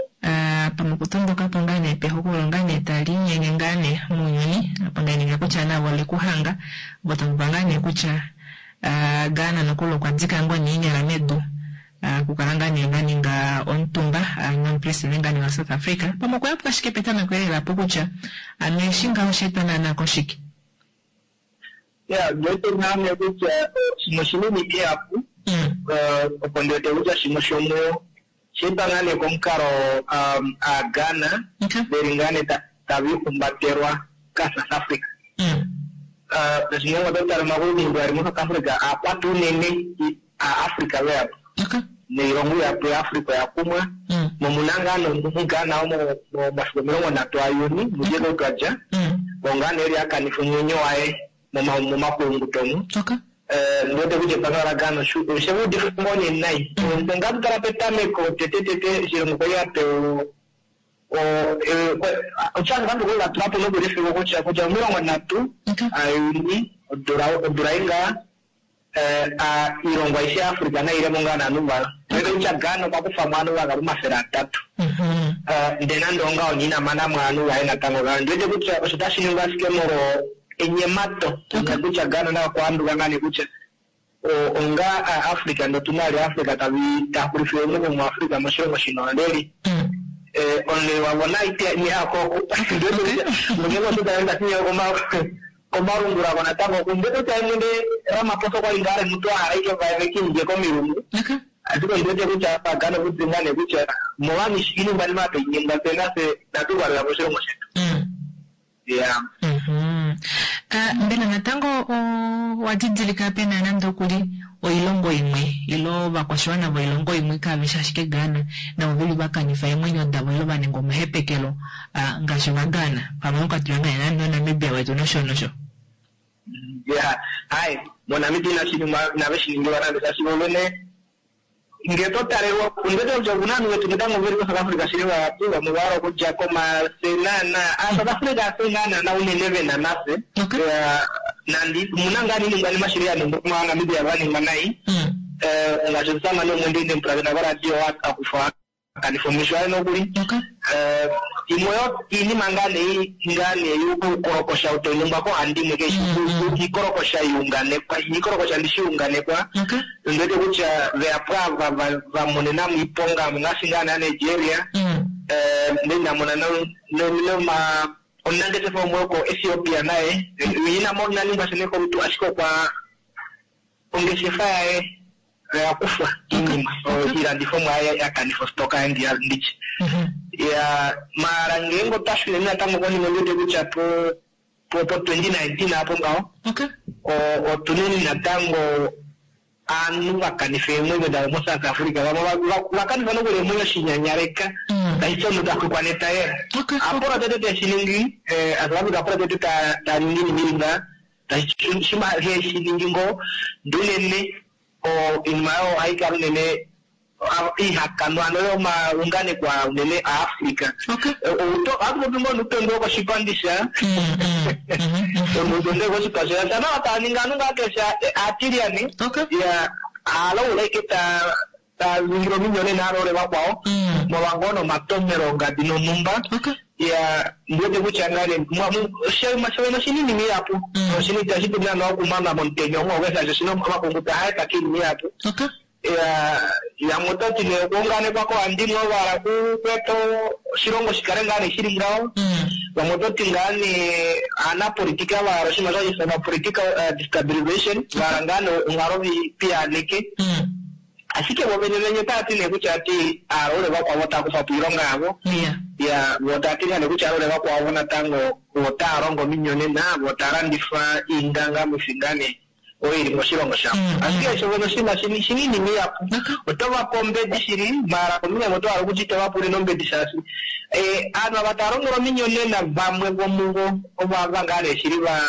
Pamwe okutondoka po ngaa nee pehokololo ngaa nee tali inyenge ngaa nee mounyuni apa ngaa nee kutya navo ole kuhanga vo tamupa ngaa nee kutya Ghana nokuli okwa dika ngoo nee eenyala medu okukala ngaa nee va ninga omutumba nomupresidente ngaa nee wa South Africa. Pamwe okwa yapuka ashike petameko elela po kutya ano eshi ngaho osha etwa naana koshike. Ya, ndiwete naame kutya shimwe oshinima ihapu opo ndiwete kutya shimwe shomuyo osha etwa ngaa nee komukalo aaGhana veli ngaa nee tava ihumbatelwa kaSouth Africa. Ngaashi ngenge oto tala omakulukuluku ali moSouth Africa aakwata unene aAfrica veyapo noilongo ihapu yaAfrica oya kumwa nomuna ngaa nomuGhana omo momafiku 30 aJuni mudje twa dja ongaa nee eli akanifa omwenyo waye momakulunguto omu. Ndiwete kutya epangelo laGhana oshe udifa ngoo nee nai. Ngatu tala petameko tete tete oshilongo kwali apewa osha vanhu kwali vatula po nokuli efiku kutya kutya 30 aJuni odula inga iilongo aishe yaAfrica nailemo ngaa naanhu vayo. Ndiwete kutya Ghana okwa kufamo ovanhu vakalu 300. Ndee nande ongaho ina manamo ovanhu vaye natango Ghana. Ndiwete kutya osho tashi ningwa ashike molwo enyemato kutya Ghana naye okwa handuka ngaa nee kutya onga Africa ndotuna ali Africa taxulifile omunhu muAfrica moshilongo shina omuleli. Omuleli wavo naite nihako ngeenge osho taenda fiyo komalungula ko natango ndiwete kutya mwene Ramaphosa okwali ngaa ali mutu ahala ike vekindje komilungu. Ashike ndiwete kutya Ghana okudzi ngaa nee kutya molwani iiningwanima tainingwa fye nafye inatu valelwa moshilongo shetu. Ya. Mbela natango owa didilika pena nande okuli oilongo imwe ilo ovakwashiwana voilongo imwe kaveshi ashike Ghana navo veli vakanifa eemwenyo davo ilo vaninga omahepekelo ngaashi ovaGhana pamwe okatula ngaa nande oNamibia wetu nosho nosho. Ya, hai. MoNamibia inashi ningwa inave shi ningilwa nande shaashi vo vene ngee to talelwa ondwete kutya okuna ovanhu vetu natango veli koSouth Africa shili vahapu vamwe vahala okudja ko maala fye naana aaSouth Africa hafye ngaa naana unene vena nafye nande omuna ngaa oiningwanima shili yaningwa mOvanamibia vaningwa nai ngaashi omusamane umwe ndee ndemupulakena koradio akufwa akanifa omesho aye nokuli. Imwe yo iinima ngaa nee ngaa nee yuukolokosha ou tai ningwa koohandimwe keshe iikolokosha ya unganekwa iikolokosha ndishi ya unganekwa ondi wete kutya veyapo ava va monenamo iiponga ngaashi ngaa nee Nigeria ndee nda mona noma omunangeshefa umwe woko Ethiopia naye ina ningwa sha nee kolutu ashike okwa ongeshefa yaye oya kufwa iinima iilandithomwa yaye ya kanifa ostoka yaye nditye. Ya maala ngeenge otwa shuneni natango konima ondi wete kutya po po po 2019 apo ngaho otuneni natango aanhu va kanifa eemwenyo davo moSouth Africa vamwe va kanifa nokuli eemwenyo shinyanyaleka tashi ti omunhu ta xwikwa netayela. Apolo tete teshi ningi South Africa apolo tete ta ningi iinima ili ngaha tashi ti shima heshi ningi ngoo ndee unene oinima oyo ohai kala unene ihakanwa hano yomaunganekwa unene aAfrica. Ohatu popi ngoo noutondwe wokoshipandi sha noutondwe wokoshipa sha sha nawa taa ningi ovanhu ngaa keshe aatilyane ya haalaula ashike taa taa ningile ominyonena aloole vakwao molwa ngoo nomatomhelo ongadi nonhumba ya ndiwete kutya ngaa nee shovene oshinima ihapu oshinima itashi dulu naana okumanwa momutenya omwe shaashi oshina omaxungu taa etwa koinima ihapu ya yamwe otati nee okuunganekwa koohandimwe ovo vahala okweeta oshilongo shikale ngaa nee shili ngaho vamwe ototi ngaa nee aanapolitika vahala oshinima sho hashi ifanwa political destabilization vahala ngaa nee onghalo piyaaneke Ashike vo vene vene otava ti nee kutya vati aalaule vakwao otava kufa po oilonga yavo. Ya, vo tava ti nee kutya aalaule vakwao vo natango otava longo ominyonena, vo tava landifa iingangamwifi ngaa nee oyo ili moshilongo shavo. Ashike sho vene oshinima shina iinima ihapu. Oto va pe ombedi shili, maala kombinga imwe oto hala okutya ito va pe unene ombedi shaashi ovanhu ava tava longelwa ominyonena vamwe vomuvo ovo ava ngaa nee shili va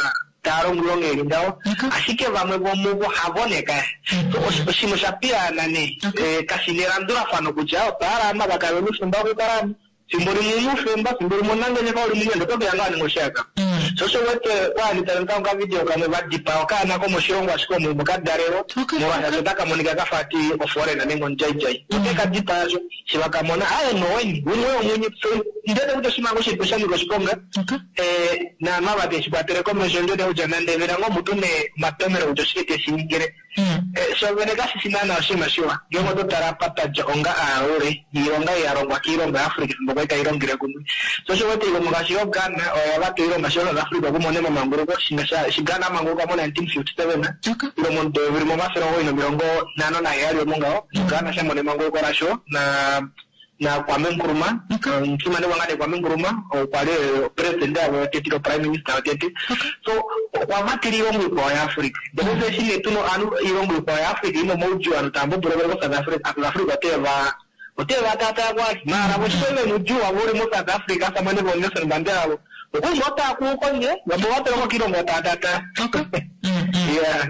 tava longo oilonga ili ngaho, ashike vamwe vomuvo havo nee kaya. So oshinima osha piyaana nee, kashi na elandulafano kutya otwa hala ovanhu ava kave na oufemba wokukala omu, fimbo limwe ouna oufemba, fimbo limwe omunangeshefa uli mumwe ndee oto keya ngaa wa ninga oshihakanwa. Sho osho u wete kwa li tava ningi okavidio kamwe va dipaa okaana komoshilongo ashike omo omo ka dalelwa molwaashi otaka monika kafa ati oforeigner nenge omudjaidjai. Ote ka dipaa sho eshi va ka mona aaye noweni umwe womunye ndiwete kutya oshinima ngoo shilipo sha nyika oshiponga. Naanhu ava teshi kwatele komesho ndiwete kutya nande vena ngoo mutu ne omatomelo kutya oshike teshi ningile. Sho vene kashishi naana oshinima shiwa ngeenge oto tala apa twadja onga aalaule niilonga ei ya longwa kiilongo ya Africa efimbo kwali tai longele kumwe. Sho osho uwete iilongo ngaashi yo Ghana oyo ya vata oilonga sho South Africa okumona emamanguluko eshi Ghana amanguluka mo 1957 ile momudo weyovi limwe 957 omo ngaho Ghana sha mona emanguluko lasho na na Kwame Nkrumah, omufimanekwa ngaa nee Kwame Nkrumah okwa li president wavo wotete ile prime minister wotete. So okwa vatela oilongo ikwao yaAfrica. Ndele fye eshi nee tuna ovanhu oilongo ikwao yaAfrica ina omaudjuu ovanhu tava mboboloka koSouth Africa, South Africa ote va ote va taataa ko ashike. Maala vo eshi vena oudjuu wavo uli moSouth Africa asamane voo Nelson Mandela vo okwali ngoo taa kuu kondje vamwe ova twalwa kokiilongo taa taataa. Yeah.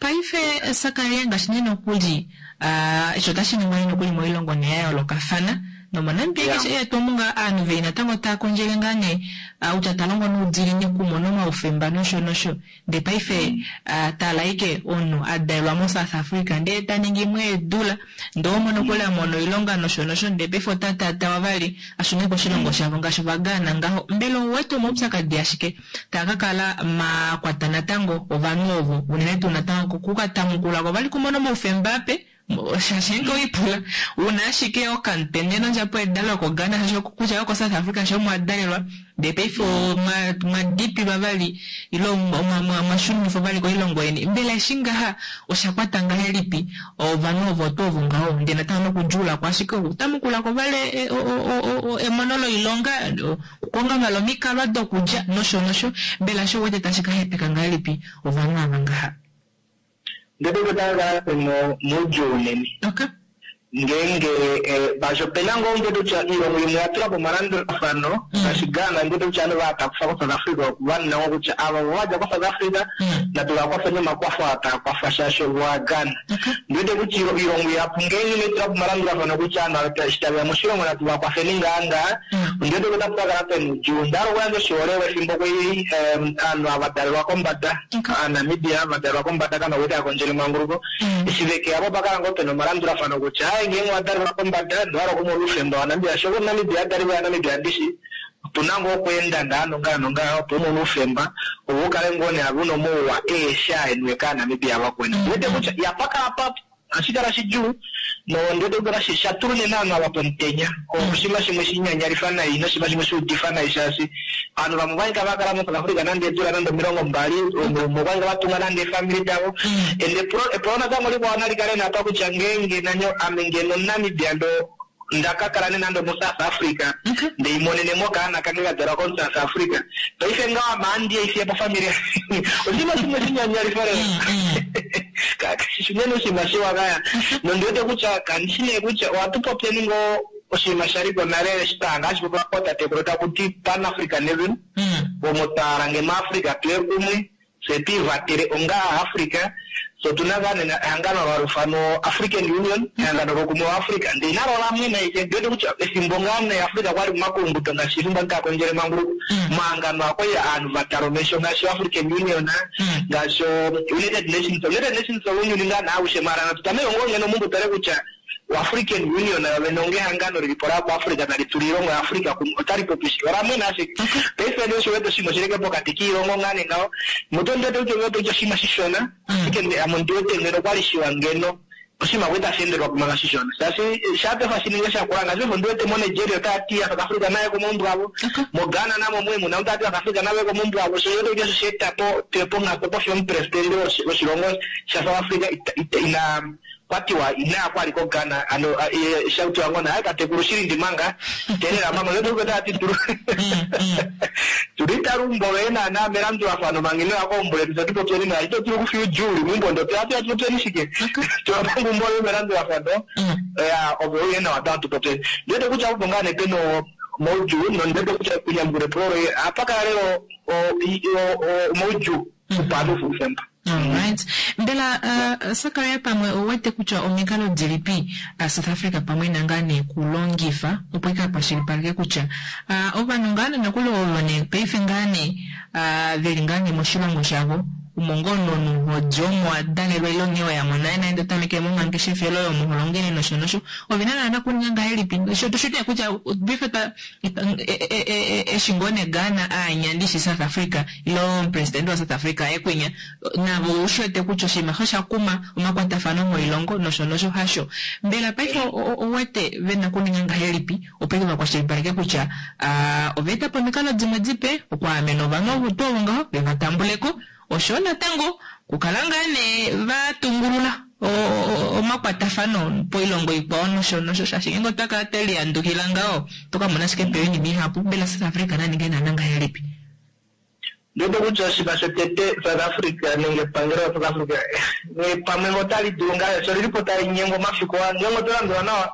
Paife Sakaria ngaashi nee nokuli Eshi otashi ningwa nee nokuli moilongo nee ya yoolokafana nomoNamibia keshe eetu omu ngaa aanhu veli natango taa kondjele ngaa nee kutya ta longo noudiinini okumona omaufemba nosho nosho ndee paife tala ashike omunhu a dalelwa moSouth Africa ndee ta ningi imwe eedula ndee oho mono nokuli a mona oilonga nosho nosho ndee paife ota taatawa vali a shune koshilongo shavo ngaashi Ovagaana ngaho. Mbela ou wete omaupyakadi ashike taa ka kala ma kwata natango ovanhu ovo, unene tuu natango ku ka tamukula ko vali kumona omaufemba ape, shaashi ngeenge owe lipula u na ashike okamutende nondjapo yedalo yokoGhana shaashi kutya yokoSouth Africa shaashi omo wa dalelwa, ndee paife omwa dipilwa vali ile omwa shunifwa vali koilongo yeni. Mbela eshi ngaha osha kwata ngahelipi ovanhu ovo tuu ovo ngaho, ndee natango nokudjuula ko ashike okutamukula ko vali emono loilonga, Okukonga vali omikalwa dokulya nosho nosho. Mbela osho u wete tashi ka hepeka ngahelipi ovanhu ava ngaha? Ndele otava kala ve moudjuu unene. Ok. Ngeenge ngaashi opena ngoo ndiwete kutya oilongo imwe oya tula po omalandulafano ngaashi Ghana ndiwete kutya ovanhu vaha takufa koSouth Africa ovanhu navo kutya ava ovo vadja koSouth Africa natu vakwafeni omakwafo aa taa kwafa shaashi ovo vaGhana. Ndiwete kutya oilongo ihapu ngeenge inai tula po omalandulafano kutya ovanhu ava eshi taveya moshilongo natu vakwafeni ngaa ngaa ondiwete kutya otapu kakala pena oudjuu. Onda hala okuyandja oshiholelwa efimbo kwali ovanhu ava dalelwa kombada Aanamibia ava dalelwa kombada kana kwali tava kondjele emanguluko eshi vekeya po opa kala ngoo pena omalandulafano kutya aaye ngeenge owa dalelwa kombada nowa hala okumona oufemba waNamibia shoo omuNamibia adalelwa yaNamibia ndishi otuna ngoo okweenda ngaa nongaa nongaa opo umone oufemba ove ukale ngoo nee ave una omauwa aeshe aa eniwe kaaNamibia vakweni. Ondiwete kutya yapakala pa ohashi kala shidjuu nondiwete kutya shatula unene ovanhu ava pomutenya. Oshinima shimwe shinyanyalifa nai noshinima shimwe shuudifa nai shaashi ovanhu vamwe okwali tava kala moSouth Africa nande eedula nande 20, umwe okwali vatunga nande eefamili davo. And epulo natango likwao nali kale napa kutya ngeenge nanyo ame ngeno omuNamibia ndo ndakakala nee nande omoSouth Africa ndeimonenemo okaana kange kadalwa komuSouth Africa paife ngaho ame ohandi eifiya po family oshinima shimwe shinyanyalifa lela kashishi unene oshinima shiwa kaya nondiwete kutya kandishi nee kutya ohatu popyeni ngoo oshinima shaliko nale eshi twahanga hashi popiwa kootatekulu takuti Pan Africanism omo twahala ngeno Africa tuye kumwe fye twiivatele onga Aafrica fye otuna ngaa nena ehangano olo hali ifanwa African Union ehangano loukumwe wa Africa ndee nalo olamwena ashike ondiwete kutya efimbo ngaa nee Africa kwali momakulunguto ngaashi efimbo ovanhu tava kondjele emanguluko omahangano aa okwali ovanhu vatala omesho ngaashi o African Union ngaashi o United Nations United Nations ounyuni ngaa nee aushe maala natu tameke ngoo ngeno omunhu tutale kutya o African Union yovene onga ehangano lilipo la Africa tali tula oilongo ya Africa kumwe otali popi shike olamwena ashike paife nee osho wete oshinima oshilike pokati koilongo ngaa nee ngaho mutu ondiwete kutya ondiwete kutya oshinima shishona ashike ame ondiwete ngeno okwali shiwa ngeno oshinima kwali tashi endelwa po manga shishona shaashi shapefa shininge shakula ngaashi paife ondiwete mo Nigeria otavati South Africa naye komaumbo avo mo Ghana namo omo muna otavati South Africa nave komaumbo avo sho oshiwete kutya osho shaeta po tuye ponghatu opo fiyo omupresidente woshilongo sha South Africa ina kwatiwa inaya kwali ko Ghana ano shakutiwa ngoo nee aye tatekulu shilindi manga teelela manga ondiwete kutya otavati tulu tuli talumbo loye naana melandulafano manga inoya keumbo letu fye tupopyeni naye ito dulu okufiya oudjuu uli meumbo ndoo atuya tupopyeni shike tula manga eumbo loye melandulafano ya ove uye nawa tango tupopyeni ondiwete kutya opo ngaa nee pena omaudjuu nondiwete kutya okunyamukula epulo loye ohapakala lela omaudjuu opo ovanhu oufemba. Alright. Mbela uh, Sakaria pamwe ou wete kutya omikalo dilipi uh, South Africa pamwe ina ngaa nee kulongifa opo ika kwashilipaleke kutya uh, ovanhu ngaa nee nokuli ovo nee paife ngaa nee uh, veli ngaa nee moshilongo shavo omo ngoo nomunhu hodi omo wa dalelwa ile onghee wayamo naye naye ndo tameke momangeshefelo oyo omo ho longele nosho nosho ovena naana kuninga ngahelipi sho tushi nee kutya paife twa eshi ngoo nee Ghana aanya ndishi South Africa ile omupresidente waSouth Africa aye kwinya navo oushi wete kutya oshinima osho osha kuma omakwatafano moilongo nosho nosho hasho. Mbela paife ouwete ve na okuninga ngahelipi opo eke vakwashilipaleke kutya ova eta po omikalo dimwe dipe okwaamena ovanhu ovo tuu ovo ngaho ve va tambule ko oshoyo natango okukala ngaa nee va tungulula omakwatafano poilongo ikwao nosho nosho shaashi ngeenge otwa kala twe lihandukila ngaho oto ka mona ashike pe oinima ihapu. Mbela South Africa na ninge naana ngahelipi? Ndiwete kutya oshinima shotete South Africa nenge epangelo la South Africa nghee pamwe ngee otali dulu ngaa shaashi olilipo tali nyengwa omafiku aa ngeenge oto landula nawa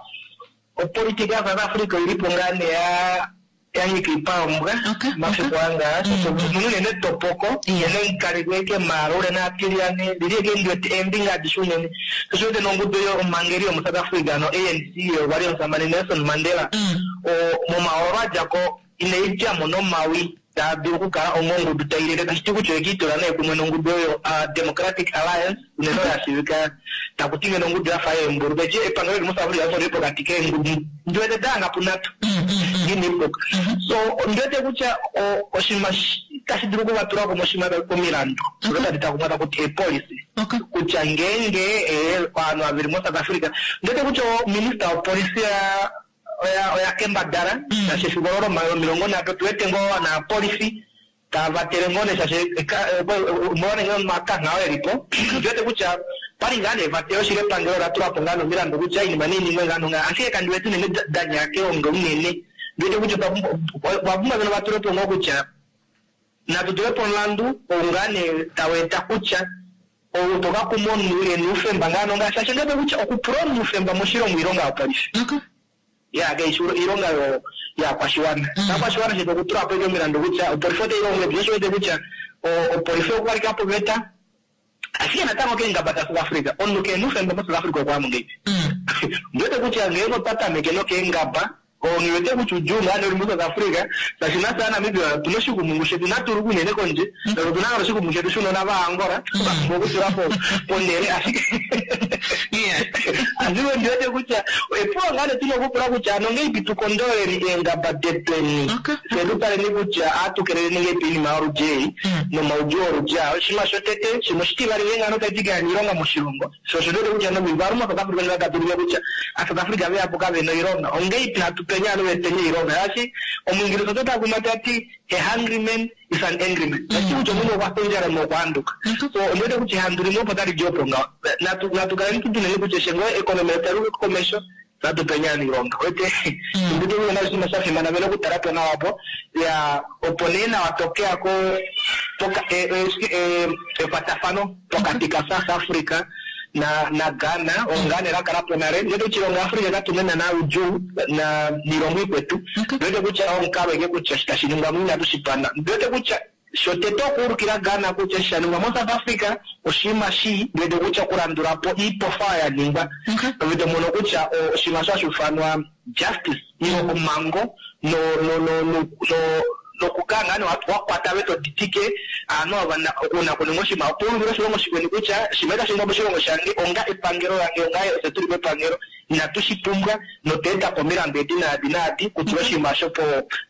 opolitika ya South Africa oilipo ngaa nee ya yanyika oipaombwa omafiku aa ngaa shaashi omuna unene etopoko unene kalili ashike maala unene aatilyane lili ashike ndiwete eembinga adishe unene sho osho uwete nongudu yomhangeli yomo South Africa ano ANC okwali omusamane Nelson Mandela momahoololo adjako inai djamo nomawi taa dulu okukala onga ongudu tai lele, tashi ti kutya oye kiitula nee kumwe nongudu oyo Democratic Alliance, unene oyo ya shiivika taku ti ngeno ongudu ya fa yeembulu. Tashi ti epangelo lili moSouth Africa oli li pokati keengudu ndi wete da hanga punhatu nghi ina puka. So ondi wete kutya oshinima tashi dulu okuvatula kumwe oshinima omilandu odo tadi takumwa taku ti eepolicy kutya ngeenge ovanhu ava veli moSouth Africa, ondi wete kutya ominista wopolisi ya oya oya kembadala shaashi efiku olo lomilongo nhatu otu wete ngoo ovanaapolifi tava vatele ngoo nee shaashi omolwa nee omakangha oo elipo ondi wete kutya opali ngaa nee evatelo shili epangelo ola tula po ngaa nee omilandu kutya oinima nei ningwe ngaa nongaa ashike kandi wete unene da nyaya keonga unene ndi wete kutya otwa pumbwa ngeno vatule po ngoo kutya natu tule po omulandu ou ngaa nee tau eta kutya. Ou to ka kuma omunhu e na oufemba ngaa nongaashi ashike ngebe kutya okupula omunhu oufemba moshilongo oilonga yopolifi. Ya kaishi oilonga yo yaakwashiwana. Ovakwashiwana shetu okutula po omilandu kutya opolifi otai longo ngahelipi, sho osho wete kutya opolifi okwa lika poveta. Ashike natango keengaba da South Africa, omunhu kehe na oufemba mo South Africa okwa ya mo ngahelipi? Ondi wete kutya ngeenge otwa tameke nokeengaba, Nghi wete kutya oudjuu ngaa nee uli mo South Africa, shaashi nafye aaNamibia otuna oshikumungu shetu inatu luka unene kondje, shaashi otuna ngaa oshikumungu shetu shounona vaAngola twa pumbwa okutula po ponhele ashike ashike ondi wete kutya epulo ngaa nee tuna okupula kutya ano ongahelipi tu kondololeni eengaba detweni fye tu taleni kutya ohatu keleleni ngahelipi oinima yoludi ei nomaudjuu oludi aa. Oshinima shotete, shimwe oshitivali ngeenge ovanhu tava ti kave na oilonga moshilongo, Sho osho ndiwete kutya nomivalu moSouth Africa ndjoka tatu ulike kutya aaSouth Africa veyapo kavena oilonga, ongeipi hatu peni ovanhu veteni oilonga shaashi Omuingilisa oto takuma tati a hungry man is an angry man tashi ti kutya omunhu okwa fya ondjala omunhu okwa handuka. So ondiwete kutya ehandu limwe opo tali di opo ngaho. Natu natu kaleni tu tuneni kutya eshi ngoo economy yetu tayi uka komesho natu peni ovanhu oilonga. Uwete ondiwete kutya oshinima sha fimana vena okutala po nawa opo ya opo nee nawa tokeya ko poka ekwatafano pokati ka South Africa na na Ghana oo ngaa nee la kala po nale. Ndiwete kutya oilongo ya Africa katu na naana oudjuu na niilongo ikwetu. Ndiwete kutya omukalo ashike kutya eshi tashi ningwa mo inatu shi panda. Ndiwete kutya shotete okuulukila Ghana kutya eshi sha ningwa mo South Africa oshinima shii, ndiwete kutya okulandula po iipofa oyo ya ningwa ove to mono kutya oshinima osho hashi ufanwa justice ile omhango no no no no nokukala ngaa nee wa kwata ove to ditike aanhu ava oonakuninga oshinima opo u ulukile oshilongo shikweni kutya oshinima itashi ningwa moshilongo shange onga epangelo lange onga ofye tuli mepangelo inatu shi pumbwa notwa eta po omilandu edi naadi naadi kutula oshinima osho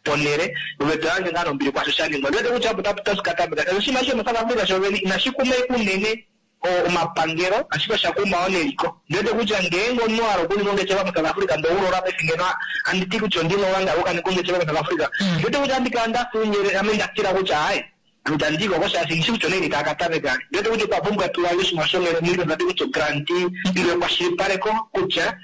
ponhele ove to yandje ngaa nombili kwaasho sha ningwa. Ondi wete kutya opo tashi ka tameka shaashi oshinima eshi shomoSouth Africa shovene inashi kuma ashike unene omapangelo ashike osha kuma wo neliko. Ondi wete kutya ngeenge omunhu wa hala okuninga ongeshefa moSouth Africa ndee oulola paife ngeno handi ti kutya ondi na oulangala wokukaninga ongeshefa moSouth Africa, ondi wete kutya ohandi kala nda fya oundjele ame nda tila kutya aaye ame itandi iko ko shaashi nghishi kutya onaini taa ka tameka. Ondi wete kutya otwa pumbwa tu yandje oshinima shomeni tati kutya oguarantee ile ekwashilipaleko kutya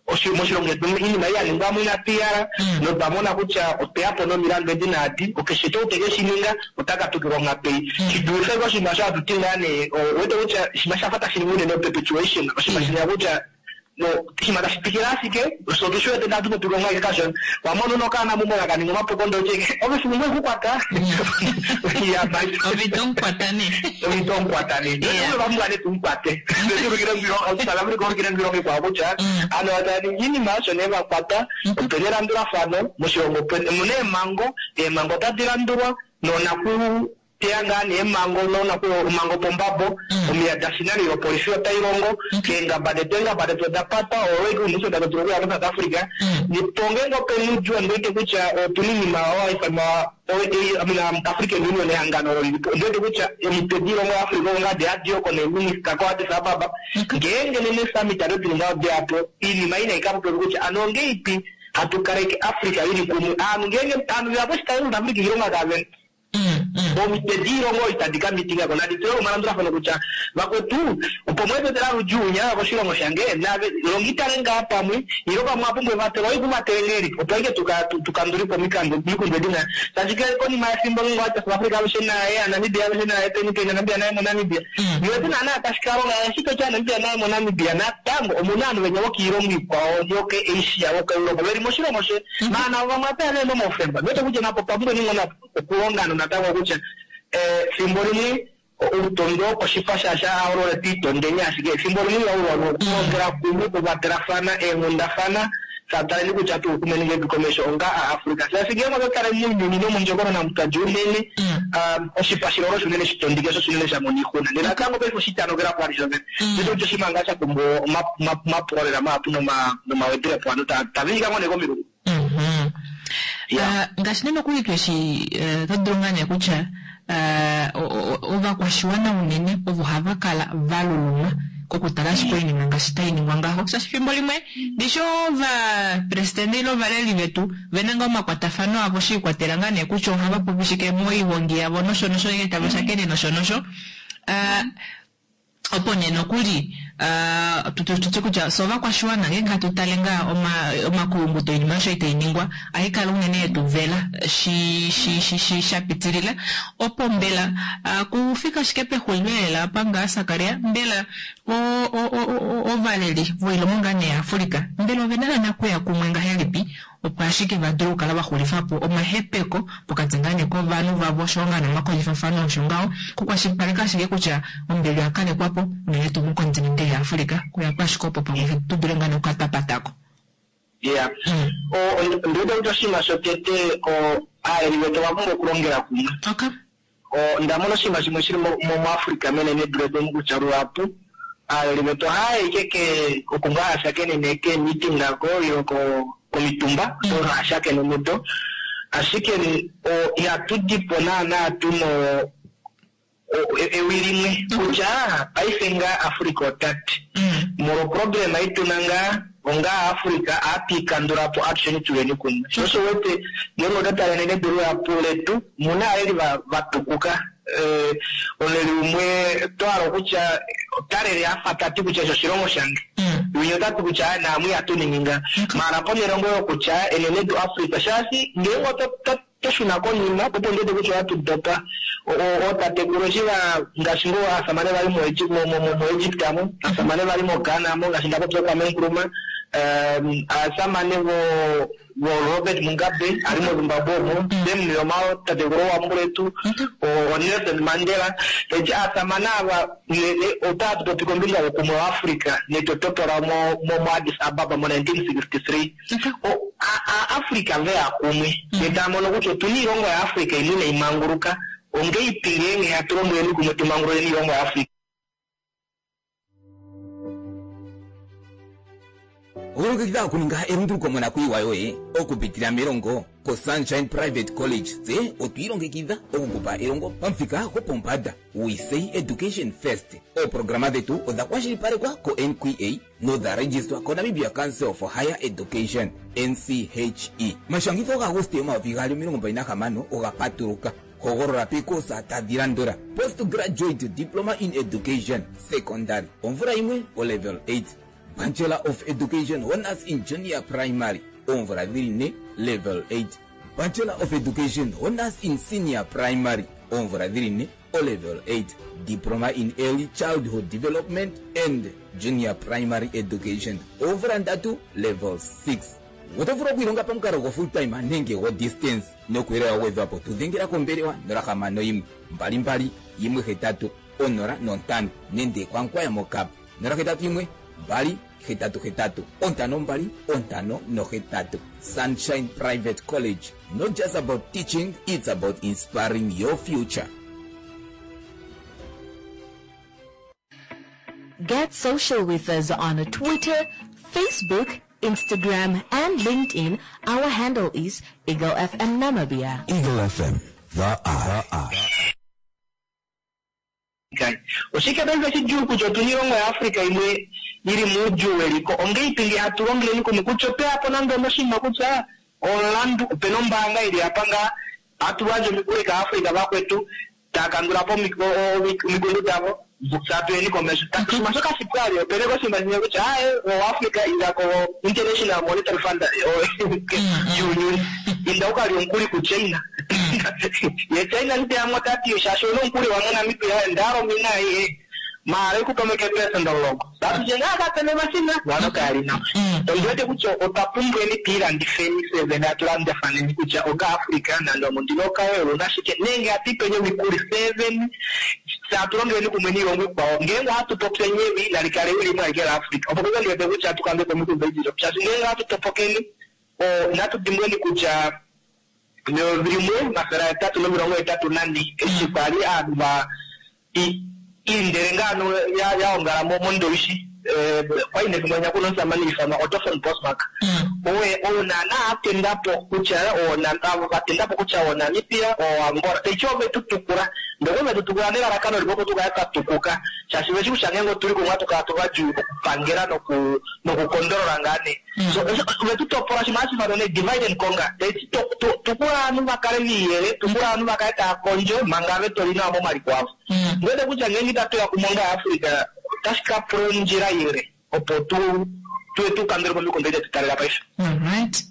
Moshilongo shetu oinima ei ya ningwa mo inatu i hala, notwa mona kutya otwe ya po nomilandu edi naadi. Okeshe tuu te ke shi ninga, ota ka tukilwa onghatu ei. Shi dulife koshinima osho hatu ti ngaa nee, ou wete kutya oshinima sha fa tashi ningwa unene o-perpetuation, oshinima shinya kutya oshinima tashi twikile ashike, fye otu shi wete ndee hatu popi ko ngaa ashike kashona. Wa mona una okaana meumbo ka kaninga omapuko ndee otye ike, ove fiku limwe kukwata. Ove ito mu kwata nee. Ove ito mu kwata nee. Ndele ova pumbwa nee tu mu kwate. South Africa ulukile oilongo ikwao kutya ovanhu ava tava ningi oinima osho nee va kwata. Opena elandulafano moshilongo, omuna eemhango, eemhango otadi landulwa noonaku teya ngaa nee eemhango noonaku omhango pombabo, omiya da finana opolifi otai longo, eengaba detu eengaba detu oda patwa, owe ike unene tatu dulu okuya moSouth Africa. Po ngeenge opena oudjuu ondi wete kutya otuna oinima oyo hai ifanwa African Union ehangano olo lilipo. Ondi wete kutya omitwe doilongo yaAfrica oko ngaa hadi oko neeminista koAddis Ababa. Ngeenge nena eesummit ado dili ngaho deya po, oinima ei nai ka popiwe kutya ano ongeipi hatu kaleke Africa ili kumwe. Aanhu ngeenge aanhu veya poshitayi South Africa oilonga kavena. Omitwe diilongo itadi ka mitinga ko nadi tule omalandulafano kutya vakwetu opo mweetetela ludjuu nya koshilongo shange nave longitale ngaa pamwe ilo pamwe apumbwa evatelo oi kuvatele ngahelipi opo aike tukandulepo omikundu edi na shaashi konima yefimbo ngeenge owati South Africa alushe naye aNamibia alushe naye peni peni aNamibia naye moNamibia niwete naana tashi ka longa eshi toti aNamibia naye moNamibia natango omuna ovanhu venya vokiilongo ikwao yoke Asia vokoEuropa veli moshilongo she maana avo vamwe apeya vehena omaufemba niwete kutya napo otwa pumbwa ninga okulonga natango kutya efimbo limwe outondwe wokoshipa shaashi aholole twiitondeni ashike efimbo limwe ihaulwa okulongela kumwe okuvatelafana eenghundafana sataleni kutya tuukumeni ngahelipi komesho onga aAfrica shaashi ngeenge otwa tale mounyuni nomondjokonona omu twadja unene oshipa shilolo osho unene shitondike sho osho unene sha mona oixuna ndee natango paife oshitanokela po vali shovene ndiwete kutya oshinima ngaa sha pumbwa omapuko lela mahapu nomawedilepo ovanhu taviika ngoo nee komilungu. Ngaashi nee nokuli tweshi oto dulu ngaa nee kutya ovakwashiwana unene ovo hava kala va luluma kokutala ashike oinima ngaashi tai ningwa ngaho, shaashi efimbo limwe ndishi ovapresidente ile ovaleli vetu ve na ngaa omakwatafano avo shi ikwatela ngaa nee kutya ohava popi shike moihongi yavo nosho nosho ngeenge tava shakene nosho nosho. Opo nee nokuli tutye kutya fye ovakwashiwana ngeenge hatu tale ngaa omakuyunguto oinima osho itai ningwa ohai kala unene yetu vela shi shi shi shi sha pitilila. Opo mbela kufika ashike pexulilo elela apa ngaa Sakaria, mbela ovaleli voilongo ngaa nee yaAfrica mbela ovena naana kuya kumwe ngahelipi opo ashike va dule okukala va xulifa po omahepeko pokati ngaa nee kovanhu vavo oshoyo ngaa nee omakondjifafano osho ngaho, okukwashilipaleka ashike kutya ombili oya kalekwa po unene tuu mokontinente yaAfrica, okuya po ashike opo pamwe tu dule ngaa nee okukatapatako. Iya. Ondi wete kutya oshinima shotete aaleli vetu ova pumbwa okulongela kumwe. Okay. Onda mona oshinima shimwe shili muAfrica menenedu letu omu kutya luhapu aaleli vetu ohaya yi ashike oko ngaa haya shakenene keemeeting ako ile komitumba oko haya shakene mudo, ashike ihatu di po naana tuna ewi limwe kutya paife ngaa Africa ota ti molwa oproblema ei tuna ngaa onga Africa ohatu i kandula po atusheni tuleni kumwe. Sho osho wete ngeenge oto tale enenedu luhapu letu omuna aaleli va tukuka. Omuleli umwe oto hala okutya ota lele afa tati kutya eshi oshilongo shange, winya ota ti kutya aaye naamwe ihatu ningi nga. Maala ponhele ngoo yokutya enenedu Africa shaashi ngeenge oto Twa shuna konima, opo ndi wete kutya ohatu dopa. Ootatekulu eshi va, ngaashi ngoo aasamane va li moEgypt mo, aasamane va li moGhana mo, ngaashi nda popya Kwame Nkrumah, aasamane vo, vo Robert Mugabe a li moZimbabwe omo, Sam Nujoma tatekulu wambuletu, oNelson Mandela. Taiti aasamane ava otatu popi kombinga youkumwe waAfrica netotopo lao moAddis Ababa mo 1963. Aafrica ve ya kumwe ndee tava mono kutya otu na iilongo yaAfrica imwe inai manguluka, ongeipi ngeenge hatu longeleni kumwe tu mangululeni iilongo yaAfrica. Okulongekidha okuninga elunduluko monakuyiwa yoye okupitila melongo koSunshine Private College tse otwi ilongekidha oku ku pa elongo pamuthika gwopombanda. We say education first. Ooprograma dhetu odha kwashilipalekwa koNQA nodha registwa koNamibia Council for Higher Education, NCHE. Omashangitho gaAguste 2026 oga patuluka. Hogolola peekoosa tadhi landula, Post Graduate Diploma in Education, Secondary, omvula yimwe, oLevel 8, Bachelor of Education Honours in Junior Primary, oomvula dhili ne, Level 8, Bachelor of Education Honours in Senior Primary, oomvula dhili ne, Olevel 8, Diploma in Early Childhood Development and Junior Primary Education, oomvula ndatu, Level 6. Oto vulu okwiilonga pamukalo go full time nenge go distance. Nokuuyelele wa gwedhwapo tu dhengela kombelewa 061 22 18 05 nende kwaNkwaya moKap 081 2 8 8 5 2 5 8. Sunshine Private College, not just about teaching, it's about inspiring your future. Get social with us on Twitter, Facebook, Instagram, and LinkedIn. Our handle is Eagle FM Namibia. Eagle FM, the eye. Oshike paife shidjuu kutya otu na oilongo yaAfrica imwe i li moudjuu weliko? Ongeipi ngee hatu longeleni kumwe kutya otwe ya po nande onoshinima kutya omulandu, ope na ombaanga i li apa ngaa, hatu yandje omikuli kAafrica vakwetu, taa kandula po omikundu davo, fye hatu yeni komesho. Oshinima osho kashi pu vali, ope na oshinima shimwe kutya aaye, oAfrica inda ko-International Monetary Fund yuunyuni, inda u ka lye omukuli kuChina. Ye China nite ya mo ta ti shaashi ouna omukuli wa moNamibia onda hala omina aihe maala ikupa mo ike eepelesenda omulongo. Tatu tye ngaa kapena omashina ngano kaali nawa. Ondi wete kutya otwa pumbweni twiilanditheni fye vene hatu landafaneni kutya onga Africa nande omundilo okawe oluna shike nenge hatu ipeni omikuli fye vene fye hatu longeleni kumwe niilongo ikwao ngeenge ohatu popyeni ewi nali kale ewi limwe alike la Africa opo paife ndi wete kutya hatu kandula po omikundu odindji shaashi ngeenge ohatu topokeni natu dimbweni kutya 1884 eshi kwa li aanhu va iindele ngaa ano ya ongala moNdowishi, kwa li nefimbo linya kuna omusamane ha ifanwa Otto von Bismarck, oye ou naana a tenda po kutya va tenda po kutya oNamibia, oAngola, taiti ove tu tukula. Ndele ove tu tukula nelalakano limwe opo tu kale twa tukuka, shaashi ve shi kutya ngeenge otu li kumwe ohatu kala tuvadjuu okupangela nokukondolola ngaa nee. So ove tu topola oshinima hashi ifanwa nee divide and conquer. Taiti tukula ovanhu va kale viiyele, tukula ovanhu va kale tava kondjo manga ave toli nawa momaliko avo. Ondi wete kutya ngeenge itatu ya kumwe onga Africa. Otashi ka pula ondjila ile opo tu tuye tu kandule po omikundu edi detu taalela paife. Alright.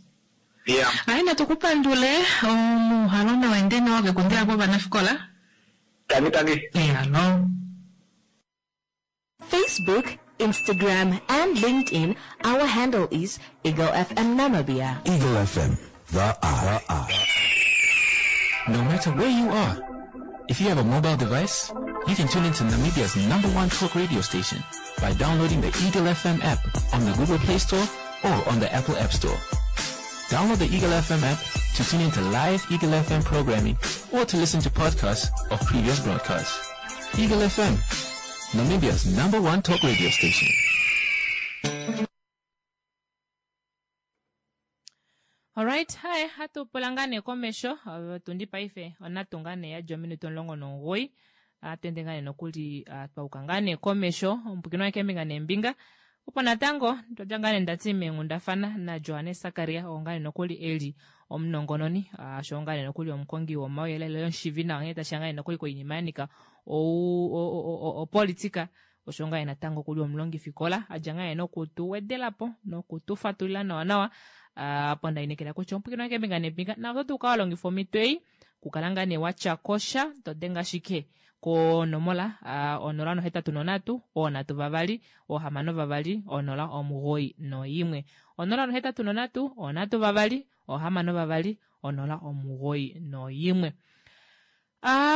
Yeah. Ai natu ku pandule omuhalo nawa nawa kekundila kovanafikola. Tangi tangi. Yalo. Facebook, Instagram, and LinkedIn, our handle is Eagle FM Namibia. Eagle FM, the eye. No matter where you are, if you have a mobile device, you can tune into Namibia's number one talk radio station by downloading the Eagle FM app on the Google Play Store or on the Apple App Store. Download the Eagle FM app to tune into live Eagle FM programming or to listen to podcasts of previous broadcasts. Eagle FM, Namibia's number one talk radio station. Alright, hi, hatu pula ngaa nee komesho tundi paife onatu ngaa nee yadja ominute 19 hatu ende ngaa nee nokuli twauka ngaa nee komesho omupukino waye keembinga neembinga opo natango twadja ngaa nee ndati meenghundafana naJohannes Sakaria oo ngaa nee nokuli eli omunongononi osho ngaa nee nokuli omukongi womauyelele yomushivi nawa nghee tashiya ngaa nee nokuli koinima ya nyika opolitika osho ngaa natango kuli omulongifikola adja ngaa noku tu wedelapo noku tu fatulila nawa nawa apo ndainekela kutya omupwikino wange kembinga nembinga na oto dulu walongifa omhito ei kukala ngaa nee watyakosha to denge ashike konomola 083 3 6 2 091 083 3 6 2 091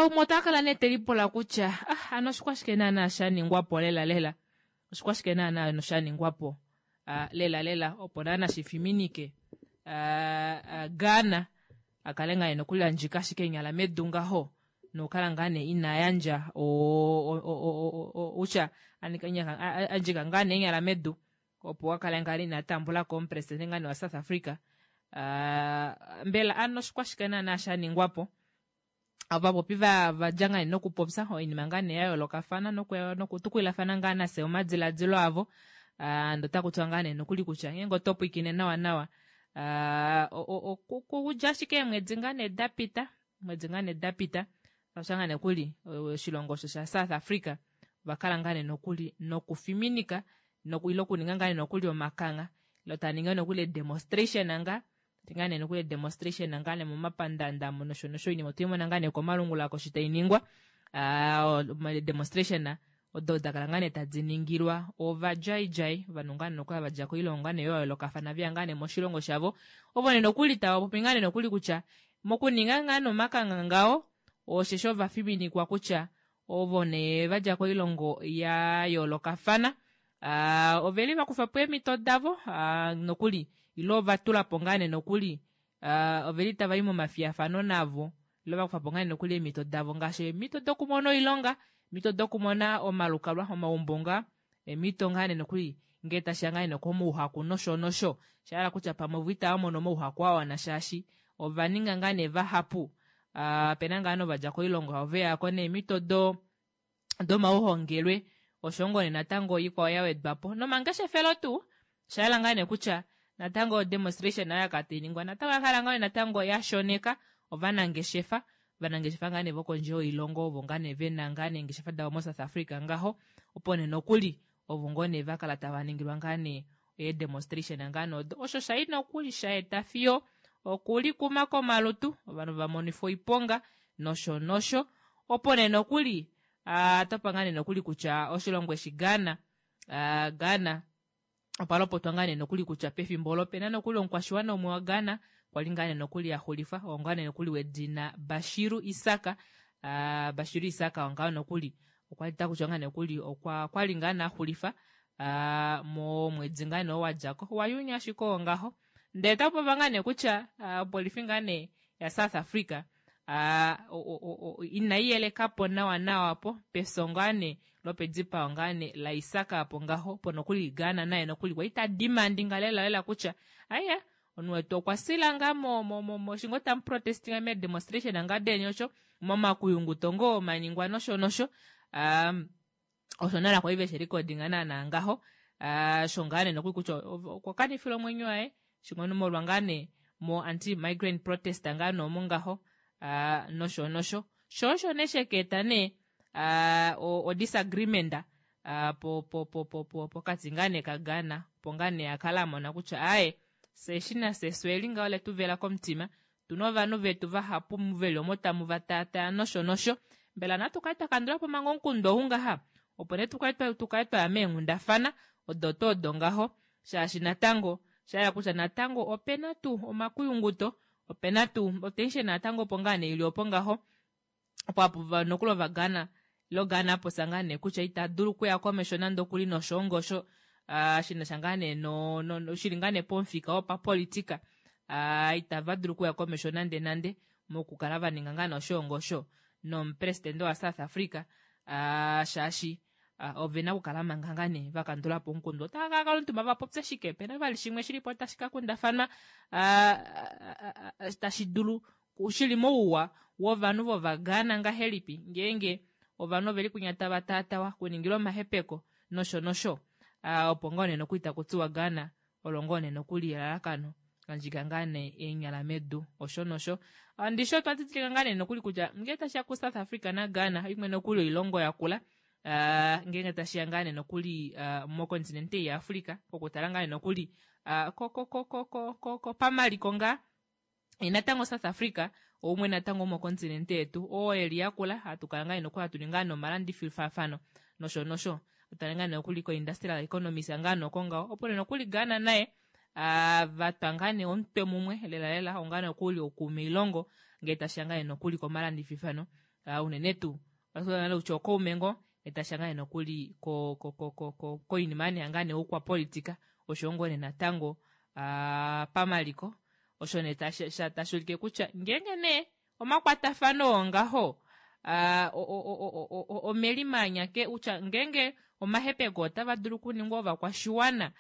Umwe ota kala nee telipula kutya ah, ano oshikwashike naana sha ningwapo lela lela oshikwashike naana ano sha ningwapo lela lela opo naana shifiminike Ghana akale ngaa nee nokuli andjika ashike enyala medu ngaho nokukala ngaa nee ina yandja utya andjika ngaa nee enyala medu opo akale ngaa nee ina tambulako omupresidente ngaa nee wa South Africa mbela ano oshikwashike naana sha ningwapo ovapopi vadja ngaa nee nokupopya oinima ngaa nee ya yoolokafana nokutukulilafana ngaa nafye omadiladilo avo ndee otakutiwa ngaa nee nokuli kutya ngeenge oto pwiikine nawa nawa okudja ashike eemwedi ngaa nee dapita omwedi ngaa nee dapita osha ngaa nokuli oshilongo osho sha South Africa ovakala ngaa nee nokuli nokufiminika ile okuninga ngaa nee nokuli omakangha ile taninga nokuli demonstration ngaa ngaa nee nokuli demonstration ngaa nee momapandanda nosho nosho oinima otweimona ngaa nee komalungula koshi tainingwa demonstration odo dakala ngaa nee tadi ningilwa ovadjaidjai ovanhu ngaa nee nokuli vadja koilongo ngaa nee ya yoolokafana veya ngaa nee moshilongo shavo ovo nee nokuli tava popi ngaa nee nokuli kutya mokuninga ngaa nomakangha ngaho osheshi ovafiminikwa kutya ovo nee vadja koilongo ya yoolokafana oveli vakufapo eemhito davo nokuli ile ovatulapo ngaa nee nokuli oveli tavai momafiyafano navo ile vakufapo ngaa nee nokuli eemhito davo ngaashi eemhito dokumona oilonga eemhito dokumona omalukalwa omaumbo ngaa eemhito ngaa nee nokuli ngee tashiya ngaa nee komauhaku nosho nosho shahala kutya pamwe ovo itava mono omauhaku awana shaashi ovaninga ngaa nee vahapu opena ngaa novadja koilongo oveyako neemhito domauhongelwe osho ngoo nee natango ikwao ya wedwapo nomangeshefelo tuu oshayela ngaa nee kutya natango demonstration oyo yakala tainingwa natango oyakala ngaa natango yashoneka ovanangeshefa ovanangeshefa ngaa nee vokondje yoilongo ovo ngaa nee vena ngaa nee eengeshefa davo mo South Africa ngaho opo nee nokuli ovo ngoo nee vakala tava ningilwa ngaa nee eedemonstration ngaa nee odo osho shai nokuli shaeta fiyo okulikuma komalutu ovanhu vamonifwa oiponga nosho nosho opo nee nokuli topa ngaa nee nokuli kutya oshilongo eshi Ghana Ghana opa lopotwa ngaa nee nokuli kutya pefimbo olo opena nokuli omukwashiwana umwe wa Ghana kwali ngaa nee nokuli axulifa oo ngaa nee nokuli wedina Bashiru Isaka Bashiru Isaka ongaho nokuli okwali takutiwa ngaa nokuli okwa kwali ngaa nee axulifa momwedi ngaa nee oo wadjako waYuni ashike oo ngaho ndee tapopiwa ngaa nee kutya opolifi ngaa nee ya South Africa inaiyelekapo nawa nawa po pefyo ngaa nee lopedipao ngaa nee laIsaka apo ngaho po nokuli Ghana naye nokuli kwali ta demandinga lela lela kutya aiya omunhu wetu okwa sila ngaa moshingo tamu protestinga me demonstration ngaa deni osho momakuyunguto ngoo maningwa nosho nosho osho nala kwali veshi recordinga naana ngaho sho ngaa nee nokuli kutya okwa kanifila omwenyo waye shingono molwa ngaa nee mo anti migrant protest ngaa noomo ngaho nosho nosho sho osho nee shekeeta nee o disagreement. Po po po po po pokati ngaa nee kaGhana opo ngaa nee akala amona kutya aaye fye eshi nafye fye eli ngaho letu vela komutima tuna ovanhu vetu vahapu veli omo tamu va taataya nosho nosho mbela natu kale twa kandula po manga omukundu ou ngaha opo nee tukale tukale twaya meenghundafana odo tuu odo ngaho shaashi natango shayela kutya natango opena tuu omakuyunguto opena tuu otension natango opo ngaa nee ili opo ngaho opo apo nokuli ovaGhana ilo Ghana apopya ngaa nee kutya ita dulu okuya komesho nande okuli noshoongo osho uh, shina sha ngaa nee no, no, no, shili ngaa nee pomufika wopapolitika uh, itava dulu okuya komesho nande nande mokukala va ninga ngaa nee oshoongo osho nomupresidente waSouth Africa uh, shaashi uh, ove na okukala manga ngaa nee va kandula po omukundu. Otava ka kala omutumba va popye shike? Pena vali shimwe shili po tashi ka kundafanwa uh, uh, uh, tashi dulu shili mouwa wovanhu vOvaghana ngahelipi ngeenge ovanhu oveli kwinya tava taatawa, kuningilwa omahepeko nosho nosho. Uh, opo ngoo nee nokuli taku tiwa Ghana olo ngoo nee nokuli elalakano landjika ngaa nee eenyala medu osho nosho. Ndishi otwa didilika ngaa nee nokuli kutya ngee tashiya ku South Africa naGhana imwe nokuli oilongo yakula uh, ngeenge tashiya ngaa nee nokuli uh, mokontinente yaAfrica kokutala ngaa nee nokuli uh, ko, ko, ko, ko, ko, ko, ko pamaliko ngaa natango South Africa oumwe natango womokontinente yetu oo eli yakula hatu kala ngaa nokuli hatu ninga nomalandifilfafano nosho nosho otale ngaa nokuli ko-industrial economies ngaa noko ngaho opo nee nokuli Ghana naye vatwa ngaa nee omutwe mumwe lela lela ongaa nokuli okuuma oilongo ngee tashiya ngaa nokuli komalandififano unene tuu kutya okaume ngoo ngee tashiya ngaa nokuli koinima nee ngaa nee oukwapolitika oshoyo ngoo nee natango pamaliko osho nee tashi ulike kutya ngeenge nee omakwatafano oo ngaho omelimanya kutya ngeenge omahepeko otava dulu okuningwa ovakwashiwana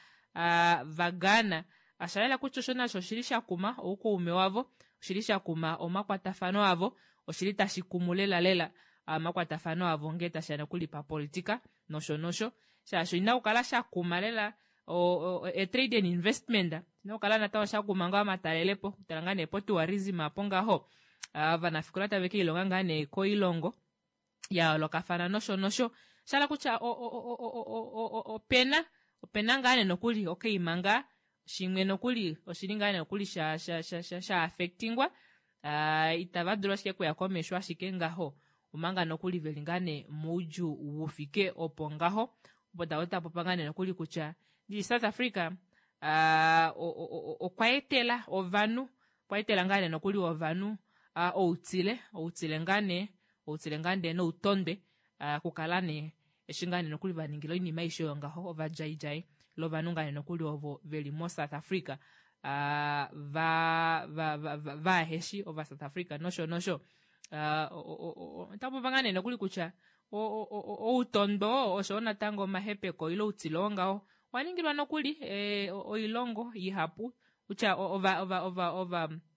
vaGhana osha yela kutya osho nasho oshili sha kuma oukaume wavo oshili sha kuma omakwatafano avo oshili tashi kumu lela lela omakwatafano avo ngee tashiya nokuli papolitika nosho nosho shaashi ina kukala sha kuma lela o, trade and investment ina kukala natango sha kuma ngaho omatalelepo kutala ngaa nee po tourism apo ngaho ovanafikola tave keilonga ngaa nee koilongo ya yoolokafana nosho nosho shala kutya opena opena ngaa nee nokuli okaima ngaa shimwe nokuli oshili ngaa nee nokuli sha sha sha sha sha affectingwa uh, itava dulu ashike kuya komesho ashike ngaho omanga nokuli veli ngaa nee moudjuu wufike opo ngaho opo tava tapopa ngaa nee nokuli kutya ndi South Africa uh, okwa etela ovanhu okwa etela ngaa nee nokuli ovanhu uh, outile outile ngaa nee outile ngaa nee noutondwe uh, kukala nee eshi ngaa nee nokuli va ningila oinima aishe oyo ngaho ovadjaidjai lovanhu ngaa nee nokuli ovo veli mo South Africa uh, va va va va vaheshi ova South Africa nosho nosho uh, otapopa ngaa nee nokuli kutya outondo osho natango omahepeko ile outile oo ngaho owa ningilwa nokuli e, oilongo ihapu kutya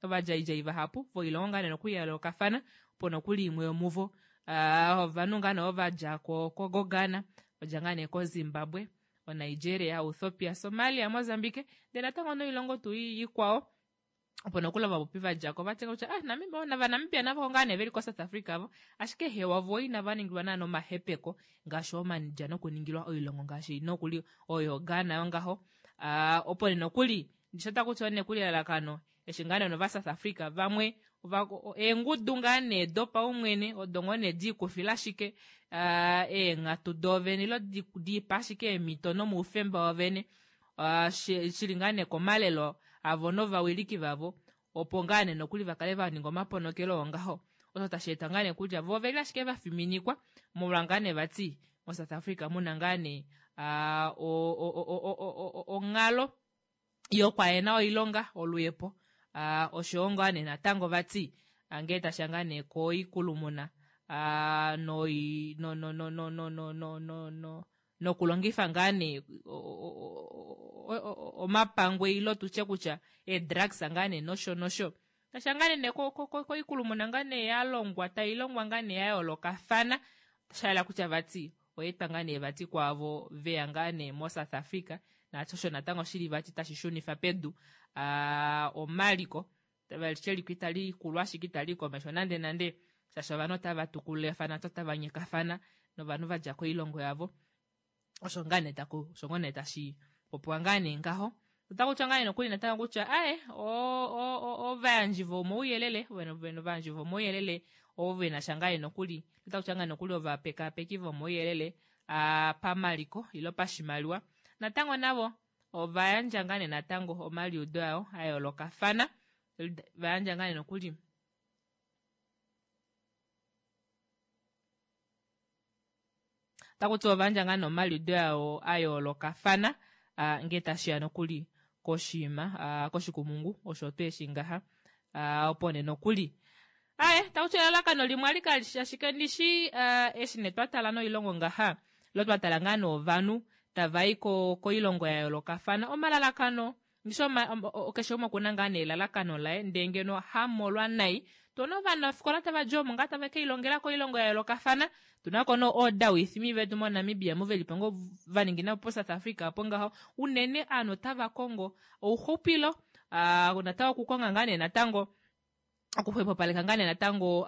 ovadjaidjai vahapu voilongo ngaa nee nokuli ya yoolokafana opo nokuli imwe yomuvo uh, ovanhu ngaa nee ova dja koGhana vadja ngaa nee koZimbabwe oNigeria Ethiopia Somalia Mozambique ndele natango noilongo tuu ikwao opo nokuli ovapopi vadjako vatya kutya ah Namibia vaNamibia navo ngaa nee veli koSouth Africa vo ashike hewa vo inava ningilwa naana omahepeko ngaashi omanidja nokuningilwa oilongo ngaashi nokuli oyo Ghana yongaho uh, opo nee nokuli ndisho takuti nekuli elalakano eshi ngaa nee nova South Africa vamwe eengudu ngaa nee dopaumwene odo ngoo nee diikufila ashike uh, eenghatu doovene ilo diipa ashike eemhito nomaufemba wovene uh, shili ngaa nee komalelo avo novawiliki vavo opo ngaa nee nokuli vakale va ninga omaponokelo ongaho osho tashi eta ngaa nee kutya vo oveli ashike va fiminikwa molwa ngaa nee vati moSouth Africa muna ngaa nee uh, onghalo yokwaena oilonga oluyepo uh, oshowo ngaa nee natango vati uh, ngee tasha ngaa nee koikulumuna uh, noi no no no no no no no no no nokulongifa ngaa nee omapangwe ilo tutye kutya eedrugs ngaa nee nosho nosho tasha ngaa nee koikulumuna ngaa nee ya longwa tai longwa ngaa nee ya yoolokafana shayela kutya vati oyeetwa ngaa nee vati kwaavo veya ngaa nee moSouth Africa naasho natango shili vati tashi shunifa pedu uh, omaliko sheliko itali kulu ashike itali komesho nande nande shaashi ovanhu otava tukulilafana otava nyekafana novanhu vadja koilongo yavo. Osho ngaa nee taku osho ngoo nee tashi popiwa ngaa nee ngaho. Otaku tiwa ngaa nee nokuli natango kutya ae ovayandji vomauyelele ovayandji vomauyelele ovo ve na sha ngaa nee nokuli otaku tiwa ngaa nokuli ovapekaapeki vomauyelele pamaliko ile pashimaliwa natango navo ova yandja ngaa nee natango omaliudo ayo a yoolokafana va yandja ngaa nee nokuli Otaku tiwa ova yandja ngaa nee omaliudo awo a yoolokafana ngee tashi ya nokuli koshinima koshikumungu osho tuu eshi ngaha opo nee nokuli aye taku tiwa elalakano limwe ali kali shi ashike ndishi eshi nee twa tala noilongo ngaha ile twa tala ngaa nee ovanhu tava i koilongo ya yoolokafana omalalakano Ndishi keshe umwe okuna ngaa nee elalakano laye ndee ngeno hamolwa nai tuna ovanafikola tava di omo ngaa tave keilongela koilongo ya yoolokafana tuna ko noo oodawithimi vetu moNamibia mu velipo ngoo va ningina po South Africa opo ngaho unene aanhu otava kongo ouxupilo natango okukonga ngaa nee natango okuxwepopaleka ngaa nee natango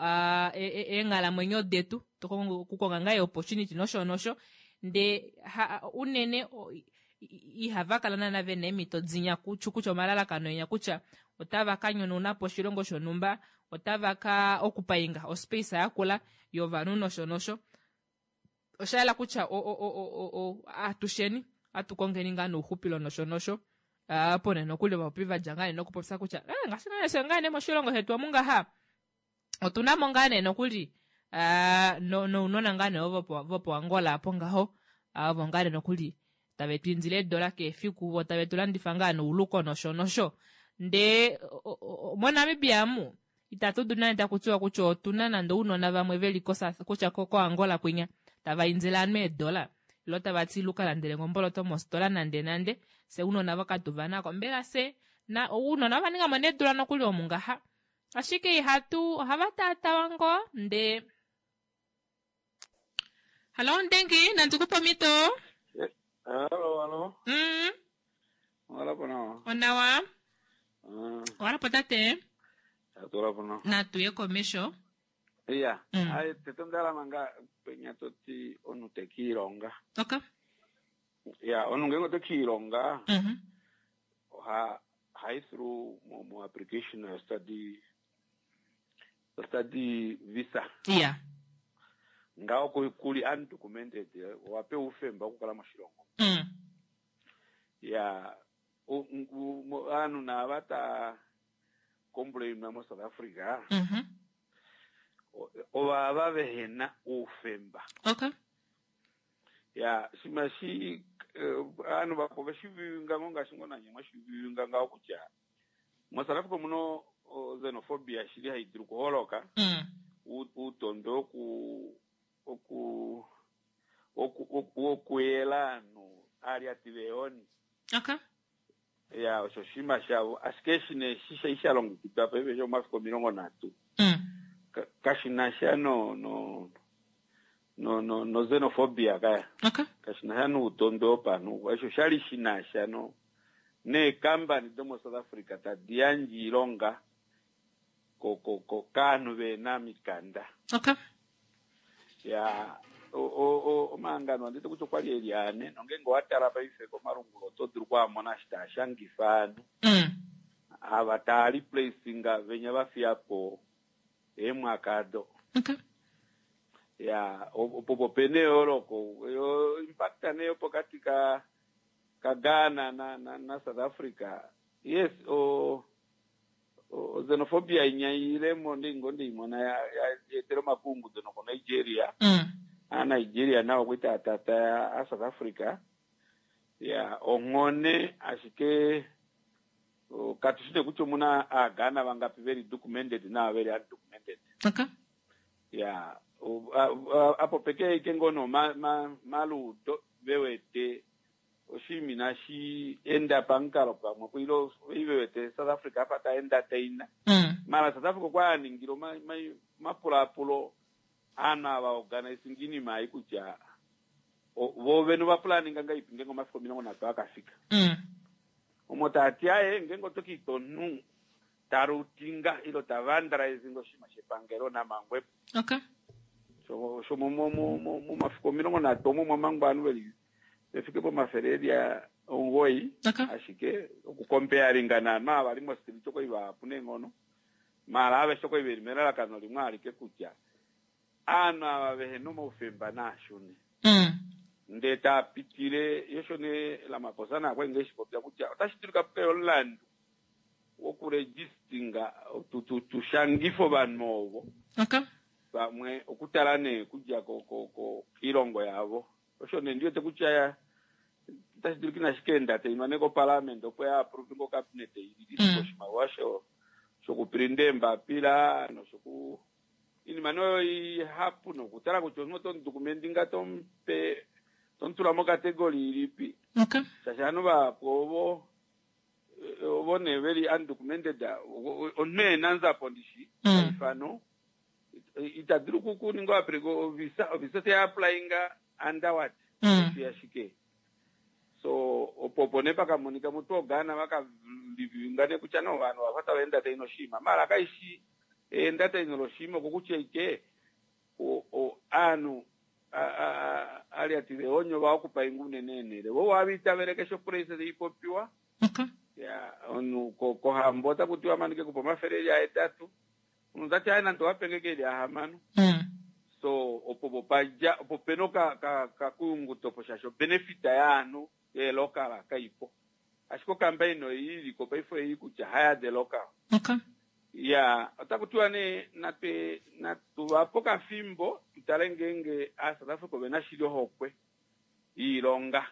eenghalamwenyo detu okukonga ngaa eopportunity nosho nosho ndee unene ihava kala naana ve na eemhito dinya kutya omalalakano enya kutya otava ka nyonauna po oshilongo shonhumba otava ka okupainga ospace yakula yovanhu nosho nosho osha yela kutya atusheni atu kongeni ngaa nouxupilo nosho nosho opo nee nokuli ovapopi va dja ngaa nee nokupopya kutya eh, ngaashi ngaa nee ngaa nee moshilongo shetu omu ngaha otu na mo ngaa nee nokuli nounona ngaa nee vopoAngola apo ngaho ovo ngaa nee nokuli tave tu indile eedola kehe efiku vo tave tu landifa ngaa nouluko nosho nosho ndee moNamibia amu Itatu dulu nande taku tiwa kutya otu na nande ounona vamwe ve li kutya koAngola kwinya tava indile ovanhu eedola ile tava ti luka landele nge omboloto mositola nande nande fye ounona ovo katu va na ko. Mbela fye na ounona ova ninga mo needula nokuli omu ngaha ashike ihatu ohava taatawa ngoo ndee Hallo Ndengi, nandi ku pe omhito. Hallo, hallo. Owala po nawa. Onawa. Owala po tate. Owala po nawa. Natu ye komesho. Iya. Ai tete onda hala manga penya to ti omunhu te ke ilonga. Okay. Ya, omunhu ngeenge ote ke ilonga. Oha hayi through mo, mo application yo study study visa. Iya. Ngaho kuli undocumented owa pewa oufemba wokukala moshilongo. Ya ovanhu naava ta complain mo South Africa. Ovava vehena oufemba. Okay. Ya shima shi ovanhu vapo veshivivinga ngo ngaashi ngo nanye mwashivivinga ngaho kutya mo South Africa omuno xenophobia shili hayi dulu okuholoka. Uutondo woku oku oku wokuyela aanhu aalyati veehoni. Okay. Ya osho oshinima shavo ashike eshi nee eshi shai sha longekidwa paife shomafiku 30 kashi na sha no no no no no xenophobia kaya. Okay. Kashi na sha noutondo wopanhu. Osho shali shi na sha no neekambani domo South Africa tadi yandje oilonga ko ko ko kaanhu vena mikanda. Okay. Ya omahangano anditi kutya okwali eli ane nongeenge owa tala paife komalungula oto dulu kwaamona eshi taa shangifa ovanhu ava taa replacinga venya va fiya po eemwaka ado. Okay. Ya opo opena eyooloko yo impact nee yopokati ka ka Ghana na na, na South Africa yes o o xenophobia inya ilemo ndingo ndimona ya yetela omakungudo noko Nigeria. A Nigeria nao okwa taatata a South Africa. Ya onghone ashike katu shi nee kutya omuna aaGhana vangapi veli documented naava veli undocumented. Okay. Ya apo peke ike ngoo nee maluudo vewete Oshinima inashi enda pamukalo pamwe ku ile oi ve wete South Africa afa ta entertaina. Mara South Africa okwa a ningile omapulaapulo aanhu ava organisinga iinima ei kutya vo vene ova pulaninga ngahelipi ngeenge omafiku 30 aka fika. Omo tava ti aye ngeenge oto ka ita omunhu ta lootinga ile ta vandalizinga oshinima shepangelo na mangwepo. Okay. So, so momafiku 30 omo mwa mangwa ovanhu veli. Vefike pomafele eli 9 ashike okukompearinga naanhu ava vali mostreet okwali vahapu neenghono maala aveshe okwali veli melalakano limwe alike kutya aanhu ava vehena omaufemba naashune ndee taa pitile yosho nee Ramaphosa naye okwali ngoo eshipopya kutya otashi dulika pukaye omulandu wokuregistinga tushangife ovanhu ovo pamwe okutala nee kudja koilongo yavo. Osho nee ndiwete kutya otashi dulika inashi ka enda tainwa nee koparliament opo ya approve ngo cabinet i release oshimaliwa shokuprinta eembapila noshoku inima nee oyo ihapu nokutala kutya omunhu oto mudokumenti nga tomupe tomutula mokategori ilipi. Shaashi ovanhu vahapu ovo ovo nee veli undocumented omunhu ehena nzapo ndishi paifano ita dulu kuninga ovisa ovisa teya applyinga under what mm. ashike so opo opo nee pakamonika mutu oGhana vakalivinga nee kutya no vanhu vafa tava enda tai noshima mara kaishi enda tai noloshima okokutya ike aanhu ali ati veonyo vaokupainga unene enele vo waviitavele keshe opresa teipopiwa ya omunhu kohambo otaku tiwa manike kupa omafele eli ahetatu omunhu tati aye nande owapenge ke eli ahamano so opo popadja opo pena okakuyunguto po shaashi obenefita yaanhu yeelokala kaipo ashike okambaini oyo iliko paife oyi kutya hire the local. Ya otaku tiwa nee natwe natuvapo okafimbo tutale ngeenge aaSouth Africa ovena shili ohokwe yiilonga.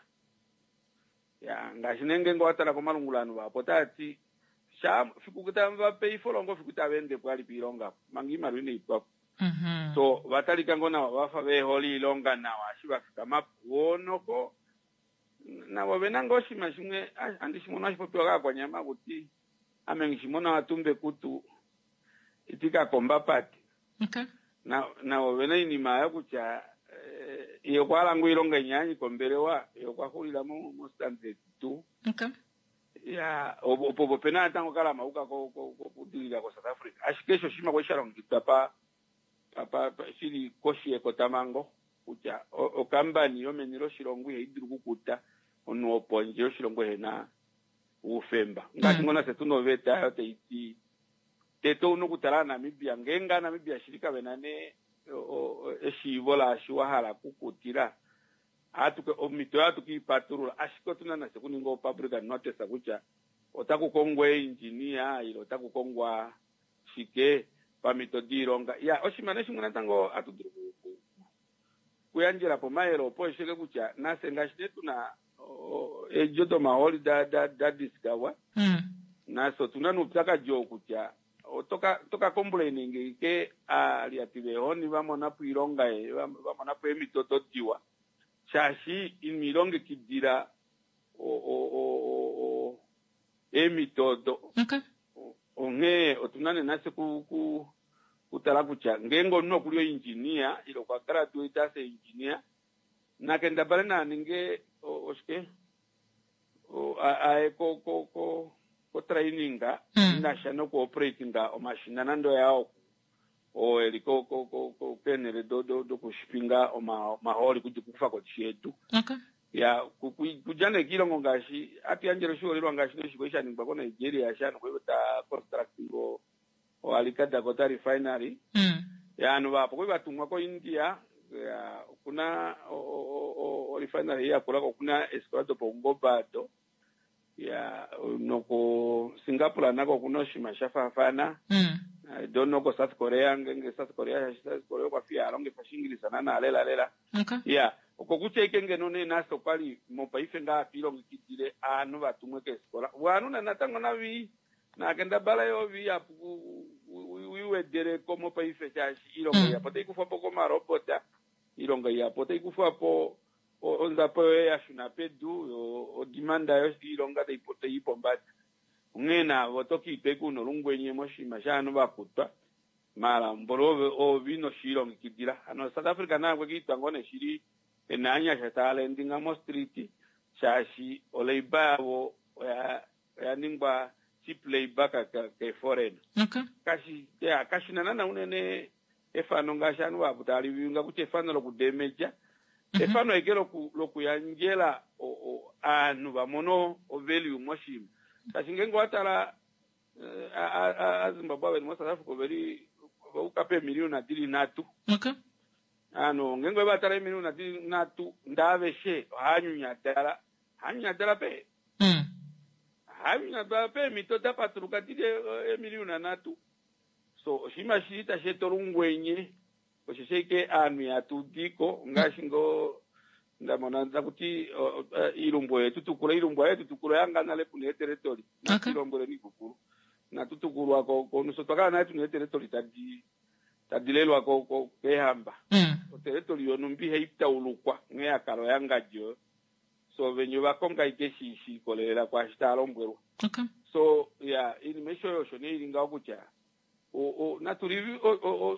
Ya ngaashi nee ngeenge owatala komalungula ovanhu vahapu otava ti sha fiku tava vape ifolongo fiku tava endepo ali piilonga apo manga iimaliwa inai pwapo. So ovatalika ngoo nawa vafa vehole iilonga nawa eshi vafikamapo voo noko navo ovena ngoo oshinima shimwe andi shimono hashi popiwa kaakwanyama kuti ame nghishimona watumba ekutu iti kakomba pati. Navo ovena oinima oyo kutya ye okwa hala ngoo oilonga inya kombelewa ye okwa xulila mostandard 2. Ya opo opena natango kalamauka kokudilila koSouth Africa ashike osho oshinima kwali sha longekidwa pa shili koshi yekotamango kutya okambani yomeni loshilongo ihai dulu okukuta omunhu wopondje yoshilongo ehena oufemba. Ngaashi ngoo nafye tuna oveta oyo tai ti tete ouna okutala aaNamibia ngeenge aaNamibia shili kavena nee eshiivo laashi wa hala okukutila omhito oyo hatu kiipatulula ashike otuna nafye okuninga opublic notice kutya otaku kongwa eengineer ile otaku kongwa shike pamhito diilonga. Ya oshinima nee shimwe natango hatu dulu okuyandjela po omayele opo esheke kutya nafye ngaashi nee tuna eedjo domahooli da discover nafye otuna noupyakadi oo kutya otoka complain ike aaliati veehoni vamona po oilonga vamona po eemhito dodiwa shaashi ino ilongekidila eemhito odo. Onghee otuna nee nafye kutala kutya ngeenge omunhu okuli oengineer ile okwa graduate as engineer nakendabale naninge oshike aye ko training inasha noku operatinga omashina nande oyaa oo eli keenhele dokushipinga omahooli kufa koshi yedu. Ya kudja nee kiilongo ngaashi hatu yandjele oshiholelwa ngaashi noshiko sha ningwa koNigeria sha nokwali ta constructing oAlika Dakota refinery. Ya ovanhu vahapu okwali vatumwa koIndia ya okuna orefinery yakula okuna eefikola dopaungoba ado. Ya noko Singapore nako okuna oshinima sha faafana. I don't know ko South Korea ngeenge South Korea shaashi South Korea okwa fiya alongifa Oshiingilisa naana lela lela. Ya oko kutya ike ngeno nee nafye okwali mopaife ngaa hatu ilongekidile aanhu vatumwe keefikola. Ovanhu natango navi nakendabala yoo vihapu uiwedeleko mopaife shaashi iilonga ihapu otai kufwa po komarobota, iilonga ihapu otai kufwa po onzapo yoye ya shuna pedu odimanda yoilonga tai pombada. Onghee navo oto kiitwa una olungwenye moshinima shaanhu vakutwa maala mboli ove ino shiilongekidila. Hano South Africa naye okwe kiitwa ngoo nee shili ena aanyasha taya landinga mostreet shaashi olabour yavo oya ningwa cheap labour keeforeign. Kashina naana unene efano ngaashi ovanhu vahapu tava livinga kutya efano lokudemedja efano eke lokuyandjela aanhu va mono o-value moshinima. Shaashi ngeenge owa tala Aazimbabwe ava veli moSouth Africa oveli vauka peemiliyona dili nhatu. Ano ngeenge ove va tala eemiliyona dili nhatu ndee aveshe ohava nyunyadala, ohava nyunyadala pe ohava nyunyadala peemhito da patuluka dili eemiliyona nhatu. So oshinima shili tashi eta olungwenye Osheshi ashike aanhu ihatu di ko ngaashi ngoo nda mona taku ti iilumbu oye tu tukula, iilumbu haye tu tukula oya ngaa nale puna eeteletoli. Natu ilombweleni iipupulu. Inatu tukulwa ko komunhu. Fye otwa kala nale tuna eeteletoli tadi tadi lelwa ko ko keehamba. Oteletoli yonhumba ihai taulukwa nghee ya kala oya ngadi oyo. So venya ova konga ashike shi shi ikolelela kwaashi tava lombwelwa. So ya iinima aishe oyo osho nee ili ngaho kutya natu li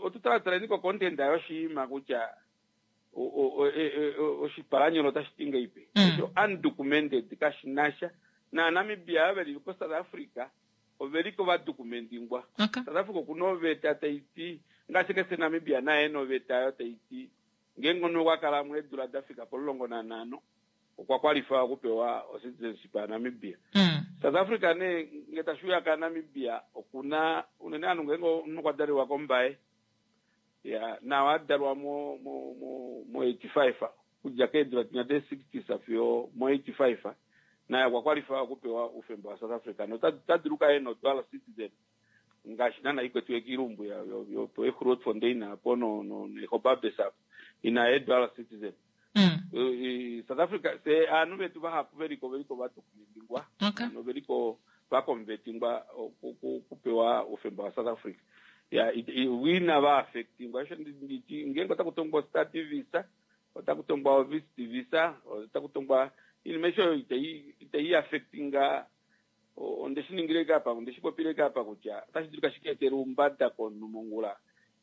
otu talataleni ko content yoshinima kutya oshipalanyolo otashi ti ngeipi. Osho undocumented kashi na sha. NaaNamibia ava veli koSouth Africa oveli ko va documentingwa. South Africa okuna oveta tai ti ngaashi kese Namibia naye ena oveta oyo tai ti ngeenge omunhu okwa kala mo eedula da fika pomulongo nanhano okwa kwalify okupewa o citizenship ya Namibia. South Africa nee nge tashi uya ka Namibia okuna unene ovanhu ngeenge omunhu okwa dalelwa kOmbaye ya nawa adalwa mo mo mo mo 85 okudja keedula dinya de 60s fiyo mo 85 naye okwa kwalify okupewa oufemba wa South Africa nota ota dulu okukala ena odual citizen ngaashi naana ikwetiwe kiilumbu ya yo yo po eGrootfontein apo no no neGobabis apo ina ye dual citizen. South Africa se aanhu vetu vahapu veliko veliko va documentingwa okay. Veliko va convertingwa okupewa oufemba wa South Africa ya ina va affectingwa osho nditi ngeenge otaku tongwa study visa otaku tongwa visit visa otaku tongwa iinima aishe oyo itai itai affectinga Onde shi ningile ike apa, onde shi popile ike apa kutya otashi dulika shi ka etele oumbada komunhu mongula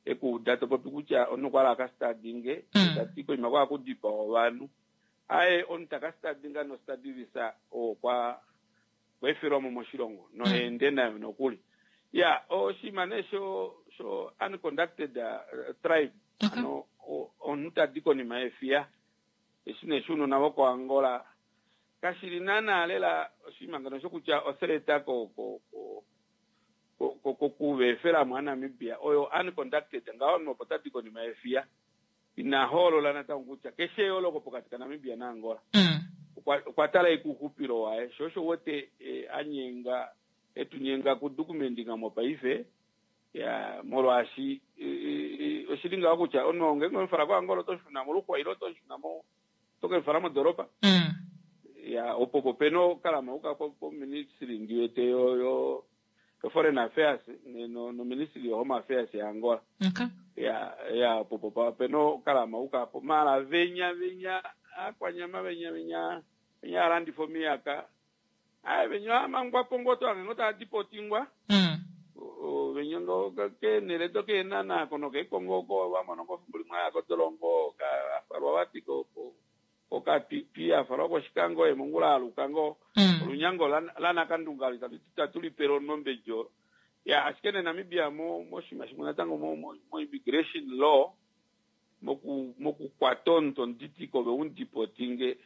e ku uda to popi kutya omunhu okwa hala a ka studyinge, ye ta ti koima kwa kudipawa ovanhu. Aaye, omunhu ta ka studyinga nostudy visa okwa okwa efelwa mo moshilongo noha ende nayo nokuli. Ya, oshinima nee sho sho unconducted tribe, hano omunhu ta di konima yefiya, eshi nee shounona vokoAngola Kashi li naanaa lela oshinima ngeno shokutya othreat ko ko ko ko kuveefela mo aNamibia oyo unconducted ngaho omunhu opo tadi konima yefiya ina hoolola natango kutya keshe eyooloko pokati kaNamibia naAngola. Okwa okwa tala ashike ouxupilo waye sho osho u wete a nyenga etu nyenga kudukumendinga mopaife ya molwaashi oshi li ngaho kutya omunhu ngeenge owe mu fala koAngola oto shuna moluxwa ile oto shuna mo oto ke mu fala modoropa ya opo po pena okalama uka po ministry ndi wete yo yo yo foreign affairs no no ministry yo home affairs ya Angola okay. ya ya opo po pena okalama uka po mala venya venya akwanyama venya venya venya alandifa omiyaka aye venya amangwa po ngoo tohange ngoo taa dipotingwa venya ngoo keenhele dokeenhana ko nokeekongo oko va mona ngoo fimbo limwe aya kodolongo afalwa vati kokapipi afalwa kOshikango ye mongula aluka ngoo olunyango lanakandunga olo itatu lipele omunhu olo. Ya ashike nee Namibia moshinima shimwe natango mo immigration law moku mokukwata omuntu omuditiko ove umudipotinge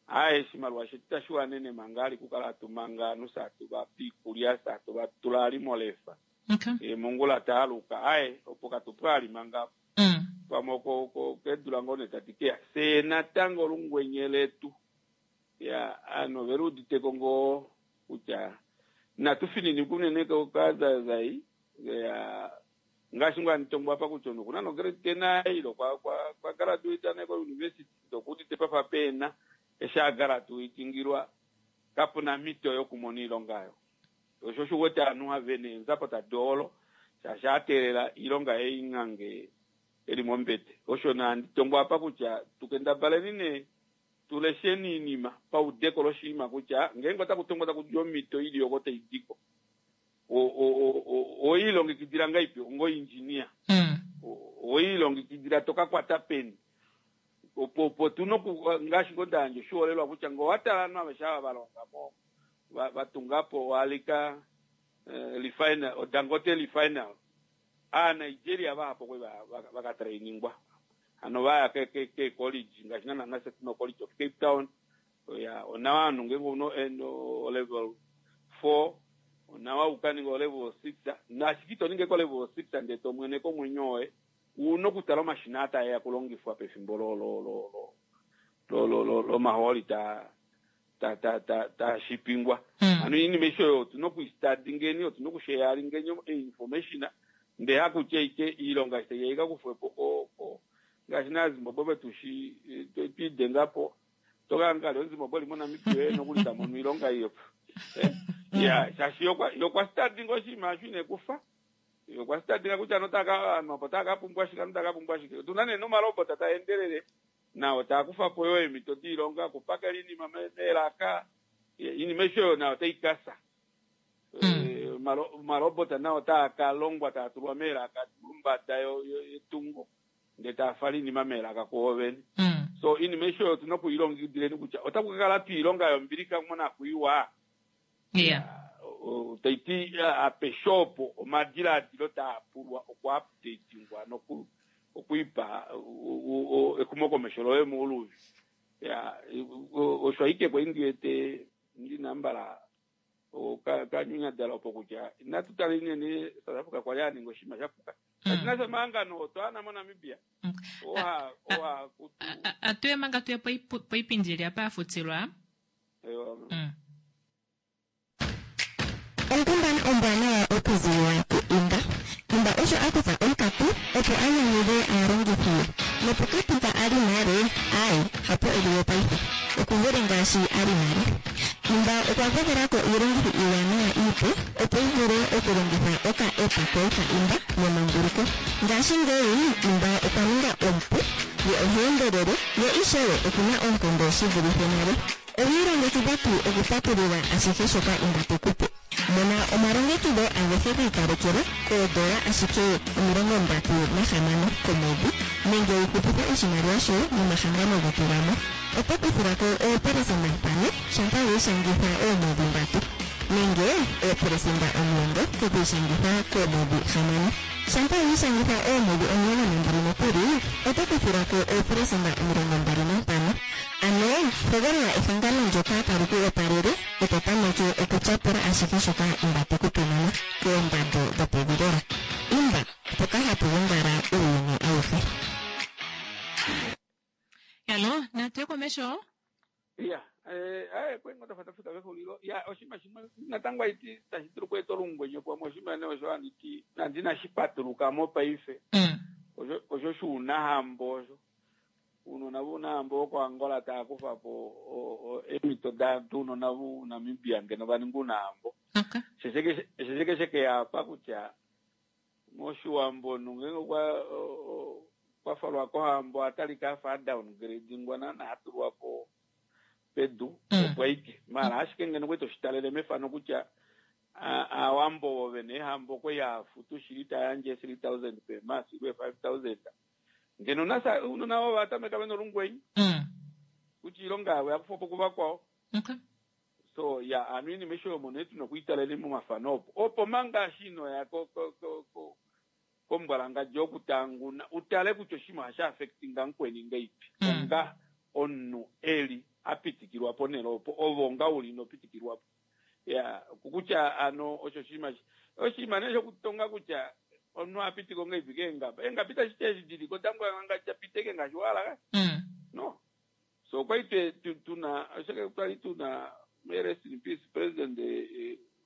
Aaye, oshimaliwa shetu itashi wanene manga ali okukala hatu manga ovanhu fye hatu va pe iikulya, fye hatu va tula ali molefa. Okay. Ye mongula ta aluka. Aaye, opo katu pwa ali manga apo. Pamwe oko oko keedula ngoo nee tadi keya. Fye natango olungwenye letu. Ya, ovanhu ove luuditeko ngoo kutya inatu fininikwa unene kazaizai. Ya, Ngaashi ngoo handi tongwa apa kutya omunhu okuna no grade ten aye ile okwa okwa graduate nee ko university ndee okuudite pafa pehena eshi a graduatingilwa kapuna omhito yokumona oilonga oyo. Osho osho uwete ovanhu have neenzapo tadi holo shaashi a teelela oilonga yaye ingange eli mombete. Osho nee handi tongwa apa kutya tu kendabaleni nee tu lesheni oinima paudeko loshinima kutya ngeenge otaku tongwa taku di omhito ili oko tai diko Owe ilongekidila ngaipi ongo engineer? Owe ilongekidila to ka kwata peni? Opo opo tu na oku ngaashi ngoo nda yandja oshiholelwa kutya ngee owa tala ovanhu aveshe ava va longa mo va tunga po oAlika refinery, oDangote refinery, Aanigeria vahapu okwe va ka trainingwa hano va ya keecollege ngaashi naana nafye tuna oCollege of Cape Town. Ya, onawa ovanhu ngeenge ouna o-level 4 onawa u ka ninge o-level 6 nashike ito ningi ko-level 6 ndee to mweneke omwenyo woye una okutala omashina aa taeya okulongifwa pefimbo lo lo lo lo lo lo lomahooli taa ta ta ta taashipingwa. Hano oinima aishe oyo otuna okuistadingeni, otuna okusheyaringeni information ndee hakutya ike iilonga eshi taiya ika kufwepo ko ko ngaashi naaZimbabwe vetushi twiidengapo toka ngale omuZimbabwe eli moNamibia oye nokuli tamono oilonga iyo. Ya, shaashi ye okwa stadinga oshinima osho inekufa. Ye okwa stadinga kutya notaka ovanhu apo otava ka pumbwa shike, ovanhu otava ka pumbwa shike. Otuna nee nomalobota taa endelele nao taa kufa po yoo eemhito doilonga, okupakela oinima meelaka, oinima aishe oyo nayo otai ka fya. Omalobota nao otaa ka longwa taa tulwa meelaka mombada yetungo ndee taa fala oinima meelaka kuo vene. So oinima aishe oyo otuna okuilongekidileni kutya otaku ka kala tuu oilonga yombilixa monakwiiwa. Tai ti apeshe opo omadilaadilo taa pulwa okuupdatingwa noku okwiipa exumokomesho loye mouluvi. Ya, osho ashike kwali ndi wete ndina mbala kanyunyadala opo kutya inatu tala inene South Africa kwali a ninga oshinima sha puka. Kashi na sha omahangano oo twaana moNamibia. Oha oha kutu. Atuye manga tuye poipindi ili apa ya futilwa. Onkundana ombwanawa okuziilila ku Imba. Imba osho a kutha onkatu opo a nyanyudhe aalongithi ye. Nopokati mpa a li nale, aaye, hapo e li we paife. Oku vule ngaashi a li nale. Imba okwa gwedhela ko iilongithi iiwanawa iipe opo wu vule okulongitha oka-app koye ka Imba nemanguluko. Ngashingeyi Imba okwa ninga omupu, ye oha endelele, ye ishewe oku na oonkondo shi vulithe nale. Owi ilongekidha tuu okupatulula ashihe shoka Imba te ku pe? Mona omalongekidho agehe gi ikalekelwa koodola ashike 36 komwedhi nenge wu hupithe oshimaliwa shoye nomahangano getu gamwe. Oto kuthilwa ko 5% shampa wi ishangitha oomwedhi ndatu nenge 10% kokwiishangitha koomwedhi hamano. Shampa wi ishangitha oomwedhi 12 nokuli, oto kuthilwa ko 25%. Ano hogolola ehangano ndyoka tali ku opalele e to tameke okutyapula ashihe shoka Imba te ku pe nena koondando dhopevi lela. Imba, mpoka hapu gongala uuyuni awuhe. Yalo, natu ye komesho. Ya, eh, kwenga tafa tafika pexulilo. Ya, oshinima shimwe natango haiti tashi dulu okweeta olungwenye pamwe oshinima nee osho handi ti nandi inashi patuluka mo paife. Osho osho shuunahambo osho. Uunona vuunahambo wokoAngola tava kufa po eemhito dounona voNamibia ngeno va ninga uunahambo. Shesheke sheke yapa kutya mOshiwambo omunhu ngeenge okwa okwa falwa kohambo oha talika afa a downgradingwa naana ha tulwa po pedu opo aike. Maala ashike ngeno okwali toshi talele mefano kutya Aawambo ovo vena eehambo okwali hava futu shili taya yandje 3000 per month ile 5000 ngeno nasa ounona ovo va tameka vena olungwenye kutya iilonga yavo oya kufwa po kuvakwao. So ya ano iinima aishe oyo mono tuna okuitalele momafano opo opo manga eshi inoya ko ko ko ko kombwalangadja okutanguna utale kutya oshinima ohashi affectinga mukweni ngeipi onga omunhu eli a pitikilwa ponhele opo ove onga uli ino pitikilwapo. Ya kutya ano osho oshinima oshinima nee shokutonga kutya omunhu oha pitiko ngeipi keengaba. Eengaba itashi ti eshi diliko dambwalangadja piteke ngaashi wa hala. No. So okwali twe tuna oshoka kwali tuna may rest in peace president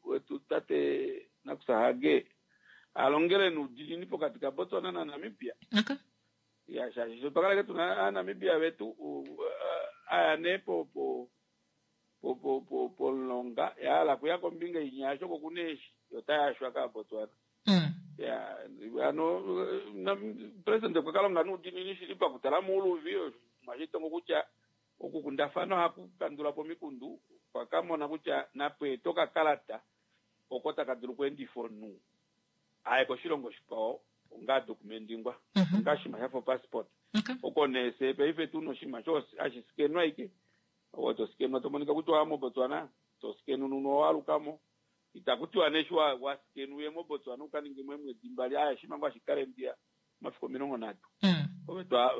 wetu tate Nakusa Hage a longele nuudinini pokati ka Botswana na Namibia. Okay. Ya shaashi sho twa kala tuna aaNamibia vetu aya nee po po po po po pomulonga ya hala kuya kombinga inya yasho ko kuna eeshi yo otaya yashwa kaaBotswana. Ya ano president okwa ka longa nuudinini shili pakutala muuluvi mwashitongo kutya okukundafana ohaku kandula po omikundu okwa ka mona kutya napweete okakalata oko taka dulu okweendifa omunhu aye koshilongo shikwao onga dokumendingwa onga oshinima shafa opassport. Oko nee fye paife tuna oshinima sho hashi skenwa ashike ove to skenwa to monika kutya owaya moBotswana to skenununwa owaalukamo itaku tiwa nee eshi wa skenwa uye moBotswana uka ninge mo eemwedi mbali aaye oshinima ngoo hashi kala ndiya omafiku 30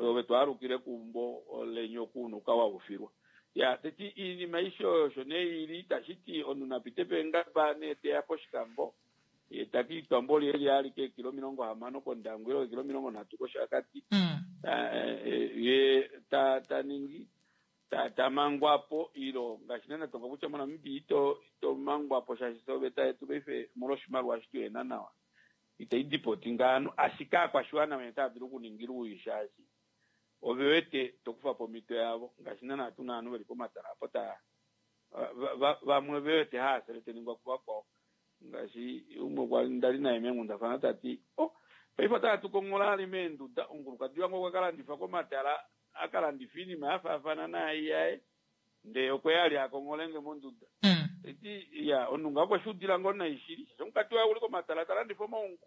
ove twaalukile keumbo leni oku una uka waufilwa. Ya, teti iinima aishe oyo osho nee ili, tashi ti omunhu na pite peengaba nee teya pOshikango, ye ta ka itwa mboli eli alike eekilo 60 kOndangwa ile eekilo 30 kOshakati, ye ta ta ningi ta ta mangwa po ilo ngaashi naana tonga kutya moNamibia ito ito mangwa po shaashi fye oveta yetu paife molwa oshimaliwa eshi tuhena nawa itai dipoti ngaano ashike aakwashiwana vene otava dulu okuningila owii shaashi ove wete to kufa po omhito yavo ngaashi naana tuna ovanhu veli pomatala apo ta vamwe ve wete haa seleteningwa kuvakwao ngaashi umwe kwa ndali naye meenghundafana ta ti oh paife otava tu konghola ali meenduda omukulukadi wange okwa ka landifa komatala a ka landifa oinima ya faafana naai yaye ndee okwe ya ali a kongholenge monduda ti ya omunhu ngaho okwe shi udila ngoo nai shili shaashi omukati waye okuli komatala ta landifa omaungu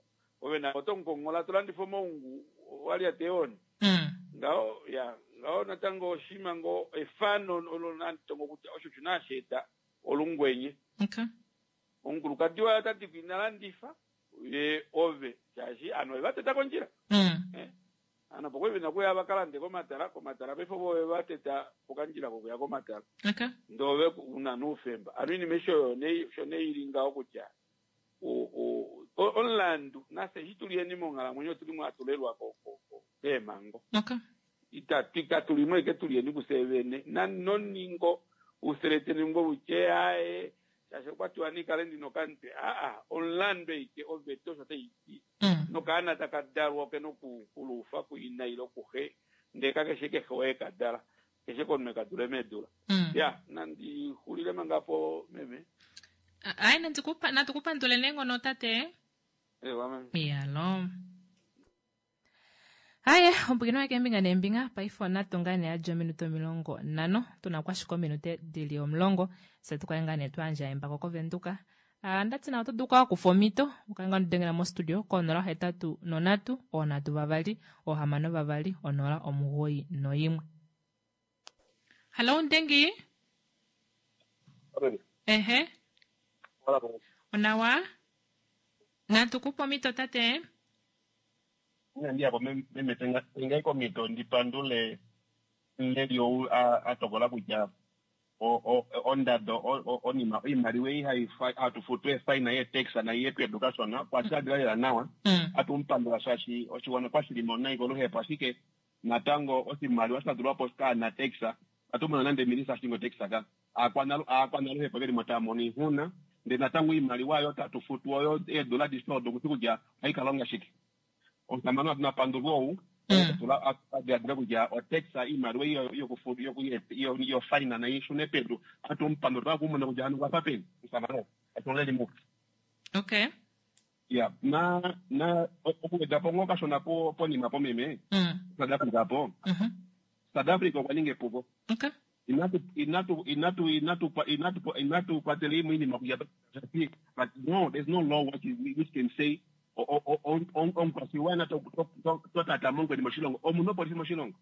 ove naye oto mu konghola to landifa omaungu walyata eehoni ngaho ya ngaho natango oshinima ngoo efano olo nandi tongo kutya osho osho naa sha eta olungwenye Okay. Omukulukadi waye ota ti ko ina landifa ye ove shaashi ovanhu ove va teta kondjila. Eh, ovanhu opo kwali vena okuya va ka lande komatala, komatala paife ovo ove va teta pokandjila kokuya komatala. Okay. Ndee ove una noufemba. Hano oinima aishe oyo nee osho nee ili ngaho kutya o- o- o- omulandu nafye eshi tuli yeni monghalamwenyo otuli mo hatu lelwa ko- ko- ko- keemhango. Okay. Itatu katu li mo ashike tuli yeni kufye vene. Na noningo useleteni ngo utye aaye shaashi okwa tiwa ni kale ndina okamutwe aa omulandu eike oveta osho tai ti nokaana taka dalwa oke nokuluufa kuina ile kuxe ndee kakeshe kehe oye ka dala keshe komunhu eka dule meedula ya nandi xulile manga po meme Ai natu kupandule neenghono tate. Ewa meme. Iyalo. Haye, ompwikino wake embinga neembinga paife onatu ngaa nee yadja ominute 50 tuna ko ashike ominute dili 10 fye tukale ngaa nee twayandja embako koVenduka. Ah, ndati nawa oto dulu okukala wakufa omhito ukale ngaa nodengela mostudio ko 083 3 6 2 0 91. Hallo Ndengi. Ehe. Onawa. Natu kupe omhito tate. Inandi ya po meme tengai komhito ndi pandule omuleli ou a tokola kutya ondado onima oimaliwa ei hatu futu eefaina yeetax nai ye pedu kashona okwa diladila lela nawa. Atu mu pandula shaashi oshiwana okwa shi li mo nai koluhepo ashike natango oshimaliwa sha tulwa po kaana tax atu mona nande minista ashinga otax ka aakwanaluhepo veli mo tava mono oixuna ndee natango oimaliwa oyo tatu futu oyo eedula adishe odo okuti kutya ohai ka longa shike. Omusamane napandulwe ou tula a diladila kutya otax oimaliwa yofaina nai shune pedu atu mupandula otwa kumona kutya hano okwafa peni omusamane ou ashike mupe. Okay. Ya na na okuweda po ngoo kashona po ponima po meme South Africa po South Africa okwa ninga epuko. Okay. Inatu inatu inatu inatu inatu inatu kwatela imwe iinima kutya but no there's no law which, which can say omukwashiwana to tata mongweni moshilongo omuna opolisi moshilongo.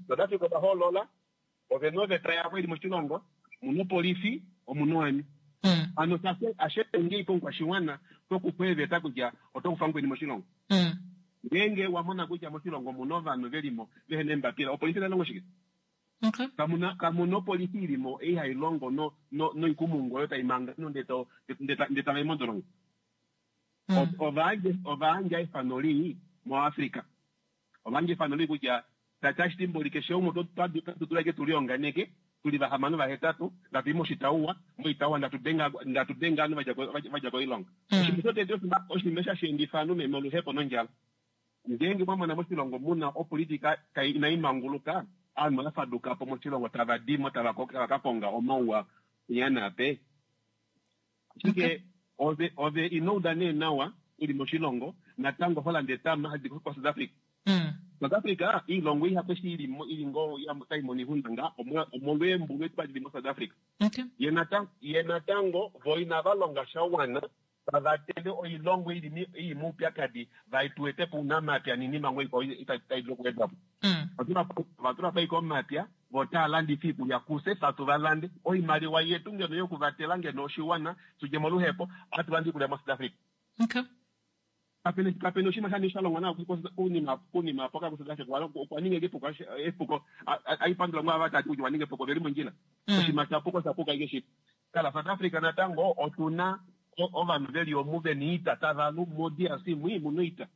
South Africa ova hoolola ovena oveta yavo ili moshilongo omuna opolifi omuna oami. Ano ashike ngei komukwashiwana tokufa eeveta kutya oto kufa mukweni moshilongo. Ngeenge wa mona kutya moshilongo omuna ovanhu velimo vehena eembapila opolifi otai longo shike? Kamuna kamuna opolifi ilimo ei hai longo no no noikumungu oyo tai manga ovanhu ndee tava i modolongo. Ova yandja efano lii moAfrica. Ova yandja efano lii kutya tashi ti mboli keshe umwe otatu dulu ashike tu lionganeke tuli vahamano vahetatu ndatu i moshitauwa moitauwa ndatu denga ndatu denga ovanhu vadja koilonga. Oshinima shotete oshinima eshi hashi endifa ovanhu meme oluhepo nondjala. Ngeenge mwa mona moshilongo muna opolitika inai manguluka, ovanhu ova faduka po moshilongo tava di mo tava ka konga omauwa penya naape. Ashike ove ove ino uda nee nawa uli moshilongo natango ho landa etama hali di ko South Africa. South Africa iilongo ihapu eshi ili mo ili ngoo tai mono oixuna nga omolweembulu edi dili mo South Africa. Ye natango vo inava longa sha wana va vatele oilongo ili ili moupyakadi va tu ete po ounamapya noinima ngoo ikwao tai dulu okuwedwa po. Ova tula po ashike omapya vo otava landifa oikulya kufye fye hatu va lande. Oimaliwa yetu ngeno yokuvatela ngeno oshiwana tudje moluhepo ohatu lande oikulya moSouth Africa. Kapena oshinima sha sha longwa nawa kunima apo ka kuSouth Africa. Okwa ninga epuko aipandula ngoo ava tati kutya waninga epuko veli mondjila. Oshinima shapuka oshapuka ashike shili. Tala, South Africa natango otu na ovanhu ve li omu ve na oita tava lu moDRC mwii mu na oita.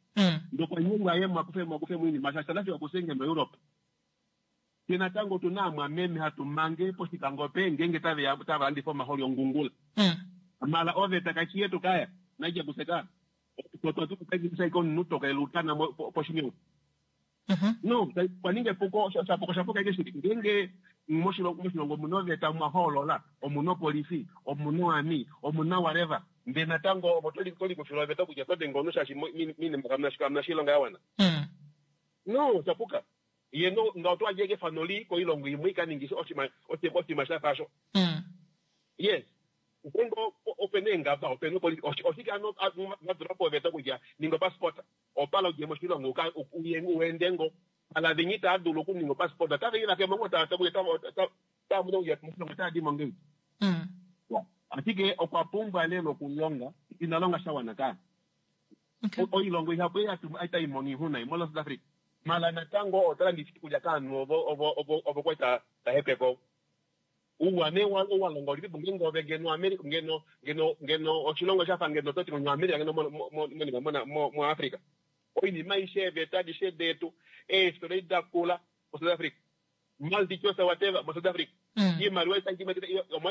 Ndee okwa nyengwa ye mwakufe mwakufe moinima shaashi South Africa okusenge moEurope. Fye natango otu na aamwameme hatu mange pOshikango pe ngeenge tave ya tava landifa omahooli ongungula. Mala oveta kai shi yetu kaya naija kuseka. Otwa tu ashike omunhu toka elutana poshinima. No, kwa ninga epuko, oshapuka oshapuka ashike shili. Ngeenge moshilongo moshilongo omuna oveta mwa hoolola, omuna opolifi, omuna oarmy, omuna whatever, ndee natango ovo to likufila oveta kutya oto denge omunhu shaashi moinima kamuna kamuna sha oilonga ya wana. No, oshapuka. Ye no ngaho oto yandje ashike efano lii koilongo imwe ika ninge oshinima oshinima sha fa osho. Yes. Ngeenge opena eengaba, opena opolifi, oshike hano va tula po oveta kutya ninga opassport? Opala udje moshilongo uka uye uende ngo ala vinyi taa dulu okuninga opassport otave i vakemo ngo taa taa mono kutya moshilongo otaa dimo ngei. Ashike okwa pumbwa lela okulonga, ina longa sha wana kaa. Oilongo ihapu ei hatu tai mono oixuna ei mola South Africa. Mala natango ota landifa iikulya kaanhu ovo ovo ovo ovo kwali ta hepeke ovo. Ouwa nee wa longa ulipipo ngeenge ove ngeno America ngeno ngeno ngeno oshilongo shafa ngeno toti ngeno America ngeno mo mo mo mo mo mo Africa. Oinima aishe eeveta adishe detu eefitola edi da kula mo South Africa. Multi choice whatever mo South Africa. Iimaliwa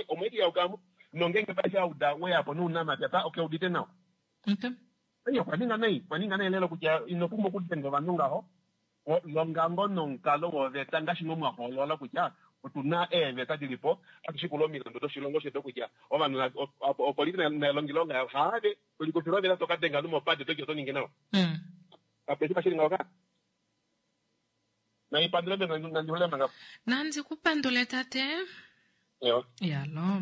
omo ike yaukamo nongeenge paife auda weyapo nounamapya pa okeudite nawa. Ei okwa ninga nai, okwa ninga nai lela kutya ino pumbwa okudenga ovanhu ngaho. Longa ngoo nomukalo woveta ngaashi ngoo mwa hoolola kutya otu na eeveta di li po, hatu shikula omilandu doshilongo shetu kutya ovanhu opolifi nai longe oilonga yayo. Haave to likufila oveta to ka denga ovanhu mopate to ti oto ningi nawa. Kape shi shili ngaho ka. Naipandule nandi xulile manga. Nandi ku pandule tate. Ewa. Yalo.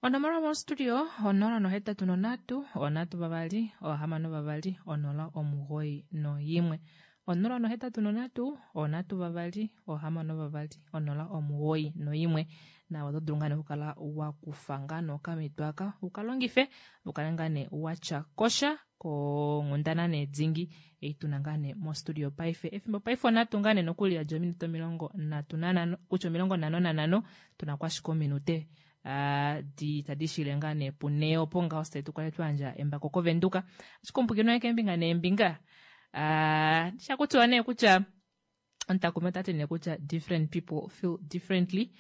Onomola mostudio 083 3 6 2 0 91. 083 3 6 2 0 91. Nawe oto dulu ngaa nee okukala wa kufa ngaa nee okamhito aka uka longife u kale ngaa nee wa tya kosha konghundana nee dingi ei tuna ngaa nee mostudio paife. Efimbo paife onhatu ngaa nee nokuli yadja ominute 35 kutya 55 tuna ko ashike ominute di tadi shile ngaa nee punee opo ngaho fye tu kale twa yandja embako koVenduka. Ashike omupwikinwa waye keembinga neembinga sha kutiwa nee kutya omutakumi ota ti nee kutya different people feel differently.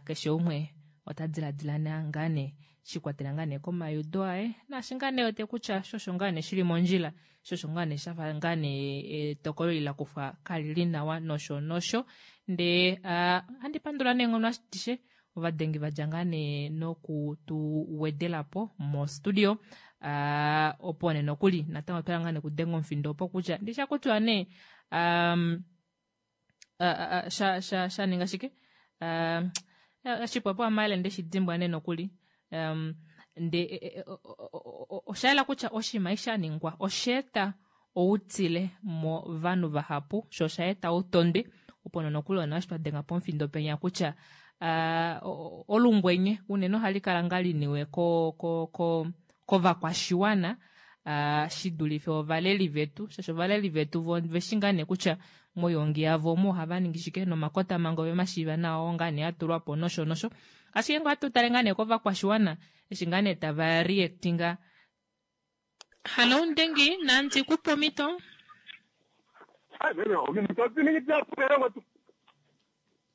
Keshe umwe ota diladila ngaa nee shikwatela ngaa nee komayudo aye naashi ngaa nee wete kutya shosho ngaa nee shili mondjila shosho ngaa nee shafa ngaa nee etokolo eli la kufwa kali li nawa nosho nosho. Ndee ohandi pandula neenghono adishe ovadengi va dja ngaa nee noku tu wedela po mostudio opo nee nokuli natango otwa ngaa nee kudenga omufindo opo kutya ndi sha kutiwa nee um, sha sha sha ninga shike um, shipwapo amayele nde shi dimbwa nee nokuli um, nde osha yela kutya oshinima eshi sha ningwa osha eta outile movanhu vahapu sho osha eta outondwe opo nonokuli ona eshi twa denga pomufindo penya kutya uh, olungwenye unene ohali kala ngaa liniwe ko, ko, ko, kovakwashiwana uh, shi dulife ovaleli vetu shaashi ovaleli vetu vo veshi ngaa nee kutya moyongi yavo omo ohava ningi shike nomakotamhango ove mashiiva nawa oo ngaa nee a tulwa po nosho nosho ashike ngoo ohatu tale ngaa nee kovakwashiwana eshi ngaa nee tava reactinga Hallo Ndengi, nandi ku pe omhito.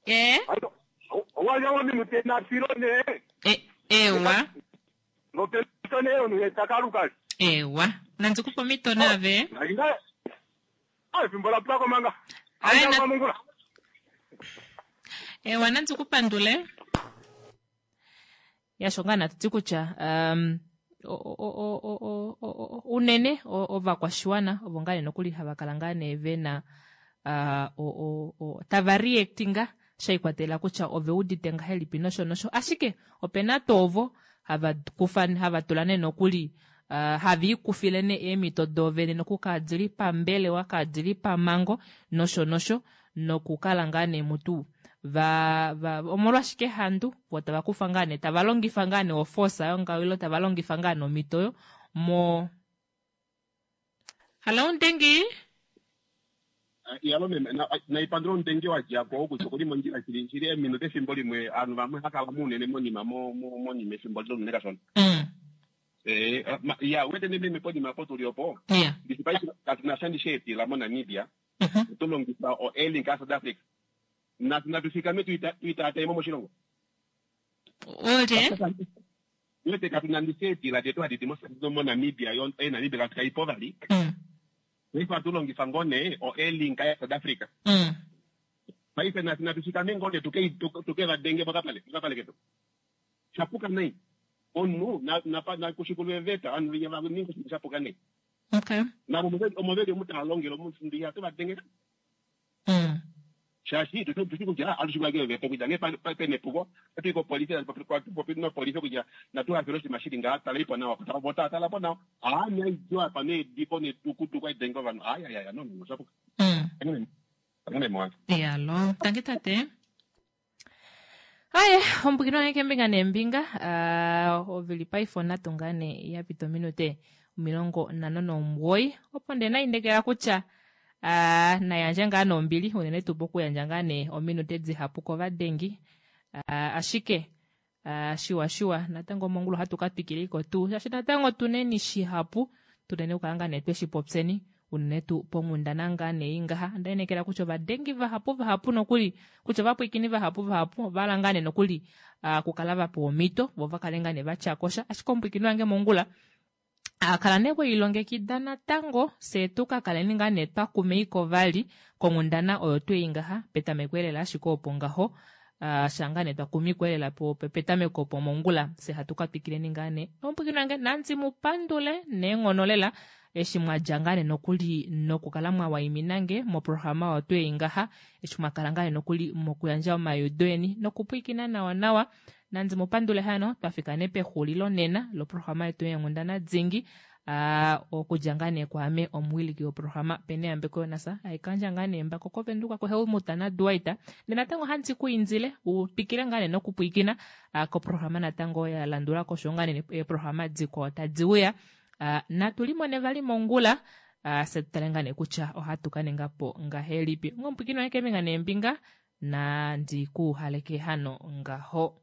Eh? Ewa. Ewa. Nandi ku pe omhito naave. Ewa, nandi ku pandule. Ya sho ngaa natu ti kutya um, unene ovakwashiwana ovo ngaa nee nokuli hava kala ngaa nee ve na uh, tava reactinga sha ikwatelela kutya ove udite ngahelipi nosho nosho ashike opena tuu ovo hava kufa hava tula nee nokuli uh, have ikufile nee eemhito doovene noku kadili pambelewa kadili pamango nosho nosho nokukala ngaa nee mutu va, va omolwashike handu vo tava kufa ngaa nee tava longifa ngaa nee oforce yo ngaho ilo tava longifa ngaa nee omhito oyo mo Hallo Ndengi. Iyalo meme naipandula omutenge wa dja ko kutya okuli mondjila shili shili eminute efimbo limwe ovanhu vamwe hava kala unene monima monima efimbo lile unene kashona. Eh, ya wete nee meme ponima opo tuli opo. Ndishi paife katu na sha ndishi eedila moNamibia. Oto longifa o Airlink yaSouth Africa. Natu natu fikame tuitaataemo moshilongo. Olye? Wete katu na ndishi eedila detu hadi di moNamibia yo Air Namibia katu kaipo vali. Paife ohatu longifa ngoo nee o Airlink yaSouth Africa. Paife natu natu fikame ngoo nee tuke va denge mokapale mokapale ketu. Shapuka nai. Omunhu na kushikulwe eveta ovanhu venya va ninga oshinima shapuka nai. Okay. Navo omo veli omu tava longele omu ihatu va denge. Shaashi tushi kutya ohatu shikula keeveta kutya ngee pena epuko ohatu i kopolifi hatu popi nopolifi kutya natu hafele oshinima shili ngaha taleipo nawa vo tava tala po nawa. Haa naidiwa apa needipo netukutuku aidenge ovanhu ayayaya no no shapuka. Tangi meme wange. Iyalo. Tangi tate. Aye, ombwikino wange keembinga neembinga uh, ovili paife onhatu ngaa nee ya pita ominute 59 opo nde naindekela kutya uh, nayandje ngaa nombili unene tuu pokuyandja ngaa nee ominute dihapu kovadengi uh, ashike uh, shiwa shiwa natango mongula ohatu ka twikileiko tuu shaashi natango tuneni shihapu tuneni okukala ngaa nee tweshi popyeni unene tuu ponghundana ngaa nee ngaha onda inekela kutya ovadengi vahapu vahapu nokuli kutya ovapwiikini vahapu vahapu ova hala ngaa nee nokuli uh, kukala va pewa omhito vo va kale ngaa nee va tya kosha ashike omupwiikini wange mongula a kala nee weilongekida natango fye tu ka kaleni ngaa nee twa kumeiko vali konghundana oyo twei ngaha petameko elela ashike opo ngaho uh, shanga nee twa kumikwa elela po petameko opo mongula fye hatu ka twikileni ngaa nee omupwiikini wange nandi mu pandule neenghono lela eshi mwa dja ngaa nee nokuli nokukala mwa waimina nge moprograma oyo twei ngaha eshi mwa kala ngaa nee nokuli mokuyandja omaiudo eni nokupwiikina nawa nawa nandi mu pandule hano twa fika nee pexulilo nena loprograma yetu yeenghundana dingi uh, okudja ngaa nee kwaame omuwiliki woprograma Pene Yambeko Yonasa aikandja ngaa nee mbako kovenduka kuHelmut naDuwaita ndee natango handi ku indile u twikile ngaa nee nokupwiikina uh, koprograma natango ya landula ko osho ngaa nee eeprograma dikwao tadi uya uh, natu limone vali mongula uh, fye tu tale ngaa nee kutya ohatu ka ninga po ngahelipi. Ongomupwiikini wange keembinga neembinga nandi ku haleke hano ngaho.